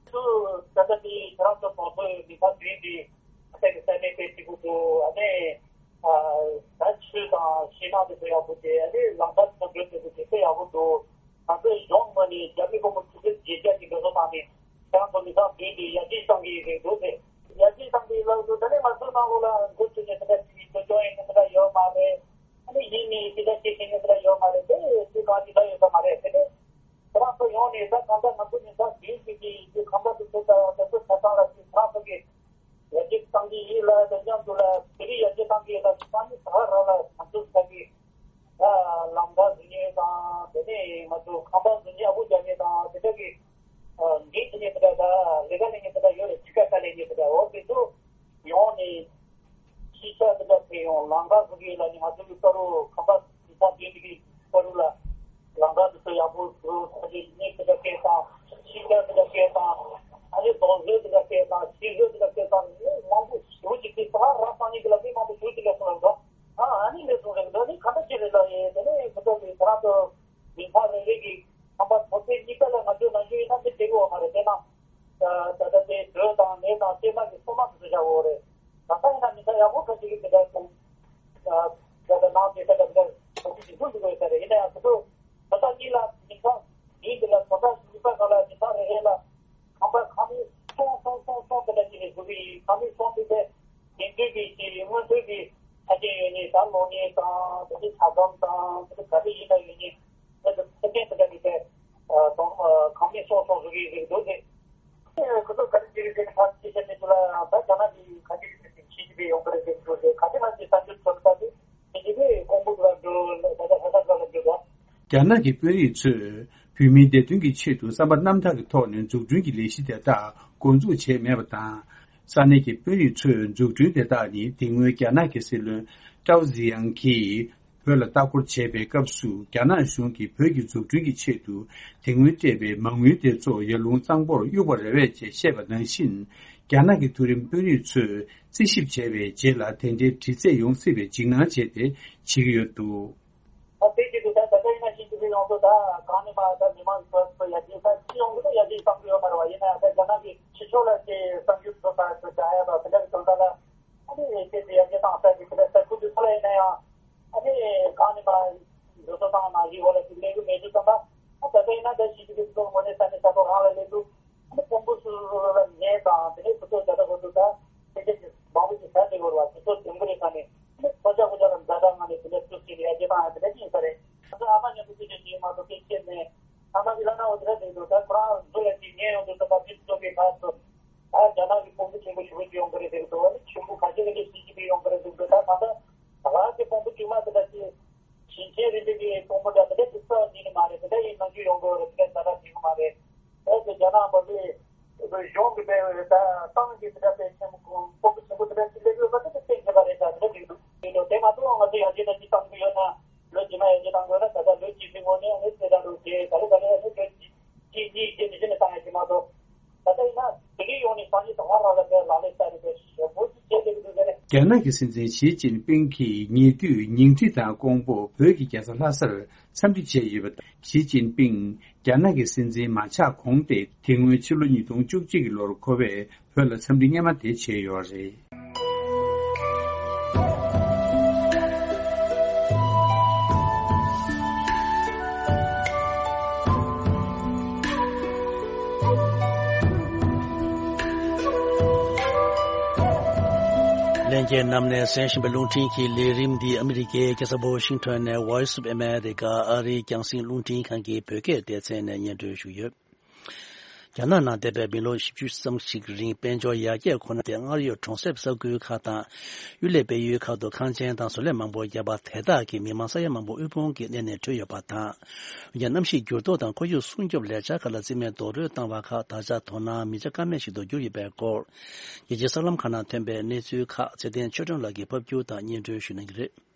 ཚུར་ད་ལྟ་དེའི་ཁྱེད་རང་ཚོ་གྲོང་ཚོའི་མི་ཚང་བདུན་གྱི་ཨ་ས་གི་ས་གནས་དཔེ་སྐྱིད་པོ་འདུག། ཨ་ནི། ཨ། ད་ཆུ་དང་ཞིང་ནགས་དེ་ཚོ་ཡག་པོ་བྱས། ཨ་ནི་ལམ་ཁ་དེ་ཚོ་འགྲོ་ཐུབ་པ་དེ་ཚོ་ཡག་པོ་འདུག། ང་ཚོའི་གཞུང་ངོས་ནས་རྒྱ་མི་དཔོན་པོ་ཆུ་ཚོད་བརྒྱད་བརྒྱ་གི་འགྲོ་སོང་བཏང་ནས་ཁྱེད་རང་ཚོ་མི་ཚང་བདུན་དེ་ཡར་རྒྱས་གཏང་གི་ཡོད་རེད་འདུག་ཟེར། ཡར་རྒྱས་གཏང་གི་ཡོད་ལབ་འདུག། ད་ནི་ང་ཚོའི་ནང་ལོགས་ལ་འགོ་ཚུགས་ནས་དེ་འདྲ་བྱེད་ཀྱི་འགྲོ་སྐྱོང་ཡིན་ན་དེ་འདྲ་ཡོད་མ་རེད། ཨ་ནི་ཡིན་ནའི་དེ་འདྲ་བྱེད་ཤེས་མཁན་དེ་འདྲ་ཡོད་མ་རེད། དེ་སུས་གང་ཅི་ལབ་ཡོད་ས་མ་རེད། དེ་ནི་ཁྱེད་རང་ཚོ་ཡོང་ནས་ད་གང་ལྟར་ང་ཚོ་མི་ཚང་བདུན་ཞིག་གིས་ཁང་པ་དེ་ཚོ་ད་ད་ཚོ་ཆ་ཚང་ལ་ཁྱེད་རང་ཚོ་གིས། ཡར་རྒྱས་གཏང་གི་ཡིན་ལ། དེ་མཉམ་དུ་ལ་བོད་རིགས་ཡར་རྒྱས་གཏང་གི་ཡོད་ལ། ས་གནས་ས་ཁ་རང་ལ་ང་ཚོ་ས་གི་ལམ་ཁ་བཟོ་མཁན་དང་། དེ་ནས་ང་ཚོ་ཁང་པ་བཟོ་མཁན་ཨ་ཁུ་རྒྱག་མཁན་དང་། དེ་འདྲ་གི་འགན་འཁྱེར་མཁན་དེ་འདྲ་དང་ལས་ཀ་ལས་མཁན་དེ་འདྲ་ཡོད་རེད། ཕྱི་ཁ་ཁ་ལས་མཁན་དེ་འདྲ། འོ་དེ་ཚོ་ཡོང་ནས་ཤེས་བྱ་དེ་འདྲ་ཕུལ་ཡོང་། ལམ་ཁ་བཟོ་གི་ཡོད་ལ་ནི་ང་ཚོ་གི་ཀ་རུ་ཁང་པ་བཟོ་ས་དེ་འདྲ་གི་ཀ་རུ་ལ། ལམ་ཁ་དེ་ཚོ་ཡག་པོ་བཟོ། ས་ཆའི་གནས་དེ་འདྲ་སྤྲད་དང་། ཤིང་རྟ་དེ་འདྲ་སྤྲད་དང་། ཨ་ནི་རྡོ་བཟོ་དེ་འདྲ་སྤྲད་དང་། ཤིང་བཟོ་དེ་འདྲ་སྤྲད་དང་། མི་མང་པོ་ཞེ་པོ་ཅིག་གིས་ད་རང་སང་ཉིན་གྱི་ལ་མི་མང་པོ་ཞེ་པོ་ཅིག་ལ་སོང་ལ་འགྲོ། ཨ་ཨ་ནི་ལས་སོང་རེད་འདུག། ནི་ག་འདྲ་ཅིག་རེད་ལ་ཡིན། དེ་ནས་ཁོ་ཚོ་གི་ཁོ་རང་ཚོ་མི་ཚང་རེ་རེ་གི་ཁང་པ་ཐོག་ཚད་གཉིས་ཀ་ལ་ང་ཚོའི་ནང་ཆོས་ཡིན་ན་མི་སྡེ་གི་འོག་མ་རེད། དེ་ན། ད་ལྟ་དེ་དྲོད་དང་ནས་དང་གསེར་མ་གི་སོ་མ་དེ་ཚོ་བཞག་འོག་རེད། ད་ལྟ་ཡིན་ན་མི་ཚང་ཡག་པོ་ཁ་ཅིག་གིས་དེ་འདྲ་སོང་། ད་ལྟ་ནང་དེ་ད་ལྟ་འདྲ་ཁོ་ཚོ་ཞིག་འཛུལ་འགྲོ་གི་ཡོད་ས་རེད། ཡིན་ན་ཡང་ཁོ་ཚོ་ད་ལྟ་གཉིས་ལ་མི་ཚང་ཡིན་དེ་ལ་ད་ལྟ་གཉིས་པ་ག་ལ་མི་ཚང་རེ་རེ་ལ་ཁང་པ་ཁང་མིག་སོང་སོང་སོང་སོང་དེ་འདྲ་ཅིག་རེད་འདུག་གི། ཁང་མིག་སོང་དུས་དེ་དེང་དུས་ཀྱི་ཅིག་སྔོན་ཐོན་གྱི་ཆ་རྐྱེན་ཡོད་ནི་ད་ལོ་ངན་དང་དེ་ཚོ་ཇ་སྒམ་དང་དེ་ཚོ་ག་རེ་ཡིན་ན་ཡོད་ནི། ད་ལྟ་ཚད་ལྡན་དེ་འདྲ་གི་དེ་གཏོང་ཁང་མིག་སོང་སོང་བཟོ་གི་ཡོད་འདུག་ཟེར། ཁོ་ཚོ་ག་རེ་བྱེད་ཀྱི་ཟེར་ནས་ཕར་ཅི་བྱེད་མི་འདུག་ལ། ད་རྒྱ་ནག་གི་ག་རེ་བྱེད་ཀྱི་ཟེར་ནས་ཕྱི་རྒྱལ་ཡོང་གི་རེད་ཟེར་གི་འདུག་ཟེར། ག་རེ་ང་ཚོས་ས་འགྱུར་ཚོར་ད་དེ་ཕྱི་རྒྱལ་པས་ཀོང་པོ་འདུག་ལ་འགྲོ་ད་ལྟ་ཧ་ས་འགྲོ་ལ་འགྲོ་ད། རྒྱ་ནག་གི་དཔོན་རིགས་ཚོས་ བོད་མིའི་བདེ་དོན་གྱི་ཆེད་དུ་བསམ་པ་རྣམ་དག་གི་ཐོག་ནས་འཛུགས་སྐྲུན་གྱི་ལས་གཞི་དེ་དག་འགོ་འཛུགས་བྱས་མེད་པ་དང་། ས་གནས་ཀྱི་དཔོན་རིགས་ཚོས་འཛུགས་སྐྲུན་དེ་དག་ནི་དེ་སྔོན་རྒྱ་ནག་གི་སྲིད་བློན་ཀྲའོ་ཟི་ཡང་གིས་བོད་ལ་ལྟ་སྐོར་བྱས་པའི་སྐབས་སུ། རྒྱ་ནག་གཞུང་གིས་བོད་ཀྱི་འཛུགས་སྐྲུན་གྱི་ཆེད་དུ་དེ་སྔོན་སྤྲད་པའི་མ་དངུལ་དེ་ཚོ་ཡར་ཀླུང་གཙང་པོར་གཡུགས་པ་རེད་པས་ཅེས་བཤད་པ་ནང་བཞིན། རྒྱ་ནག་གི་མཐོ་རིམ་དཔོན་རིགས་ཚོས་རྩིས་ཞིབ་བྱས་པའི་རྗེས་ལ་དེ་འདྲའི་འདྲི་རྩད་ཡོང་སྲིད་པའི་འཇིགས་སྣང་བྱས་ཏེ་བྱེད་ཀྱི་ཡོད་འདུག་ད་དེ་བྱེད་དུས་ད་ད་ལྟ་ཡིན་ན་ཞིག་ཅིག་ཡོང་དུས་ད་གང་ནས་མ་ད་མི་མང་ཚོ་ཚོ་ཡར་རྒྱས་ད་ཅི་ཡོང་གི་འདུག་ཡར་རྒྱས་བཏང་གི་ཡོད་མ་རེད་བ། ཡིན་ན་ཡང་ད་རྒྱ་ནག་གི་ཕྱི་ཕྱོགས་ལ་དེ་གསར་འགྱུར་བཟོ་ས་ཚོ་རྒྱག་ཡ་དང་དེ་འདྲ་གི་དོན་དག་ལ་ཨ་ནི་དེ་དེ་ཡར་རྒྱས་བཏང་ས་གི་དེ་འདྲ་ས་ཁུལ་དེ་ཚོ་ལ་ཡིན་ན་ཡང་ཨ་ནི་གང་ནས་མ་འགྲོ་སོང་བཏང་མ་གི་འོག་ལ་དེ་ལས་གི་མེད་དུས་ཙམ་པ་ཨ་ད་ལྟ་ཡིན་ན་ད་ཞིག་ཅིག་གི་ཚོ་ངོ་ནས་ས་ནས་ས་ཐོག་རང་ལ་སླེབས་འདུག་ཨ་ནི་དཔོན་པོ་ཚོ་ལ་ཉེས་དང་དེ་ནས་ཁོ་ཚོ་ད་ལྟ་ཁོ་ཚོ་ད་ཕལ་ཆེར་གྱི་མང་པོ་ཞིག་ཟ་བསྡད་ཡོད་རེད་བ། དེ་ཚོ་དེང་གི་རེད་ས་ནས་ཨ་ནི་ཁོ་ཅག་ཁོ་ཅག་ལ་ཛ་དྲག་ངང་ནས་དེ་འདྲ་ཚུར་ཁྲིད་ནས་ཡར་རྒྱས་བཏང་ཡ་དེ་འདྲ་ཅིག་ཡིན་ས་རེད། ད་ལྟ་ཨ་མ་མཉམ་དུ་ཁྱེད་ཅག་ཅིག་མ་གཏོགས་ཕལ་ཆེར་ནས་ཨ་མ་གི་ལ་ན་འོ་དེ་འདྲ་ཟེར་འདུག་ད་ཁོ་རང་ཚོ་ལ་ཅིག་ཉེས་ཡོང་དུས་ཙམ་པ་དེ་ཚོ་གི་ཁ་ཚོ་ད་རྒྱ་ནག་གི་དཔོན་པོ་ཆེན་པོ་ཞེ་པོ་ཅིག་ཡོང་གི་རེད་ཟེར་གི་འདུག་ཨ་ནི་ཆེན་པོ་ཁ་ཤས་ཀྱི་ཞིག་ཅིག་ཡོང་གི་རེད་ཟེར་གི་འདུག་ད་ད་ལྟ་ད་ག་གི་དཔོན་པོ་དཀྱུས་མ་དེ་འདྲ་ཅིག་ཞིང་ཆེན་རིམ་པའི་གི་དཔོན་པོ་འདྲ་དེ་འདྲ་ཅིག་རྩ་བ་ཉིད་ནས་མ་རེད། དེ་འདྲ་ཡིན་ནང་རྒྱུ་ཡོང་གི་རེད། དེ་འདྲ་ཛ་དྲག་བྱེད་གི་མ་རེད། ཨེ་ཙི་རྒྱ་ནག་པ་ཚོས་གཞུང་གི་དཔེ་ད་ཏང་གི་དེ་འདྲ་དཔེ་ཆེན་པོ་དཔོན་པོ་ཆེན་པོ་དེ་འདྲ་ཅིག་སླེབས་ཡོད་པ་དེ་གཏན་འཁེལ་བ་རེད། ད་དེ་འདྲ་རེད་འདུག་དེ་འདྲ་དེ་མ་གཏོགས་ང་ཚོ་ཡར་རྒྱས་ད་ཅིག་བཏང་གི་ཡོད་ན་ལོ་རྗེས་མ་ཡར་རྒྱས་བཏང་དགོས་ན་ད་ལྟ་ལོ་གཅིག་གི་སྔོན་ནས་ཨ་ནི་ཚེ་རང་འགྲོ་རྗེས་ག་ལེ་ག་ལེ་ཨ་ནི་ལོ་གཅིག་གཅིག་གཉིས་རྗེས་ནས་གཞི་ནས་བཏང་ཡ་ཅིག་མ་གཏོགས། ད་ལྟ་ཡིན་ན་དེ་གི་ཡོང་ནས་སང་ཉིན་དང་བ་རང་ལ་དེ་ལག་ལེན་བསྟར་ནས་དེ་ཞེ་པོ་ཅིག་བྱས་བསྡད་ཀྱི་འདུག་ཟེར་ནས། རྒྱ་ནག་གི་སྲིད་འཛིན་ཞི་ཅིན་ཕིང་གིས་ཉེ་དུས་ཉིང་ཁྲི་དང་ཀོང་པོ་བོད་ཀྱི་རྒྱལ་ས་ལྷ་སར་འཚམས་འདྲི་བྱས་ཡོད་པ་དང་། ཞི་ཅིན་ཕིང་རྒྱ་ནག་གི་སྲིད་འཛིན་མ་ཆགས་གོང་སྟེ་དེ་སྔོན་ཕྱི་ལོ་ཉིས་སྟོང་བཅུ་གཅིག་གི་ལོར་ཁོ་པས་བོད་ལ་འཚམས་འདྲི་སྔོན་མ་དེ་བྱས་ཡོད་རེད། ལྷན་རྒྱས་རྣམས་ནས་གསན་བཞིན་པའི་རླུང་འཕྲིན་གྱི་ལས་རིམ་འདི་ཨ་མི་རི་ཀའི་རྒྱལ་ས་ཝ་ཤིང་ཊོན་ནས་Voice of America ཨ་རིའི་རྒྱང་སྲིང་རླུང་འཕྲིན་ཁང་གི་བོད་སྐད་སྡེ་ཚན་ནས་སྙན་སྒྲོན་ཞུས་ཡོད། རྒྱ་ནག་ནང་འདས་པའི་མི་ལོ་བཞི་བཅུ་ཙམ་ཞིག་རིང་དཔལ་འབྱོར་ཡར་རྒྱས་ཁོ་ན་དེ་སྔར་ཡོད་གྲོང་གསེབ་ས་ཁུལ་ཁག་དང་། གཡུལ་ལས་སྤེལ་ཡུལ་ཁག་ཏུ་ཁང་ཆེན་དང་བཟོ་ལས་མང་པོ་བརྒྱབ་པ་དེ་དག་གིས་མི་མང་ས་ཡ་མང་པོ་དབུལ་ཕོངས་ཀྱི་གནས་ནས་བྲོས་ཡོད་པ་དང་། འོན་ཀྱང་གནམ་གཤིས་འགྱུར་ལྡོག་དང་ཁོར་ཡུག་སྲུང་སྐྱོབ་ལས་འཆར་ཁག་ལ་རྩིས་མེད་རྡོག་རོལ་བཏང་བ་ཁག་ད་ཆ་དོ་སྣང་མི་བྱ་ཀ་མེད་ཞིག་ཏུ་གྱུར་ཡོད་པའི་སྐོར། རྒྱལ་སྤྱིའི་གསར་ལམ་ཁག་ནང་ཐོན་པའི་གནས་ཚུལ་ཁག་ཚེ་བརྟན་ཆོས་སྒྲོན་ལགས་ཀྱིས་ཕབ་སྒྱུར་དང་སྙན་སྒྲོན་ཞུ་གནང་གི་རེད།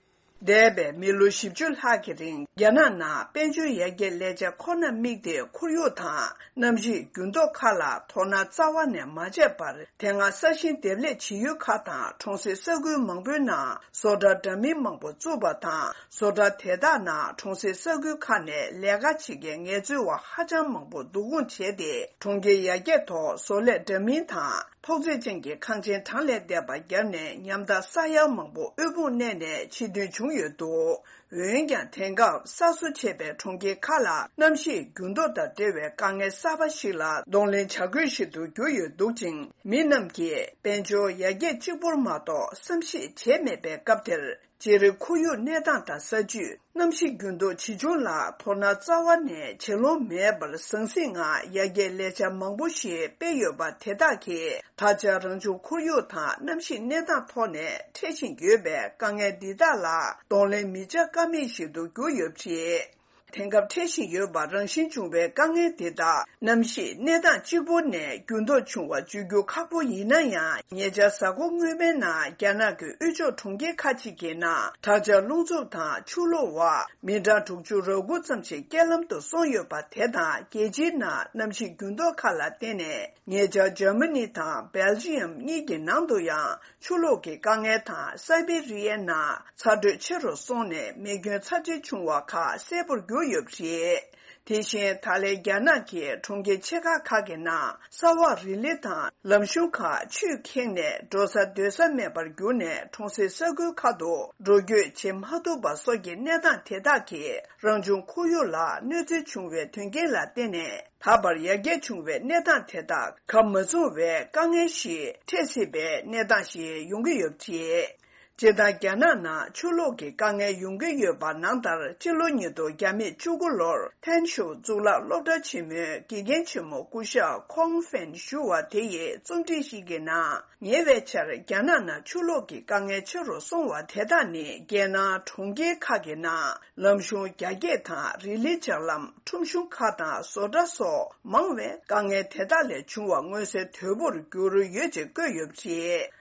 འདས་པའི་མི་ལོ་བཞི་བཅུ་ལྷག་གི་རིང་རྒྱ་ནག་ནང་དཔལ་འབྱོར་ཡར་རྒྱས་ལས་འཆར་ཁོ་ནར་དམིགས་ཏེ་ཁོར་ཡུག་དང་གནམ་གཤིས་འགྱུར་ལྡོག་ཁག་ལ་དོ་སྣང་རྩ་བ་ནས་མ་བྱས་པར་དེ་སྔ་ས་ཞིང་འདེབས་ལས་བྱེད་ཡུལ་ཁག་དང་གྲོང་གསེབ་ས་ཁུལ་མང་པོའི་ནང་བཟོ་གྲྭ་འདྲ་མིན་མང་པོ་བཙུགས་པ་དང་། བཟོ་གྲྭ་དེ་དག་ནང་གྲོང་གསེབ་ས་ཁུལ་ཁག་ནས་ལས་ཀ་བྱེད་མཁན་ངལ་རྩོལ་བ་ཧ་ཅང་མང་པོ་བསྡུ་སྐོང་བྱས་ཏེ་གྲོང་ཁྱེར་ཡར་རྒྱས་ཐོག་བཟོ་ལས་འདྲ་མིན་དང་། ཐོག་བརྩེགས་ཅན་གྱི་ཁང་ཆེན་གྲངས་ལས་འདས་པ་བརྒྱབ་ནས་ཉམ་ཐག་ས་ཡ་མང་པོ་དབུལ་ཕོངས་གནས་ནས་ཕྱིར་ཐོན་བྱུང་ཡོད་འདུག་འོན་ཀྱང་དེང་སྐབས་གསར་བཟོ་བྱས་པའི་གྲོང་ཁྱེར་ཁག་ལ་གནམ་གཤིས་འགྱུར་ལྡོག་དང་འབྲེལ་བའི་དཀའ་ངལ་གསར་པ་ཞིག་ལ་གདོང་ལེན་བྱ་དགོས་ཤིག་ཏུ་གྱུར་ཡོད་འདུག་ཅིང་། མི་རྣམས་ཀྱིས་དཔལ་འབྱོར་ཡར་རྒྱས་གཅིག་པུར་མ་གཏོགས་བསམ་ཤེས་བྱས་མེད་པའི་སྐབས་དེར། སྤྱིར་ཁོར་ཡུག་གནས་སྟངས་དང་ས་བཅུད། གནམ་གཤིས་འགྱུར་ལྡོག་ཇི་བྱུང་ལ་དོ་སྣང་རྩ་བ་ནས་བྱེད་ལོང་མེད་པར་ཟང་ཟིང་ངང་ཡར་རྒྱས་ལས་འཆར་མང་པོ་ཞིག་སྤེལ་ཡོད་པ་དེ་དག་གིས་ད་ཆ་རང་བྱུང་ཁོར་ཡུག་དང་གནམ་གཤིས་གནས་སྟངས་ཐོག་ནས་འཕྲད་བཞིན་ཡོད་པའི་དཀའ་ངལ་འདི་དག་ལ་གདོང་ལེན་མི་བྱ་ཀ་མེད་ཞིག་ཏུ་གྱུར་ཡོད་པ་རེད། དེང་སྐབས་འཕྲད་བཞིན་ཡོད་པ་རང་བཞིན་བྱུང་བའི་དཀའ་ངལ་འདི་དག་གནམ་གཤིས་གནས་སྟངས་གཅིག་པུ་ནས་འགྱུར་ལྡོག་བྱུང་བ་བརྗོད་རྒྱུ་ཁག་པོ་ཡིན་ན་ཡང་། ཉེ་ཆར་གཟའ་འཁོར་སྔོན་མའི་ནང་རྒྱ་ནག་གི་དབུས་ཕྱོགས་གྲོང་ཁྱེར་ཁག་ཅིག་གི་ནང་དྲག་ཆར་རླུང་འཚུབ་དང་ཆུ་ལོག་འོག་མི་གྲངས་དྲུག་ཅུ་རེ་དགུ་ཙམ་ཞིག་རྐྱེན་ལམ་དུ་སོང་ཡོད་པ་དེ་དང་། རྒྱལ་སྤྱིའི་ནང་གནམ་གཤིས་འགྱུར་ལྡོག་ཁག་ལ་བརྟེན་ནས་ཉེ་ཆར་འཇར་མ་ནི་དང་སྦེལ་ཇི་ཡམ་གཉིས་ཀྱི་ནང་དུ་ཡང་ཆུ་ལོག་གི་དཀའ་ངལ་དང་། སའི་བེ་རི་ཡའི་ནང་ཚ་དྲོད་ཆེ་རུ་སོང་ནས་མེ་སྐྱོན་ཚབས་ཆེ་བྱུང་བ་ཁག་གསལ་པོར་གྱུར་ཡོད་པ་རེད། དེ་བཞིན་ད་ལན་རྒྱ་ནག་གི་གྲོང་ཁྱེར་ཆེ་ཁག་ཁག་གི་ནང་ས་འོག་རི་ལི་དང་ལམ་གཤོང་ཁག་ཆུས་ཁེངས་ནས་འགྲོ་ས་སྡོད་ས་མེད་པར་གྱུར་ནས་གྲོང་གསེབ་ས་ཁུལ་ཁག་ཏུ་འགྲོ་སྐྱོད་བྱེད་མ་ཐུབ་པ་སོགས་ཀྱི་གནས་སྟངས་དེ་དག་གིས་རང་བྱུང་ཁོར་ཡུག་ལ་གནོད་འཚེ་བྱུང་བའི་དོན་རྐྱེན་ལ་བརྟེན་ནས་ད་བར་ཡར་རྒྱས་བྱུང་བའི་གནས་སྟངས་དེ་དག་ག་མ་ཚུགས་པའི་དཀའ་ངལ་ཞིག་འཕྲད་སྲིད་པའི་གནས་སྟངས་ཤིག་ཡོང་གི་ཡོད་པ་རེད། སྤྱིར་བཏང་རྒྱ་ནག་ནང་ཆུ་ལོག་གི་དཀའ་ངལ་ཡོང་གི་ཡོད་པ་ནང་ལྟར། སྤྱི་ལོ་ཉིས་སྟོང་བརྒྱ་མེད་བཅུ་དགུ་ལོར་ཐན་ཤོ་གཙུག་ལག་སློབ་གྲྭ་ཆེན་མོའི་དགེ་རྒན་ཆེན་མོ་སྐུ་ཞབས་ཁོང་ཧྥན་ཞུ་བ་དེ་ཡིས་རྩོམ་བྲིས་ཤིག་གི་ནང་། ཉེ་བའི་ཆར་རྒྱ་ནག་ནང་ཆུ་ལོག་གི་དཀའ་ངལ་ཆེ་རུ་སོང་བ་དེ་དག་ནི། རྒྱལ་ནང་གྲོང་ཁྱེར་ཁག་གི་ནང་ལམ་གཞུང་རྒྱ་སྐྱེད་དང་། རི་ལི་ལྕགས་ལམ། ཁྲོམ་གཞུང་ཁག་དང་བཟོ་གྲྭ་སོགས་མང་བས། དཀའ་ངལ་དེ་དག་ལས་བྱུང་བ་མངོན་གསལ་དོད་པོར་གྱུར་ཡོད་ཅེས་བཀོད་ཡོད་པ་རེད།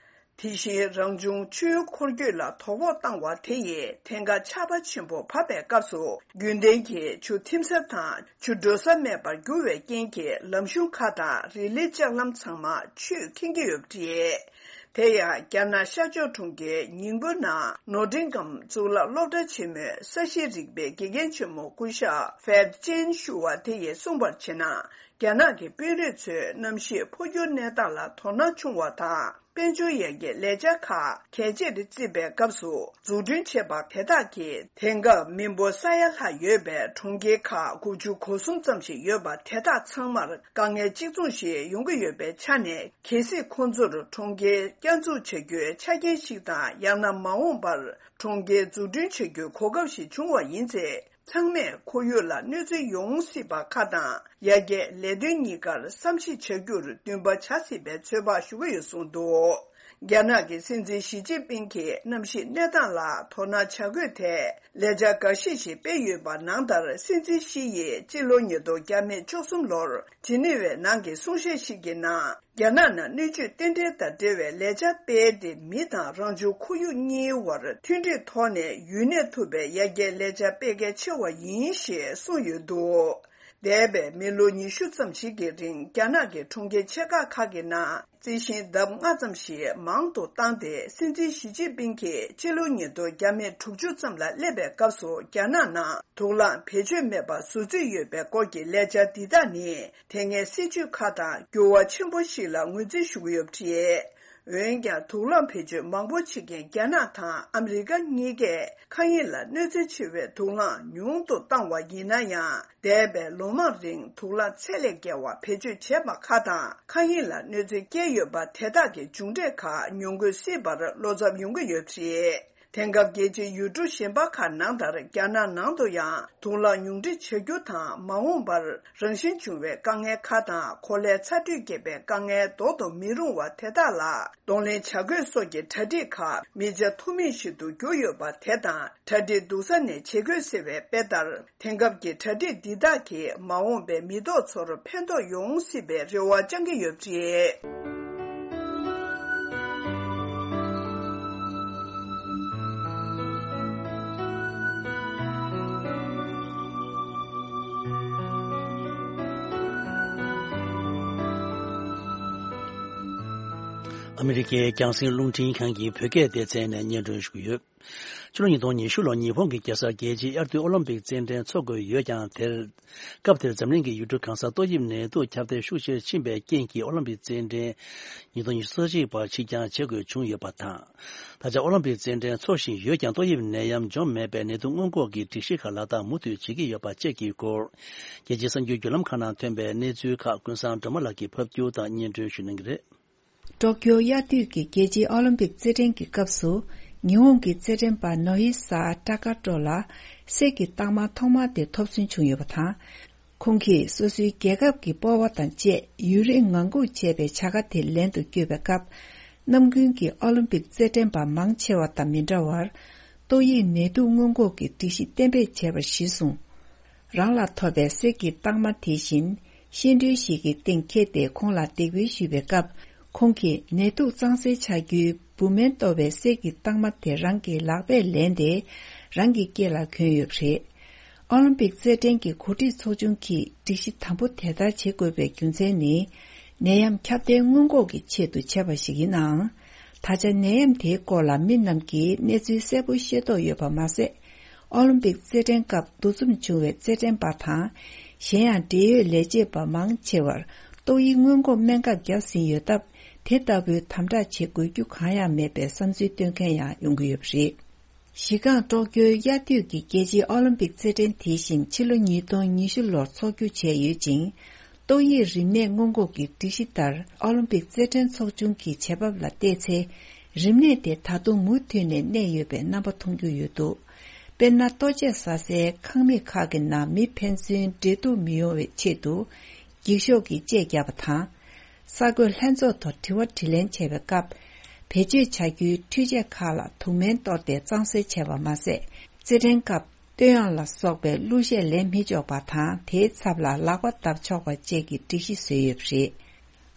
དེ་བཞིན་རང་བྱུང་ཆུའི་འཁོར་སྐྱོད་ལ་དོ་ཕོག་བཏང་བ་དེ་ཡིས་ཐན་ཁ་ཆར་པ་ཆེན་པོ་བབས་པའི་སྐབས་སུ། རྒྱུན་ལྡན་གྱི་ཆུ་ཐིམ་ས་དང་ཆུ་འགྲོ་ས་མེད་པར་གྱུར་བའི་རྐྱེན་གྱིས། ལམ་གཞུང་ཁག་དང་རི་ལི་ལྕགས་ལམ་ཚང་མ་ཆུས་ཁེངས་ཀྱི་ཡོད་པ་རེད། དེ་ཡང་རྒྱ་ནག་ཤར་ཕྱོགས་གྲོང་ཁྱེར་ཉིང་པོ་ནང་ནོ་ཏིང་གམ་གཙུག་ལག་སློབ་གྲྭ་ཆེན་མོའི་ས་གཤིས་རིག་པའི་དགེ་རྒན་ཆེན་མོ་སྐུ་ཞབས་ཧྥེ་ཅན་ཞུ་བ་དེ་ཡིས་གསུངས་པར་བྱས་ན། རྒྱ་ནག་གི་དཔོན་རིགས་ཚོས་གནམ་གཤིས་འཕོ་འགྱུར་གནས་སྟངས་ལ་དོ་སྣང་ཆུང་བ་དང་། དཔལ་འབྱོར་ཡར་རྒྱས་ལས་འཆར་ཁག་གལ་ཆེར་བརྩིས་པའི་སྐབས་སུ། འཛུགས་སྐྲུན་བྱས་པ་དེ་དག་གིས་དེང་སྐབས་མི་འབོར་ས་ཡ་ལྷག་ཡོད་པའི་གྲོང་ཁྱེར་ཁག་དགུ་བཅུ་གོ་གསུམ་ཙམ་ཞིག་ཡོད་པ་དེ་དག་ཚང་མར་དཀའ་ངལ་གཅིག་མཚུངས་ཤིག་ཡོང་གི་ཡོད་པའི་ཆ་ནས། གལ་སྲིད་ཁོང་ཚོར་གྲོང་ཁྱེར་བསྐྱར་འཛུགས་བྱ་རྒྱུའི་ཆ་རྐྱེན་ཞིག་དང་། ཡང་ན་མ་འོངས་པར་གྲོང་ཁྱེར་འཛུགས་སྐྲུན་བྱ་རྒྱུའི་གོ་སྐབས་ཤིག་བྱུང་བ་ཡིན་ཚེ། ཚང་མས་ཁོར་ཡུག་ལ་གནོད་འཚེ་ཡོང་སྲིད་པ་ཁག་དང་། ཡར་རྒྱས་ལས་དོན་གཉིས་ཀར་བསམ་གཞིག་བྱ་རྒྱུར་འདུན་པ་བྱ་སྲིད་པའི་ཚོད་དཔག་ཞུ་གི་ཡོད་གསུངས་འདུག། རྒྱ་ནག་གི་སྲིད་འཛིན་ཞི་ཅིན་ཕིང་གིས་གནམ་གཤིས་གནས་སྟངས་ལ་དོ་སྣང་བྱ་དགོས་ཐད། ལས་འཆར་འགའ་ཤས་ཤིག་སྤེལ་ཡོད་པ་ནང་ལྟར། སྲིད་འཛིན་ཞི་ཡིས་སྤྱི་ལོ་ཉིས་སྟོང་བརྒྱ་མེད་བཅུ་གསུམ་ལོར་ཇི་ནི་ཝའི་ནང་གི་གསུང་བཤད་ཞིག་གི་ནང་། རྒྱ་ནག་ནང་སྣོད་བཅུད་རྟེན་འབྲེལ་དང་འབྲེལ་བའི་ལས་འཆར་སྤེལ་ཏེ། མི་དང་རང་བྱུང་ཁོར་ཡུག་གཉིས་བར་མཐུན་སྒྲིལ་ཐོག་ནས་ཡུན་གནས་ཐུབ་པའི་ཡར་རྒྱས་ལས་འཆར་སྤེལ་གལ་ཆེ་བ་ཡིན་ཞེས་གསུངས་ཡོད་འདུག། འདས་པའི་མི་ལོ་ཉི་ཤུ་ཙམ་ཞིག་གི་རིང་། རྒྱ་ནག་གི་གྲོང་ཁྱེར་ཆེ་ཁག་ཁག་གི་ནང་རྩི་ཤིང་ལྡབ་ལྔ་ཙམ་ཞིག་མང་དུ་བཏང་སྟེ། སྲིད་འཛིན་ཞི་ཅིན་ཕིང་གིས་སྤྱི་ལོ་ཉིས་སྟོང་བརྒྱ་མེད་དྲུག་ཅུ་ཙམ་ལ་སླེབས་པའི་སྐབས་སུ། རྒྱ་ནག་ནང་དུག་རླངས་བེད་སྤྱོད་མེད་པ་བཟོ་རྩིས་ཡོད་པའི་སྐོར་གྱི་ལས་འཆར་འདི་དག་ནི། དེ་སྔའི་སྲིད་ཇུས་ཁག་དང་འགྱུར་བ་ཆེན་པོ་ཞིག་ལ་ངོས་འཛིན་ཞུ་གི་ཡོད་པ་རེད། འོན་ཀྱང་། དུག་རླངས་བེད་སྤྱོད་མང་པོ་བྱེད་མཁན་རྒྱ་ནག་དང་ཨ་མི་རི་ཀ་གཉིས་ཀས། མཁའ་དབྱིངས་ལ་གནོད་འཚེ་ཆེ་བའི་དུག་རླངས་ཉུང་དུ་བཏང་བ་ཡིན་ན་ཡང་། འདས་པའི་ལོ་མང་རིང་དུག་རླངས་ཚད་ལས་བརྒལ་བ་བེད་སྤྱོད་བྱས་པ་ཁག་དང་། མཁའ་དབྱིངས་ལ་གནོད་འཚེ་བསྐྱལ་ཡོད་པ་དེ་དག་གི་མཇུག་འབྲས་ཁག་མྱོང་དགོས་སྲིད་པར་བློ་འཚབ་ཡོང་གི་ཡོད་པ་རེད། དེང་སྐབས་རྒྱལ་སྤྱིའི་ཡུལ་གྲུ་གཞན་པ་ཁག་ནང་ལྟར། རྒྱ་ནག་ནང་དུ་ཡང་དུག་རླངས་ཉུང་འཕྲི་བྱ་རྒྱུ་དང་། མ་འོངས་པར་རང་བཞིན་བྱུང་བའི་དཀའ་ངལ་ཁག་དང་། གོ་ལའི་ཚ་དྲོད་རྒྱས་པའི་དཀའ་ངལ་ཟློག་ཏུ་མི་རུང་བ་དེ་དག་ལ་གདོང་ལེན་བྱ་དགོས་སོགས་ཀྱི་གྲ་སྒྲིག་ཁག་མི་བྱ་ཐུབ་མིན་ཞིག་ཏུ་གྱུར་ཡོད་པ་དེ་དང་། གྲ་སྒྲིག་སྡུག་ས་ནས་བྱེད་དགོས་ཟེར་བའི་དཔེ་ལྟར། དེང་སྐབས་ཀྱི་གྲ་སྒྲིག་འདི་དག་གིས་མ་འོངས་པའི་མི་ཐོག་ཚོར་ཕན་ཐོགས་ཡོང་སྲིད་པའི་རེ་བ་བཅང་གི་ཡོད་པ་རེད། ཨ་མི་རི་ཀའི་རྒྱང་སྲིང་རླུང་འཕྲིན་ཁང་གི་བོད་སྐད་སྡེ་ཚན་ནས་སྙན་སྒྲོན་ཞུ་གི་ཡོད། ཕྱི་ལོ་ཉིས་སྟོང་ཉི་ཤུ་ལོར་ཉི་ཧོང་གི་རྒྱལ་ས་རྒྱལ་སྤྱིའི་དབྱར་དུས་ཨོ་ལིམ་པིག་རྩེད་འགྲན་འཚོགས་དགོས་ཡོད་ཀྱང་། དེར། སྐབས་དེར་འཛམ་གླིང་གི་ཡུལ་གྲུ་གང་སར་ཏོག་དབྱིབས་ནད་དུག་ཁྱབ་གདལ་ཤུགས་ཆེར་ཕྱིན་པའི་རྐྱེན་གྱིས། ཨོ་ལིམ་པིག་རྩེད་འགྲན་ཉིས་སྟོང་ཉི་ཤུ་རྩ་གཅིག་བར་ཕྱིར་འགྱངས་བྱེད་དགོས་བྱུང་ཡོད་པ་དང་། ད་ཆ་ཨོ་ལིམ་པིག་རྩེད་འགྲན་འཚོགས་བཞིན་ཡོད་ཀྱང་། ཏོག་དབྱིབས་ནད་ཡམས་འཇོམས་མེད་པའི་ནད་དུག་སྔོན་འགོག་གི་སྒྲིག་གཞི་ཁག་ལག་བསྟར་མུ་མཐུད་བྱེད་ཀྱི་ཡོད་པ་བཅས་ཀྱི་སྐོར། རྒྱལ་སྤྱིའི་གསར་འགྱུར་བརྒྱུད་ལམ་ཁག་ནང་ཐོན་པའི་གནས་ཚུལ་ཁག་ཀུན་བཟང་སྒྲོལ་མ་ལགས་ཀྱིས་ཕབ་སྒྱུར་དང་སྙན་སྒྲོན་ཞུ་གནང་གི་རེད། ཀྲོ་ཀྱོ་དབྱར་དུས་ཀྱི་རྒྱལ་སྤྱིའི་ཨོ་ལིམ་པིག་རྩེད་འགྲན་གྱི་སྐབས་སུ། ཉི་ཧོང་གི་རྩེད་འགྲན་པ་ནོ་ཧི་ས་ཀྲ་ཀ་ཀྲོ་ལ་གསེར་གྱི་རྟགས་མ་ཐོག་མ་དེ་ཐོབ་ཟིན་བྱུང་ཡོད་པ་དང་། ཁོང་གིས་སོ་སོའི་རྒྱལ་ཁབ་ཀྱི་སྤོབས་པ་དང་བཅས་ཡུན་རིང་ངང་སྒུག་བྱས་པའི་བྱ་དགའ་དེ་ལེན་དུ་བསྐྱོད་པའི་སྐབས། ནམ་རྒྱུན་གྱི་ཨོ་ལིམ་པིག་རྩེད་འགྲན་པ་མང་ཆེ་བ་དང་མི་འདྲ་བར། ཏོག་དབྱིབས་ནད་དུག་སྔོན་འགོག་གི་སྒྲིག་གཞི་གཏན་འབེབས་བྱས་པར་གཞི་བཟུང་། རང་ལ་ཐོབ་པའི་གསེར་གྱི་རྟགས་མ་དེ་བཞིན་སྐྱེལ་འདྲེན་ཞིག་གི་སྟེང་འཁྱེར་ཏེ་ཁོང་ལ་འདེགས་འབུལ་ཞུས་པའི་སྐབས། ཁོང་གིས་ནད་དུག་གཙང་སེལ་བྱ་རྒྱུའི་འབུ་སྨན་གཏོར་བའི་གསེར་གྱི་རྟགས་མ་དེ་རང་གི་ལག་པས་ལེན་ཏེ་རང་གི་སྐེ་ལ་གྱོན་ཡོད་པ་རེད། ཨོ་ལིམ་པིག་རྩེད་འགྲན་གྱི་གོ་སྒྲིག་ཚོགས་ཆུང་གིས་སྒྲིག་གཞི་དམ་པོ་དེ་ལྟར་བྱེད་དགོས་པའི་རྒྱུ་མཚན་ནི། ནད་ཡམས་ཁྱབ་གདལ་སྔོན་འགོག་གི་ཆེད་དུ་བྱས་པ་ཞིག་ཡིན་ནའང་། ད་ཆ་ནད་ཡམས་དེའི་སྐོར་ལ་མི་རྣམས་ཀྱིས་གནས་ཚུལ་གསལ་པོ་ཤེས་རྟོགས་ཡོད་པ་མ་ཟད། ཨོ་ལིམ་པིག་རྩེད་འགྲན་སྐབས་འདུ་འཛོམས་བྱུང་བའི་རྩེད་འགྲན་པ་དང་། གཞན་ཡང་འབྲེལ་ཡོད་ལས་བྱེད་པ་མང་ཆེ་བར་ཏོག་དབྱིབས་སྔོན་འགོག་སྨན་ཁབ་བརྒྱབ་ཟིན་ཡོད་སྟབས། དེ་ལྟ་བུའི་དམ་དྲག་བྱེད་དགོས་རྒྱུ་གང་ཡང་མེད་པའི་བསམ་ཚུལ་བཏོན་མཁན་ཡང་ཡོང་གི་ཡོད་པ་རེད། གཞི་རྐང་ཀྲོ་ཀྱོའི་དབྱར་དུས་ཀྱི་རྒྱལ་སྤྱིའི་ཨོ་ལིམ་པིག་རྩེད་འགྲན་དེ་བཞིན་ཕྱི་ལོ་ཉིས་སྟོང་ཉི་ཤུ་ལོར་འཚོགས་རྒྱུ་བྱས་ཡོད་ཅིང་། ཏོག་དབྱིབས་རིམས་ནད་སྔོན་འགོག་གི་སྒྲིག་གཞི་ལྟར། ཨོ་ལིམ་པིག་རྩེད་འགྲན་ཚོགས་ཆུང་གི་བྱེད་བབ་ལ་བལྟས་ཚེ། རིམས་ནད་དེ་ད་དུང་མུ་མཐུད་ནས་གནས་ཡོད་པའི་རྣམ་པ་མཐོང་རྒྱུ་ཡོད་འདུག་དཔེར་ན། ལྟོ་ཆས་ཟ་སའི་ཁང་མིག་ཁག་གི་ནང་མི་ཕན་ཚུན་འབྲེལ་གཏུག་མི་ཡོང་བའི་ཆེད་དུ། འགྱིག་ཤོག་གི་ལྕེ་བརྒྱབ་པ་དང་། གསར་འགོད་ལྷན་ཚོགས་ཐོག་དྲི་བ་དྲིས་ལན་བྱས་པའི་སྐབས། བེད་སྤྱོད་བྱ་རྒྱུའི་འཕྲུལ་ཆས་ཁག་ལ་དུག་སྨན་གཏོར་ཏེ་གཙང་སེལ་བྱས་པ་མ་ཟད། རྩེད་འགྲན་སྐབས་བསྟོད་དབྱངས་ལ་སོགས་པའི་གླུ་གཞས་ལེན་མི་ཆོག་པ་དང་། དེའི་ཚབ་ལ་ལག་པ་བརྡབ་ཆོག་པ་བཅས་ཀྱི་སྒྲིག་གཞི་བཟོས་ཡོད་པ་རེད།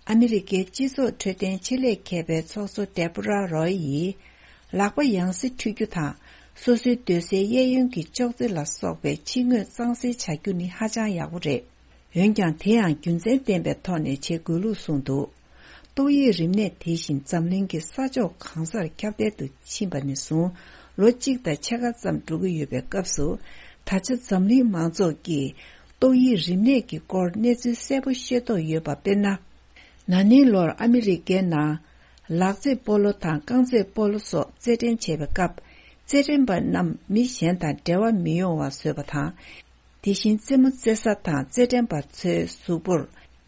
ཨ་མི་རི་ཀའི་སྤྱི་ཚོགས་འཕྲོད་བསྟེན་ཆེད་ལས་མཁས་པའི་ཚོགས་གཙོ་ཏེ་བྷོ་ར་རོའི་ཡིས། ལག་པ་ཡང་སེ་འཁྲུད་རྒྱུ་དང་། སོ་སོའི་སྡོད་སའི་གཡས་གཡོན་གྱི་ཅོག་ཙེ་ལ་སོགས་པའི་ཕྱི་ངོས་གཙང་སེལ་བྱ་རྒྱུ་ནི་ཧ་ཅང་ཡག་པོ་རེད། འོན་ཀྱང་། དེ་ཡང་རྒྱུ་མཚན་ལྡན་པའི་ཐོག་ནས་བྱེད་དགོས་ལུགས་གསུངས་འདུག་ཏོག་དབྱིབས་རིམས་ནད་དེ་བཞིན་འཛམ་གླིང་གི་ས་ཕྱོགས་གང་སར་ཁྱབ་གདལ་དུ་ཕྱིན་པ་ནས་བཟུང་། ལོ་གཅིག་དང་ཕྱེད་ཀ་ཙམ་འགྲོ་གི་ཡོད་པའི་སྐབས་སུ། ད་ཆ་འཛམ་གླིང་མང་ཚོགས་ཀྱིས་ཏོག་དབྱིབས་རིམས་ནད་ཀྱི་སྐོར་གནས་ཚུལ་གསལ་པོ་ཤེས་རྟོགས་ཡོད་པ། དཔེར་ན། ན་ནིང་ལོར་ཨ་མི་རི་ཀའི་ནང་ལག་རྩེད་སྤོ་ལོ་དང་རྐང་རྩེད་སྤོ་ལོ་སོགས་རྩེད་འགྲན་བྱས་པའི་སྐབས། རྩེད་འགྲན་པ་རྣམས་མི་གཞན་དང་འབྲེལ་བ་མི་ཡོང་བ་བཟོས་པ་དང་། དེ་བཞིན་རྩེད་མོ་རྩེ་ས་དང་རྩེད་འགྲན་པ་ཚོའི་གཟུགས་པོར་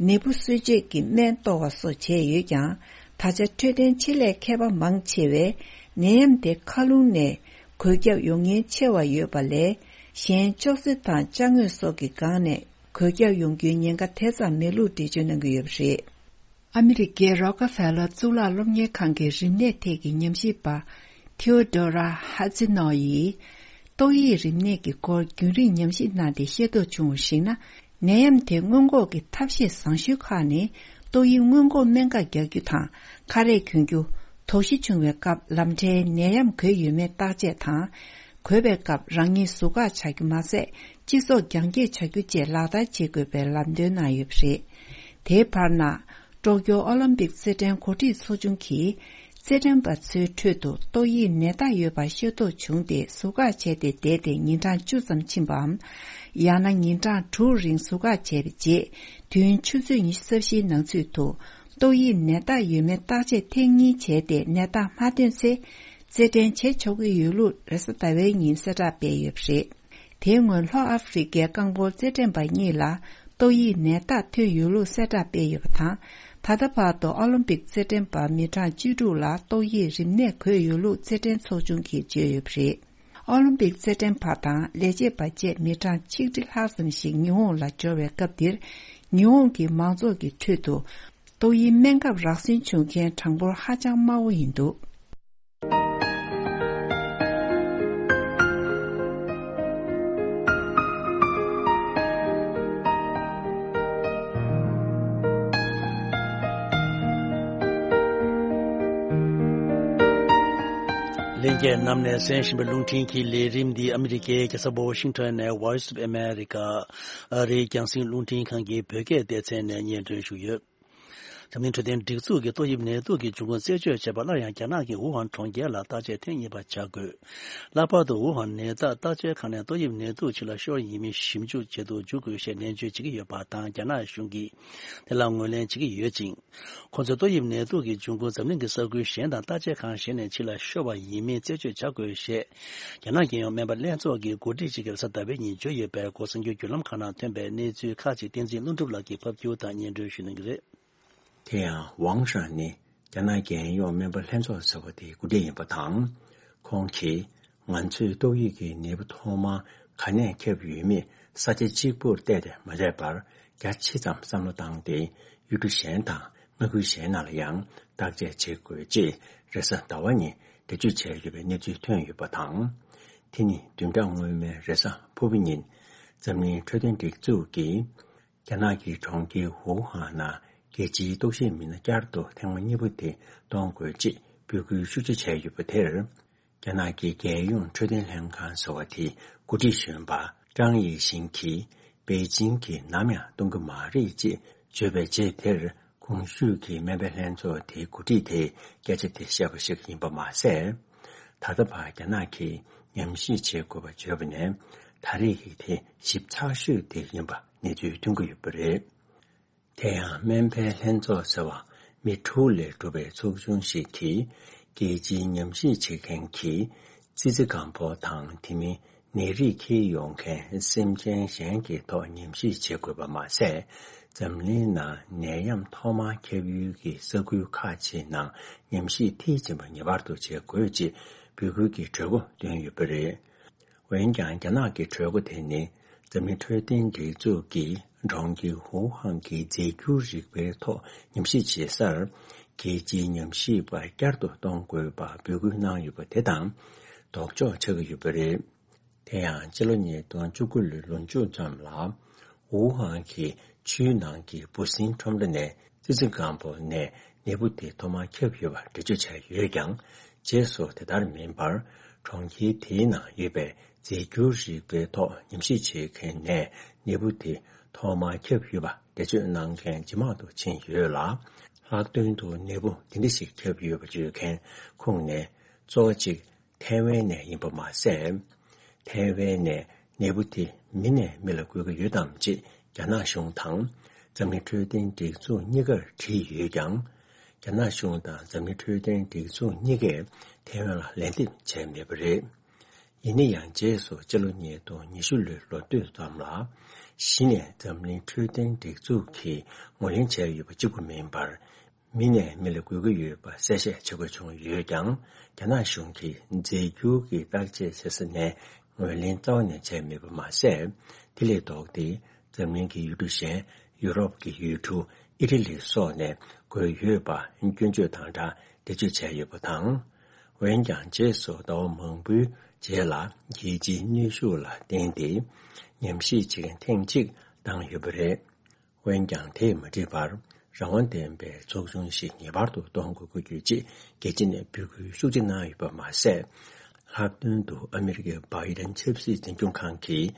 ནད་འབུ་གསོད་བྱེད་ཀྱི་སྨན་གཏོར་བ་སོགས་བྱས་ཡོད་ཀྱང་། ད་ཆ་འཕྲོད་བསྟེན་ཆེད་ལས་མཁས་པ་མང་ཆེ་བས་ནད་ཡམས་དེ་མཁའ་རླུང་ནས་འགོས་ཁྱབ་ཡོང་ཉེན་ཆེ་བ་ཡོད་པ་ལས། གཞན་ཅོག་ཙེ་དང་ཅ་དངོས་སོགས་ཀྱི་སྒང་ནས་འགོས་ཁྱབ་ཡོང་རྒྱུའི་ཉེན་ཁ་དེ་ཙམ་མེད་ལུགས་འགྲེལ་བརྗོད་གནང་གི་ཡོད་པ་རེད། ཨ་མི་རི་ཀའི་རོ་ཀ་ཧྥེ་ལར་གཙུག་ལག་སློབ་གཉེར་ཁང་གི་རིམས་ནད་ཐད་ཀྱི་ཉམས་ཞིབ་པ་ཐེའོ་ཌོ་ར་ཧ་ཙི་ནོ་ཡིས། ཏོག་དབྱིབས་རིམས་ནད་ཀྱི་སྐོར་རྒྱུན་རིང་ཉམས་ཞིབ་གནང་སྟེ་ཤེས་རྟོགས་བྱུང་བར་གཞིགས་ན། ནད་ཡམས་དེ་སྔོན་འགོག་གི་ཐབས་ཤེས་བཟང་ཤོས་ཁག་ནི། ཏོག་དབྱིབས་སྔོན་འགོག་སྨན་ཁབ་རྒྱག་རྒྱུ་དང་། ཁ་རས་གྱོན་རྒྱུ། དོགས་གཞི་བྱུང་བའི་སྐབས་ལམ་འཕྲལ་ནད་ཡམས་འགོས་ཡོད་མེད་བརྟག་དཔྱད་དང་། འགོས་པའི་སྐབས་རང་ཉིད་ཟུར་བཀག་བྱ་རྒྱུ་མ་ཟད། སྤྱི་ཚོགས་རྒྱང་བཀྱེད་བྱ་རྒྱུ་བཅས་ལག་བསྟར་བྱེད་དགོས་པའི་ལམ་སྟོན་གནང་ཡོད་པ་རེད། དེའི་བར་ན། ཀྲོ་ཀྱོ་ཨོ་ལིམ་པིག་རྩེད་འགྲན་འགོ་ཁྲིད་ཚོགས་ཆུང་གིས། རྩེད་འགྲན་པ་ཚོའི་ཁྲོད་དུ་ཏོག་དབྱིབས་ནད་རྟགས་ཡོད་པ་ཤེས་རྟོགས་བྱུང་སྟེ། ཟུར་བཀག་བྱས་ཏེ་བསྡད་དེ་ཉིན་གྲངས་བཅུ་ཙམ་ཕྱིན་པའམ། ཡང་ན་ཉིན་གྲངས་དྲུག་རིང་ཟུར་བཀག་བྱས་པའི་རྗེས། དུས་ཡུན་ཆུ་ཚོད་ཉི་ཤུ་རྩ་བཞིའི་ནང་ཚུད་དུ། ཏོག་དབྱིབས་ནད་རྟགས་ཡོད་མེད་བརྟག་དཔྱད་ཐེངས་གཉིས་བྱས་ཏེ། ནད་རྟགས་མ་ཐོན་ཚེ། རྩེད་འགྲན་བྱེད་ཆོག་གི་ཡོད་ལུགས་རེས་གཟའ་ཟླ་བའི་ཉིན་གསལ་བསྒྲགས་སྤེལ་ཡོད་པ་རེད། དེའི་སྔོན་ལྷོ་ཨ་ཧྥེ་རི་ཀའི་རྐང་སྤོལ་རྩེད་འགྲན་པ་གཉིས་ལ་ཏོག་དབྱིབས་ནད་རྟགས་ཐོན་ཡོད་ལུགས་གསལ་བསྒྲགས་སྤེལ་ཡོད་པ་དང་། ད་ལྟ་བར་དུ་ཨོ་ལིམ་པིག་རྩེད་འགྲན་པ་མི་གྲངས་བཅུ་དྲུག་ལ་ཏོག་དབྱིབས་རིམས་ནད་འགོས་ཡོད་ལུགས་རྩེད་འགྲན་ཚོགས་ཆུང་གིས་བརྗོད་ཡོད་པ་རེད། ཨོ་ལིམ་པིག་རྩེད་འགྲན་པ་དང་ལས་བྱེད་པ་བཅས་མི་གྲངས་ཆིག་ཁྲི་ལྷག་ཙམ་ཞིག་ཉི་ཧོང་ལ་འབྱོར་བའི་སྐབས་འདིར། ཉི་ཧོང་གི་མང་ཚོགས་ཀྱི་ཁྲོད་དུ། ཏོག་དབྱིབས་སྨན་ཁབ་རག་ཟིན་བྱུང་མཁན་གྲངས་འབོར་ཧ་ཅང་དམའ་བོ་ཡིན་འདུག་ལྷན་རྒྱས་རྣམས་ནས་གསན་བཞིན་པའི་རླུང་འཕྲིན་གྱི་ལས་རིམ་འདི་ཨ་མི་རི་ཀའི་རྒྱལ་ས་ཝ་ཤིང་ཊོན་ནས་Voice of America ཨ་རིའི་རྒྱང་སྲིང་རླུང་འཕྲིན་ཁང་གི་བོད་སྐད་སྡེ་ཚན་ནས་སྙན་སྒྲོན་ཞུས་ཡོད། འཛམ་གླིང་འཕྲོད་བསྟེན་སྒྲིག་འཛུགས་ཀྱིས་ཏོག་དབྱིབས་ནད་དུག་གི་འབྱུང་ཁུངས་རྩད་གཅོད་བྱེད་པར་སླར་ཡང་རྒྱ་ནག་གི་ཝུ་ཧན་གྲོང་ཁྱེར་ལ་བརྟག་དཔྱད་ཐེངས་གཉིས་པ་བྱ་དགོས། ལྷག་པར་དུ་ཝུ་ཧན་ནད་བརྟག་བརྟག་དཔྱད་ཁང་ནས་ཏོག་དབྱིབས་ནད་དུག་ཕྱི་ལ་ཤོར་ཡིན་མིན་ཞིབ་འཇུག་བྱེད་དུ་འཇུག་དགོས་ཞེས་ནན་བརྗོད་བྱེད་ཀྱི་ཡོད་པ་དང་། རྒྱ་ནག་གཞུང་གིས་དེ་ལ་ངོས་ལེན་བྱེད་ཀྱི་ཡོད་ཅིང་། ཁོ་ཚོས་ཏོག་དབྱིབས་ནད་དུག་གི་འབྱུང་ཁུངས་འཛམ་གླིང་གི་ས་ཁུལ་གཞན་དང་བརྟག་དཔྱད་ཁང་གཞན་ནས་ཕྱི་ལ་ཤོར་བ་ཡིན་མིན་རྩད་གཅོད་བྱ་དགོས་ཞེས། རྒྱ་ནག་རྒྱལ་ཡོངས་སྨན་པ་ལྷན་ཚོགས་ཀྱི་འགོ་ཁྲིད་ཅིག་གིས་རེས་གཟའ་ཟླ་བའི་ཉིན་བརྗོད་ཡོད་པའི་གོ་གསར་འགྱུར་བརྒྱུད་ལམ་ཁག་ནང་ཐོན་པའི་གནས་ཚུལ་ཁག་ཅིག་བསྟན་འཛིན་ཀླུ་སྒྲུབ་ལགས་ཀྱིས་ཕབ་སྒྱུར་དང་སྙན་སྒྲོན་ཞུ་གནང་གི་རེད། དེ་ཡང་ཝང་ཧྲན་ནི་རྒྱ་ནག་རྒྱལ་ཡོངས་སྨན་པ་ལྷན་ཚོགས་ཟེར་བ་དེའི་འགོ་ཁྲིད་ཡིན་པ་དང་། ཁོང་གིས་ང་ཚོས་ཏོག་དབྱིབས་ཀྱི་ནད་འབུ་ཐོག་མར་ག་ནས་ཁྱབ་ཡོད་མེད་ས་ཆ་གཅིག་པུར་བལྟས་ཏེ་མ་བསྡད་པར། རྒྱ་ཆེ་ཙམ་བསམ་བློ་བཏང་སྟེ། ཡུལ་གྲུ་གཞན་དང་མངའ་ཁུལ་གཞན་ནང་ལ་ཡང་བརྟག་དཔྱད་བྱེད་དགོས་ཅེས་རེས་གཟའ་ཟླ་བ་ཉིན་འགྲེལ་བརྗོད་བྱས་ཡོད་པའི་གནས་ཚུལ་ཐོན་ཡོད་པ་དང་། དེ་ནི་བདུན་ཕྲག་སྔོན་མའི་རེས་གཟའ་ཕུར་བུ་ཉིན་འཛམ་གླིང་འཕྲོད་བསྟེན་སྒྲིག་འཛུགས་ཀྱིས། རྒྱ་ནག་གི་གྲོང་ཁྱེར་ཝུ་ཧན་ནང་རྒྱལ་སྤྱིའི་ལྟོགས་ཤི་མི་སྣ་བསྐྱར་དུ་ཐེངས་མ་གཉིས་པ་དེ་གཏོང་དགོས་ཅེས་འབོད་སྐུལ་ཤུགས་ཆེ་བྱས་ཡོད་པ་དེར། རྒྱ་ནག་གི་རྒྱལ་ཡོངས་འཕྲོད་བསྟེན་ལྷན་ཁང་ཟེར་བ་དེའི་འགོ་ཁྲིད་གཞོན་པ་ཀྲང་དབྱི་ཞིན་གྱིས། པེ་ཅིང་གིས་ནམ་ཡང་གཏོང་གི་མ་རེད་ཅེས་བརྗོད་པའི་རྗེས་དེར། གོང་ཞུས་ཀྱི་སྨན་པའི་ལྷན་ཚོགས་དེའི་འགོ་ཁྲིད་དེས་སྐད་ཆ་དེ་བཤད་པ་ཞིག་ཡིན་པ་མ་ཟད། ད་ལྟ་བར་རྒྱ་ནག་གིས་ཉམས་ཞིབ་བྱེད་དགོས་པ་བརྗོད་པ་ནས། ད་རེས་ཀྱི་དེ་ཞིབ་ཚགས་ཤོས་དེ་ཡིན་པ་གནས་ཚུལ་ཐོན་གྱི་ཡོད་པ་རེད། དེ་ཡང་སྨན་པའི་ལྷན་ཚོགས་ཟེར་བ་མི་དྲུག་ལས་གྲུབ་པའི་ཚོགས་ཆུང་ཞིག་གིས། རྒྱལ་སྤྱིའི་ཉམས་ཞིབ་བྱེད་མཁན་གྱི་ཙི་ཙི་གང་པོ་དང་། དེ་མིན་ ནད་རིགས་འཁྱེར་ཡོང་མཁན་སེམས་ཅན་གཞན་གྱི་ཐོག་ཉམས་ཞིབ་བྱེད་དགོས་པ་མ་ཟད། འཛམ་གླིང་ནང་ནད་ཡམས་ཐོག་མར་ཁྱབ་ཡུལ་གྱི་ས་ཁུལ་ཁག་ཅིག་ནང་ཉམས་ཞིབ་མཐིལ་ཕྱིན་པ་ངེས་པར་དུ་བྱེད་དགོས་ཅེས་འབོད་སྐུལ་གྱི་གྲོས་འགོ་བཏོན་ཡོད་པ་རེད། འོན་ཀྱང་རྒྱ་ནག་གི་གྲོས་འགོ་དེ་ནི་འཛམ་གླིང་འཕྲོད་བསྟེན་སྒྲིག་འཛུགས་ཀྱིས་གྲོང་ཁྱེར་ཧུའུ་ཧན་གྱི་རྫས་འགྱུར་རིག་པའི་ཐོག་ཉམས་ཞིབ་བྱེད་སར། རྒྱལ་སྤྱིའི་ཉམས་ཞིབ་པ་བསྐྱར་དུ་གཏོང་དགོས་པར་འབོད་སྐུལ་གནང་ཡོད་པ་དེ་དང་ལྡོག་ཕྱོགས་ཆགས་ཀྱི་ཡོད་པ་རེད། དེ་ཡང་ཕྱི་ལོ་ཉིས་སྟོང་བཅུ་དགུ་ལོའི་ལོ་མཇུག་ཙམ་ལ། ཝུ་ཧན་གྱི་ཆུའི་ནང་གི་འབུ་སྲིན་ཁྲོམ་ར་ནས་ཙི་ཙི་སྒམ་པོ་ནས་ནད་འབུ་དེ་ཐོག་མར་ཁྱབ་ཡོད་པ་འགྲེལ་བརྗོད་བྱས་ཡོད་ཀྱང་། རྗེས་སུ་དེ་ལྟར་མིན་པར། གྲོང་ཁྱེར་དེའི་ནང་ཡོད་པའི་རྫས་འགྱུར་རིག་པའི་ཐོག་ཉམས་ཞིབ་བྱེད་མཁན་ནས་ནད་འབུ་དེ་ཐོག་མར་ཁྱབ་ཡོད་པ་འགྲེལ་བརྗོད་གནང་མཁན་ཇེ་མང་དུ་ཕྱིན་ཡོད་ལ། ལྷག་དོན་དུ་ནད་འབུ་དེ་འདྲ་ཞིག་ཁྱབ་ཡོད་པ་བརྗོད་མཁན་ཁོངས་ནས་གཙོ་བོ་གཅིག་ཐའེ་ཝན་ནས་ཡིན་པ་མ་ཟད། ཐའེ་ཝན་ནས་ནད་འབུ་དེ་མི་ནས་མི་ལ་འགོས་ཀྱི་ཡོད་དམ་ཅེས་རྒྱ་ནག་གཞུང་དང་འཛམ་གླིང་འཕྲོད་བསྟེན་སྒྲིག་འཛུགས་གཉིས་ཀར་དྲིས་ཡོད་ཀྱང་། རྒྱ་ནག་གཞུང་དང་འཛམ་གླིང་འཕྲོད་བསྟེན་སྒྲིག་འཛུགས་གཉིས་ཀས་ཐའེ་ཝན་ལ་ལན་འདེབས་བྱས་མེད་པ་རེད། ཡིན་ན་ཡང་རྗེས་སུ་སྤྱི་ལོ་ཉིས་སྟོང་ཉི་ཤུ་ལོའི་ལོ་སྟོད་ཙམ་ལ། གཞི་ནས་འཛམ་གླིང་འཕྲོད་བསྟེན་སྒྲིག་འཛུགས་ཀྱིས་ངོས་ལེན་བྱས་ཡོད་པ་གཅིག་པུ་མིན་པར། མི་ནས་མི་ལ་འགོས་ཀྱི་ཡོད་པ་གསལ་བཤད་བྱེད་དགོས་བྱུང་ཡོད་ཀྱང་། རྒྱ་ནག་གཞུང་གིས་རྫས་འགྱུར་གྱི་བརྟག་དཔྱད་བྱེད་ས་ནས་ངོས་ལེན་རྩ་བ་ནས་བྱས་མེད་པ་མ་ཟད། དེ་ལས་ལྡོག་སྟེ། འཛམ་གླིང་གི་ཡུལ་གྲུ་གཞན། ཡུ་རོབ་ཀྱི་ཡུལ་གྲུ། ཨི་ཊ་ལི་སོགས་ནས་འགོས་ཡོད་པ་སྐྱོན་བརྗོད་དང་སྦྲགས་འགྲེལ་བརྗོད་བྱས་ཡོད་པ་དང་། འོན་ཀྱང་རྗེས་སུ་ཟླ་བ་མང་པོའི་རྗེས་ལ་རྒྱལ་སྤྱིའི་གནོན་ཤུགས་ལ་བརྟེན་ཏེ། ཉམས་ཞིབ་བྱེད་མཁན་ཐེངས་གཅིག་བཏང་ཡོད་པ་རེད། འོན་ཀྱང་དེས་མ་འགྲིག་པར། རང་དབང་ལྡན་པའི་ཚོགས་ཆུང་ཞིག་ངེས་པར་དུ་གཏོང་དགོས་ཀྱི་ཡོད་ཅེས་རྒྱལ་སྤྱི་ནས་འབོད་སྐུལ་ཤུགས་ཆེ་གནང་ཡོད་པ་མ་ཟད། ལྷག་དོན་དུ་ཨ་མི་རི་ཀའི་བྷའི་ཌེན་ཆབ་སྲིད་འཛིན་སྐྱོང་ཁང་གིས་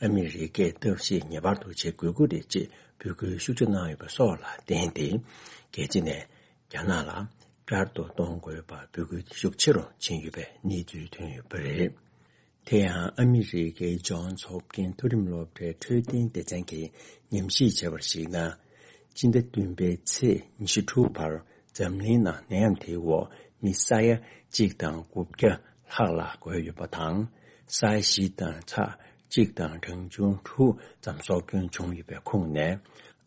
ཨ་མི་རི་ཀས་ཐབས་ཤེས་ངེས་པར་དུ་བྱེད་དགོས་ཀྱི་རེད་ཅེས་འབོད་སྐུལ་ཤུགས་ཆེ་གནང་ཡོད་པ་སོགས་ལ་བརྟེན་ཏེ། རྒྱལ་སྤྱི་ནས་རྒྱ་ནག་ལ་བསྐྱར་དུ་གཏོང་དགོས་པར་འབོད་སྐུལ་ཤུགས་ཆེ་རུ་ཕྱིན་ཡོད་པའི་གནས་ཚུལ་ཐོན་ཡོད་པ་རེད། དེ་ཡང་ཨ་མི་རི་ཀའི་ཇོན་སི་ཧོབ་ཀིན་མཐོ་རིམ་སློབ་གྲྭའི་འཕྲོད་བསྟེན་སྡེ་ཚན་གྱིས་ཉམས་ཞིབ་བྱས་པར་གཞིགས་ན། སྤྱི་ཟླ་བདུན་པའི་ཚེས་ཉི་ཤུ་དྲུག་བར་འཛམ་གླིང་ནང་ནད་ཡམས་དེའི་འོག་མི་ས་ཡ་གཅིག་དང་དགུ་བརྒྱ་ལྷག་ལ་འགོས་ཡོད་པ་དང་། ས་ཡ་བཞི་དང་ཚེག་གཅིག་དང་གྲངས་ཆུང་དྲུག་ཙམ་སྲོག་སྐྱོན་བྱུང་ཡོད་པའི་ཁོངས་ནས།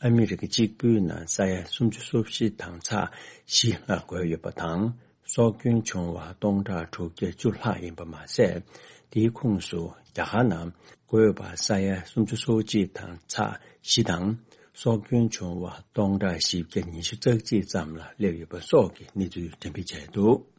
ཨ་མི་རི་ཀ་གཅིག་པུའི་ནང་ས་ཡ་སུམ་ཅུ་སོ་བཞི་དང་ཚེག་བཞི་ལ་འགོས་ཡོད་པ་དང་། སྲོག་སྐྱོན་བྱུང་བ་སྟོང་ཕྲག་དྲུག་བརྒྱ་བཅུ་ལྷག་ཡིན་པ་མ་ཟད། དེའི་ཁོངས་སུ་རྒྱ་གར་ནང་འགོས་པ་ས་ཡ་སུམ་ཅུ་སོ་གཅིག་དང་ཚེག་བཞི་དང་། སྲོག་སྐྱོན་བྱུང་བ་སྟོང་ཕྲག་བཞི་བརྒྱ་ཉི་ཤུ་རྩ་གཅིག་ཙམ་ལ་སླེབས་ཡོད་པ་སོགས་ཀྱི་གནས་ཚུལ་འགྲེམས་སྤེལ་བྱས་འདུག།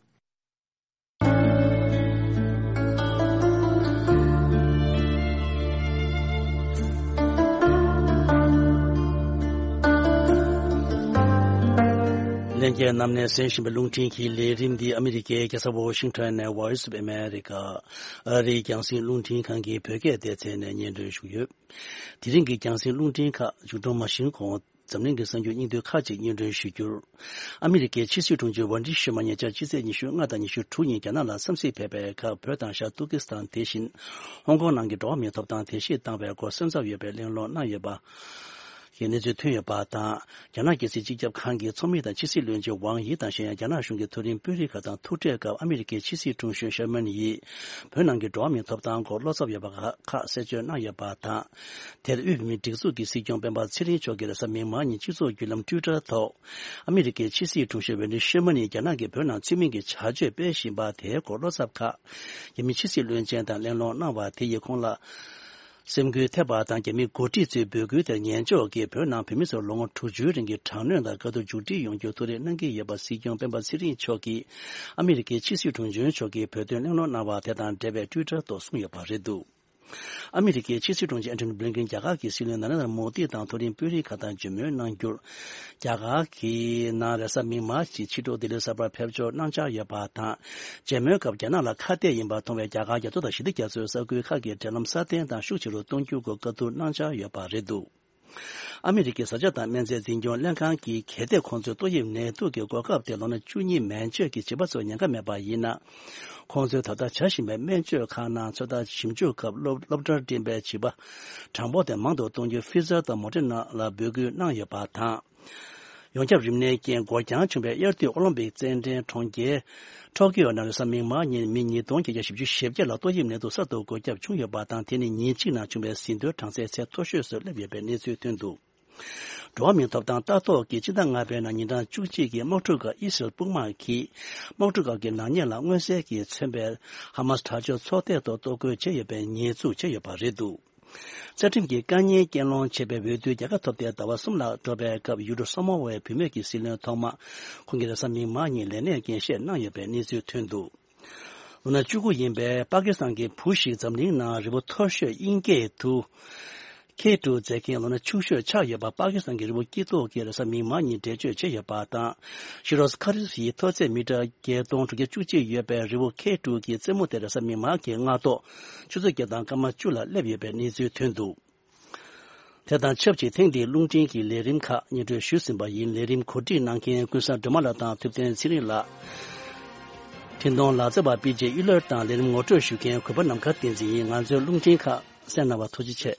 ལྷན་རྒྱས་རྣམས་ནས་གསན་བཞིན་པའི་རླུང་འཕྲིན་གྱི་ལས་རིམ་འདི་ཨ་མི་རི་ཀའི་རྒྱལ་ས་ཝོ་ཤིང་ཊོན་ནས་Voice of America ཨ་རིའི་རྒྱང་སྲིང་རླུང་འཕྲིན་ཁང་གི་བོད་སྐད་སྡེ་ཚན་ནས་སྙན་སྒྲོན་ཞུས་ཡོད། དེ་རིང་གི་རྒྱང་སྲིང་རླུང་འཕྲིན་ཁག་མཇུག་སྒྲོལ་མ་ཕྱིན་གོང་། འཛམ་གླིང་གི་གསར་འགྱུར་སྙིང་བསྡུས་ཁག་ཅིག་སྙན་སྒྲོན་ཞུ་རྒྱུར། ཨ་མི་རི་ཀའི་ཕྱི་སྲིད་དྲུང་ཆེ་ཝན་ཌི་ཤེར་མ་ཉེ་ཆར་སྤྱི་ཚེས་ཉི་ཤུ་ལྔ་དང་ཉི་ཤུ་དྲུག་ཉིན་རྒྱ་ནག་ལ་འཚམས་གཟིགས་ཕེབས་པའི་སྐབས། བོད་དང་ཤར་ཏུར་ཀི་སི་ཐན་དེ་བཞིན་ཧོང་ཀོང་ནང་གི་འགྲོ་བ་མིའི་ཐོབ་ཐང་དེ་བཞིན་བཏང་བའི་སྐོར་སེམས་འཚབ་ཡོད་པའི་གླེང་སློང་གནང་ཡོད་པ་གི་གནས་ཚུལ་ཐོན་ཡོད་པ་དང་། རྒྱ་ནག་རྒྱལ་སྲིད་སྤྱི་ཁྱབ་ཁང་གི་ཚོགས་མི་དང་ཕྱི་སྲིད་བློན་ཆེན་ཝང་ཡི་དང་། གཞན་ཡང་རྒྱ་ནག་གཞུང་གི་མཐོ་རིམ་དཔོན་རིགས་ཁག་དང་ཐུག་འཕྲད་སྐབས། ཨ་མི་རི་ཀའི་ཕྱི་སྲིད་དྲུང་གཞོན་ཤེར་མན་ཡིས་བོད་ནང་གི་འགྲོ་བ་མིའི་ཐོབ་ཐང་སྐོར་བློ་འཚབ་ཡོད་པ་ཁག་གསལ་བརྗོད་གནང་ཡོད་པ་དང་། དེར་དབུས་བོད་མིའི་སྒྲིག་འཛུགས་ཀྱི་སྲིད་སྐྱོང་སྤེན་པ་ཚེ་རིང་མཆོག་གིས་རེས་གཟའ་མིག་དམར་ཉིན་སྤྱི་ཚོགས་བརྒྱུད་ལམ་ཊུའི་ཊར་ཐོག་ཨ་མི་རི་ཀའི་ཕྱི་སྲིད་དྲུང་ཆེ་ཝེན་ཌི་ཤེར་མན་ཡིས་རྒྱ་ནག་གིས་བོད་ནང་ཚུལ་མིན་གྱི་བྱ་སྤྱོད་སྤེལ་བཞིན་པ་དེའི་སྐོར་བློ་འཚབ་ཁག་རྒྱ་མི་ཕྱི་སྲིད་བློན་ཆེན་དང་གླེང་སློང་གནང་བ་དེ་ཡིས་ཁོང་ལ་སེམས་འགུལ་ཐེབས་པ་དང་། རྒྱ་མིའི་འགོ་ཁྲིད་ཚོའི་འབོད་སྐུལ་དེར་ཉན་འཇོག་གིས་བོད་ནང་བོད་མི་ཚོར་ལོ་ངོ་དྲུག་ཅུའི་རིང་གི་དྲག་གནོན་དང་དཀའ་སྡུག་མཇུག་སྒྲིལ་ཡོང་རྒྱུར་ཐུགས་རེ་གནང་གི་ཡོད་པ་སྲིད་སྐྱོང་སྤེན་པ་ཚེ་རིང་མཆོག་གིས་ཨ་མི་རི་ཀའི་ཕྱི་སྲིད་དྲུང་ཆེ་མཆོག་གིས་བོད་དོན་གླེང་སློང་གནང་བ་དེ་དང་འབྲེལ་བའི་ཊུའི་ཊར་ཐོག་གསུངས་ཡོད་པ་རེད་འདུག། ཨ་མི་རི་ཀའི་ཕྱི་སྲིད་དྲུང་ཆེ་ཨན་ཐོ་ནི་བྷི་ལིན་ཀིན་རྒྱ་གར་གྱི་སྲིད་བློན་ནཱ་རེན་དྲ་མོ་དི་དང་མཐོ་རིམ་དཔོན་རིགས་ཁག་དང་མཇལ་མོལ་གནང་རྒྱུར། རྒྱ་གར་གྱི་ནང་རེས་གཟའ་མིག་དམར་གྱི་ཕྱི་དྲོ་ལྡི་ལི་གསར་པར་ཕེབས་འབྱོར་གནང་འཆར་ཡོད་པ་དང་། མཇལ་མོལ་སྐབས་རྒྱ་ནག་ལ་ཁ་གཏད་ཡིན་པར་མཐོང་བའི་རྒྱ་གར་རྒྱ་མཚོ་དང་ཞི་བདེ་རྒྱ་མཚོའི་ས་ཁུལ་ཁག་གི་འབྲེལ་ལམ་སྲ་བརྟན་དང་ཤུགས་ཆེ་རུ་གཏོང་རྒྱུའི་སྐོར་བཀའ་བསྡུར་གནང་འཆར་ཡོད་པ་རེད་འདུག། ཨ་མི་རི་ཀའི་བཟའ་བཅའ་དང་སྨན་རྫས་འཛིན་སྐྱོང་ལྷན་ཁང་གིས་གལ་ཏེ་ཁོང་ཚོས་ཏོག་དབྱིབས་ནད་དུག་གི་འགོག་ཁབ་དེ་ལོ་ན་བཅུ་གཉིས་མན་ཆད་ཀྱི་བྱིས་པ་ཚོར་ཉེན་ཁ་མེད་པ་ཡིན་ན། ཁོང་ཚོས་ད་ལྟ་བྱ་བཞིན་པའི་སྨན་བཅོས་ཁག་ནང་ཚོད་ལྟ་ཞིབ་འཇུག་སྐབས་སློབ་སློབ་གྲྭར་འགྲིམས་པའི་བྱིས་པ་གྲངས་འབོར་དེ་མང་དུ་གཏོང་རྒྱུར་ཕི་ཛར་དང་མོ་ཌེ་ན་ལ་འབོད་སྐུལ་གནང་ཡོད་པ་དང་། ཡོངས་ཁྱབ་རིམས་ནད་རྐྱེན་འགོར་འགྱངས་བྱུང་བའི་དབྱར་དུས་ཨོ་ལིམ་པིག་རྩེད་འགྲན་གྲོང་ཁྱེར་ཊོ་ཀིའོ་ནང་རེས་གཟའ་མིག་དམར་ཉིན་མི་ཉིས་སྟོང་བརྒྱད་བརྒྱ་བཞི་བཅུ་ཞེ་བརྒྱད་ལ་ཏོག་དབྱིབས་ནད་དུག་གསར་དུ་འགོས་ཁྱབ་བྱུང་ཡོད་པ་དང་། དེ་ནི་ཉིན་གཅིག་ནང་བྱུང་བའི་ཟིན་ཐོའི་གྲངས་ཚད་ཚད་མཐོ་ཤོས་སུ་སླེབས་ཡོད་པའི་གནས་ཚུལ་ཐོན་འདུག། འགྲོ་བ་མིའི་ཐོབ་ཐང་ལྟ་རྟོག་གིས་སྤྱི་ཟླ་ལྔ་པའི་ནང་ཉིན་གྲངས་བཅུ་གཅིག་གི་དམག་འཁྲུག་སྐབས་ཨི་སི་རལ་དཔུང་དམག་གིས་དམག་འཁྲུག་སྐབས་ཀྱི་ནག་ཉེས་ལ་མངོན་གསལ་གྱིས་མཚོན་པའི་ཧ་མ་སི་དྲག་སྤྱོད་ཚོགས་སྡེ་ཐོག་གཏོར་རྒོལ་བྱས་ཡོད་པའི་ཉེས་འཛུགས་བྱས་ཡོད་པ་རེད་འདུག། རྩ་ཁྲིམས་ཀྱི་བཀའ་ཉེས་རྐྱེན་སློང་བྱས་པའི་འོས་བསྡུ་རྒྱལ་ཁ་ཐོབ་སྟེ་ཟླ་བ་གསུམ་ལ་འགྲོ་བའི་སྐབས། ཡུལ་གྲུ་སོ་མོ་ཝའི་བུད་མེད་ཀྱི་སྲིད་བློན་ཐོག་མ་ཁོང་གིས་རེས་གཟའ་མིག་དམར་ཉིན་ལས་གནས་འགན་བཞེས་གནང་ཡོད་པའི་གནས་ཚུལ་ཐོན་འདུག། ལོ་ན་བཅུ་དགུ་ཡིན་པའི་པ་ཀི་སི་ཐན་གྱི་བུ་ཞིག་འཛམ་གླིང་ནང་རི་བོ་མཐོ་ཤོས་དབྱིན་སྐད་དུ་ཁེ་ཊུ་ཟེར་མཁན་ལོ་ན་ཆུང་ཤོས་ཆགས་ཡོད་པ། པ་ཀི་སི་ཐན་གྱི་རི་བོ་སྐྱིད་སྡུག་གིས་རེས་གཟའ་མིག་དམར་ཉིན་འགྲེལ་བརྗོད་བྱས་ཡོད་པ་དང་། ཤི་རོ་ཁ་རི་ཡི་མཐོ་ཚད་མི་ཊར་བརྒྱད་སྟོང་དྲུག་བརྒྱ་བཅུ་གཅིག་ཡོད་པའི་རི་བོ་ཁེ་ཊུ་གི་རྩེ་མོ་དེ་རེས་གཟའ་མིག་དམར་གྱི་སྔ་ཐོག་ཆུ་ཚོད་བརྒྱད་དང་སྐར་མ་བཅུ་ལ་སླེབས་ཡོད་པའི་གནས་ཚུལ་ཐོན་འདུག། དེ་དང་ཆབས་ཅིག་ཐེངས་འདིའི་རླུང་འཕྲིན་གྱི་ལས་རིམ་ཁག་སྙན་སྒྲོན་ཞུས་ཟིན་པ་ཡིན། ལས་རིམ་གོ་སྒྲིག་གནང་མཁན་ཀུན་བཟང་སྒྲོལ་མ་ལགས་དང་ཐུབ་བསྟན་ཚེ་རིང་ལགས། འཕྲིན་གཏོང་ལག་རྩལ་བ་པི་ཇེ་གཡུ་ལོལ་དང་ལས་རིམ་ངོ་སྤྲོད་ཞུ་མཁན་གུས་པ་ནམ་མཁའ་བསྟན་འཛིན་ཡིན། ང་ཚོའི་རླུང་འཕྲིན་ཁག་གསན་གནང་བར་ཐུགས་རྗེ་ཆེ།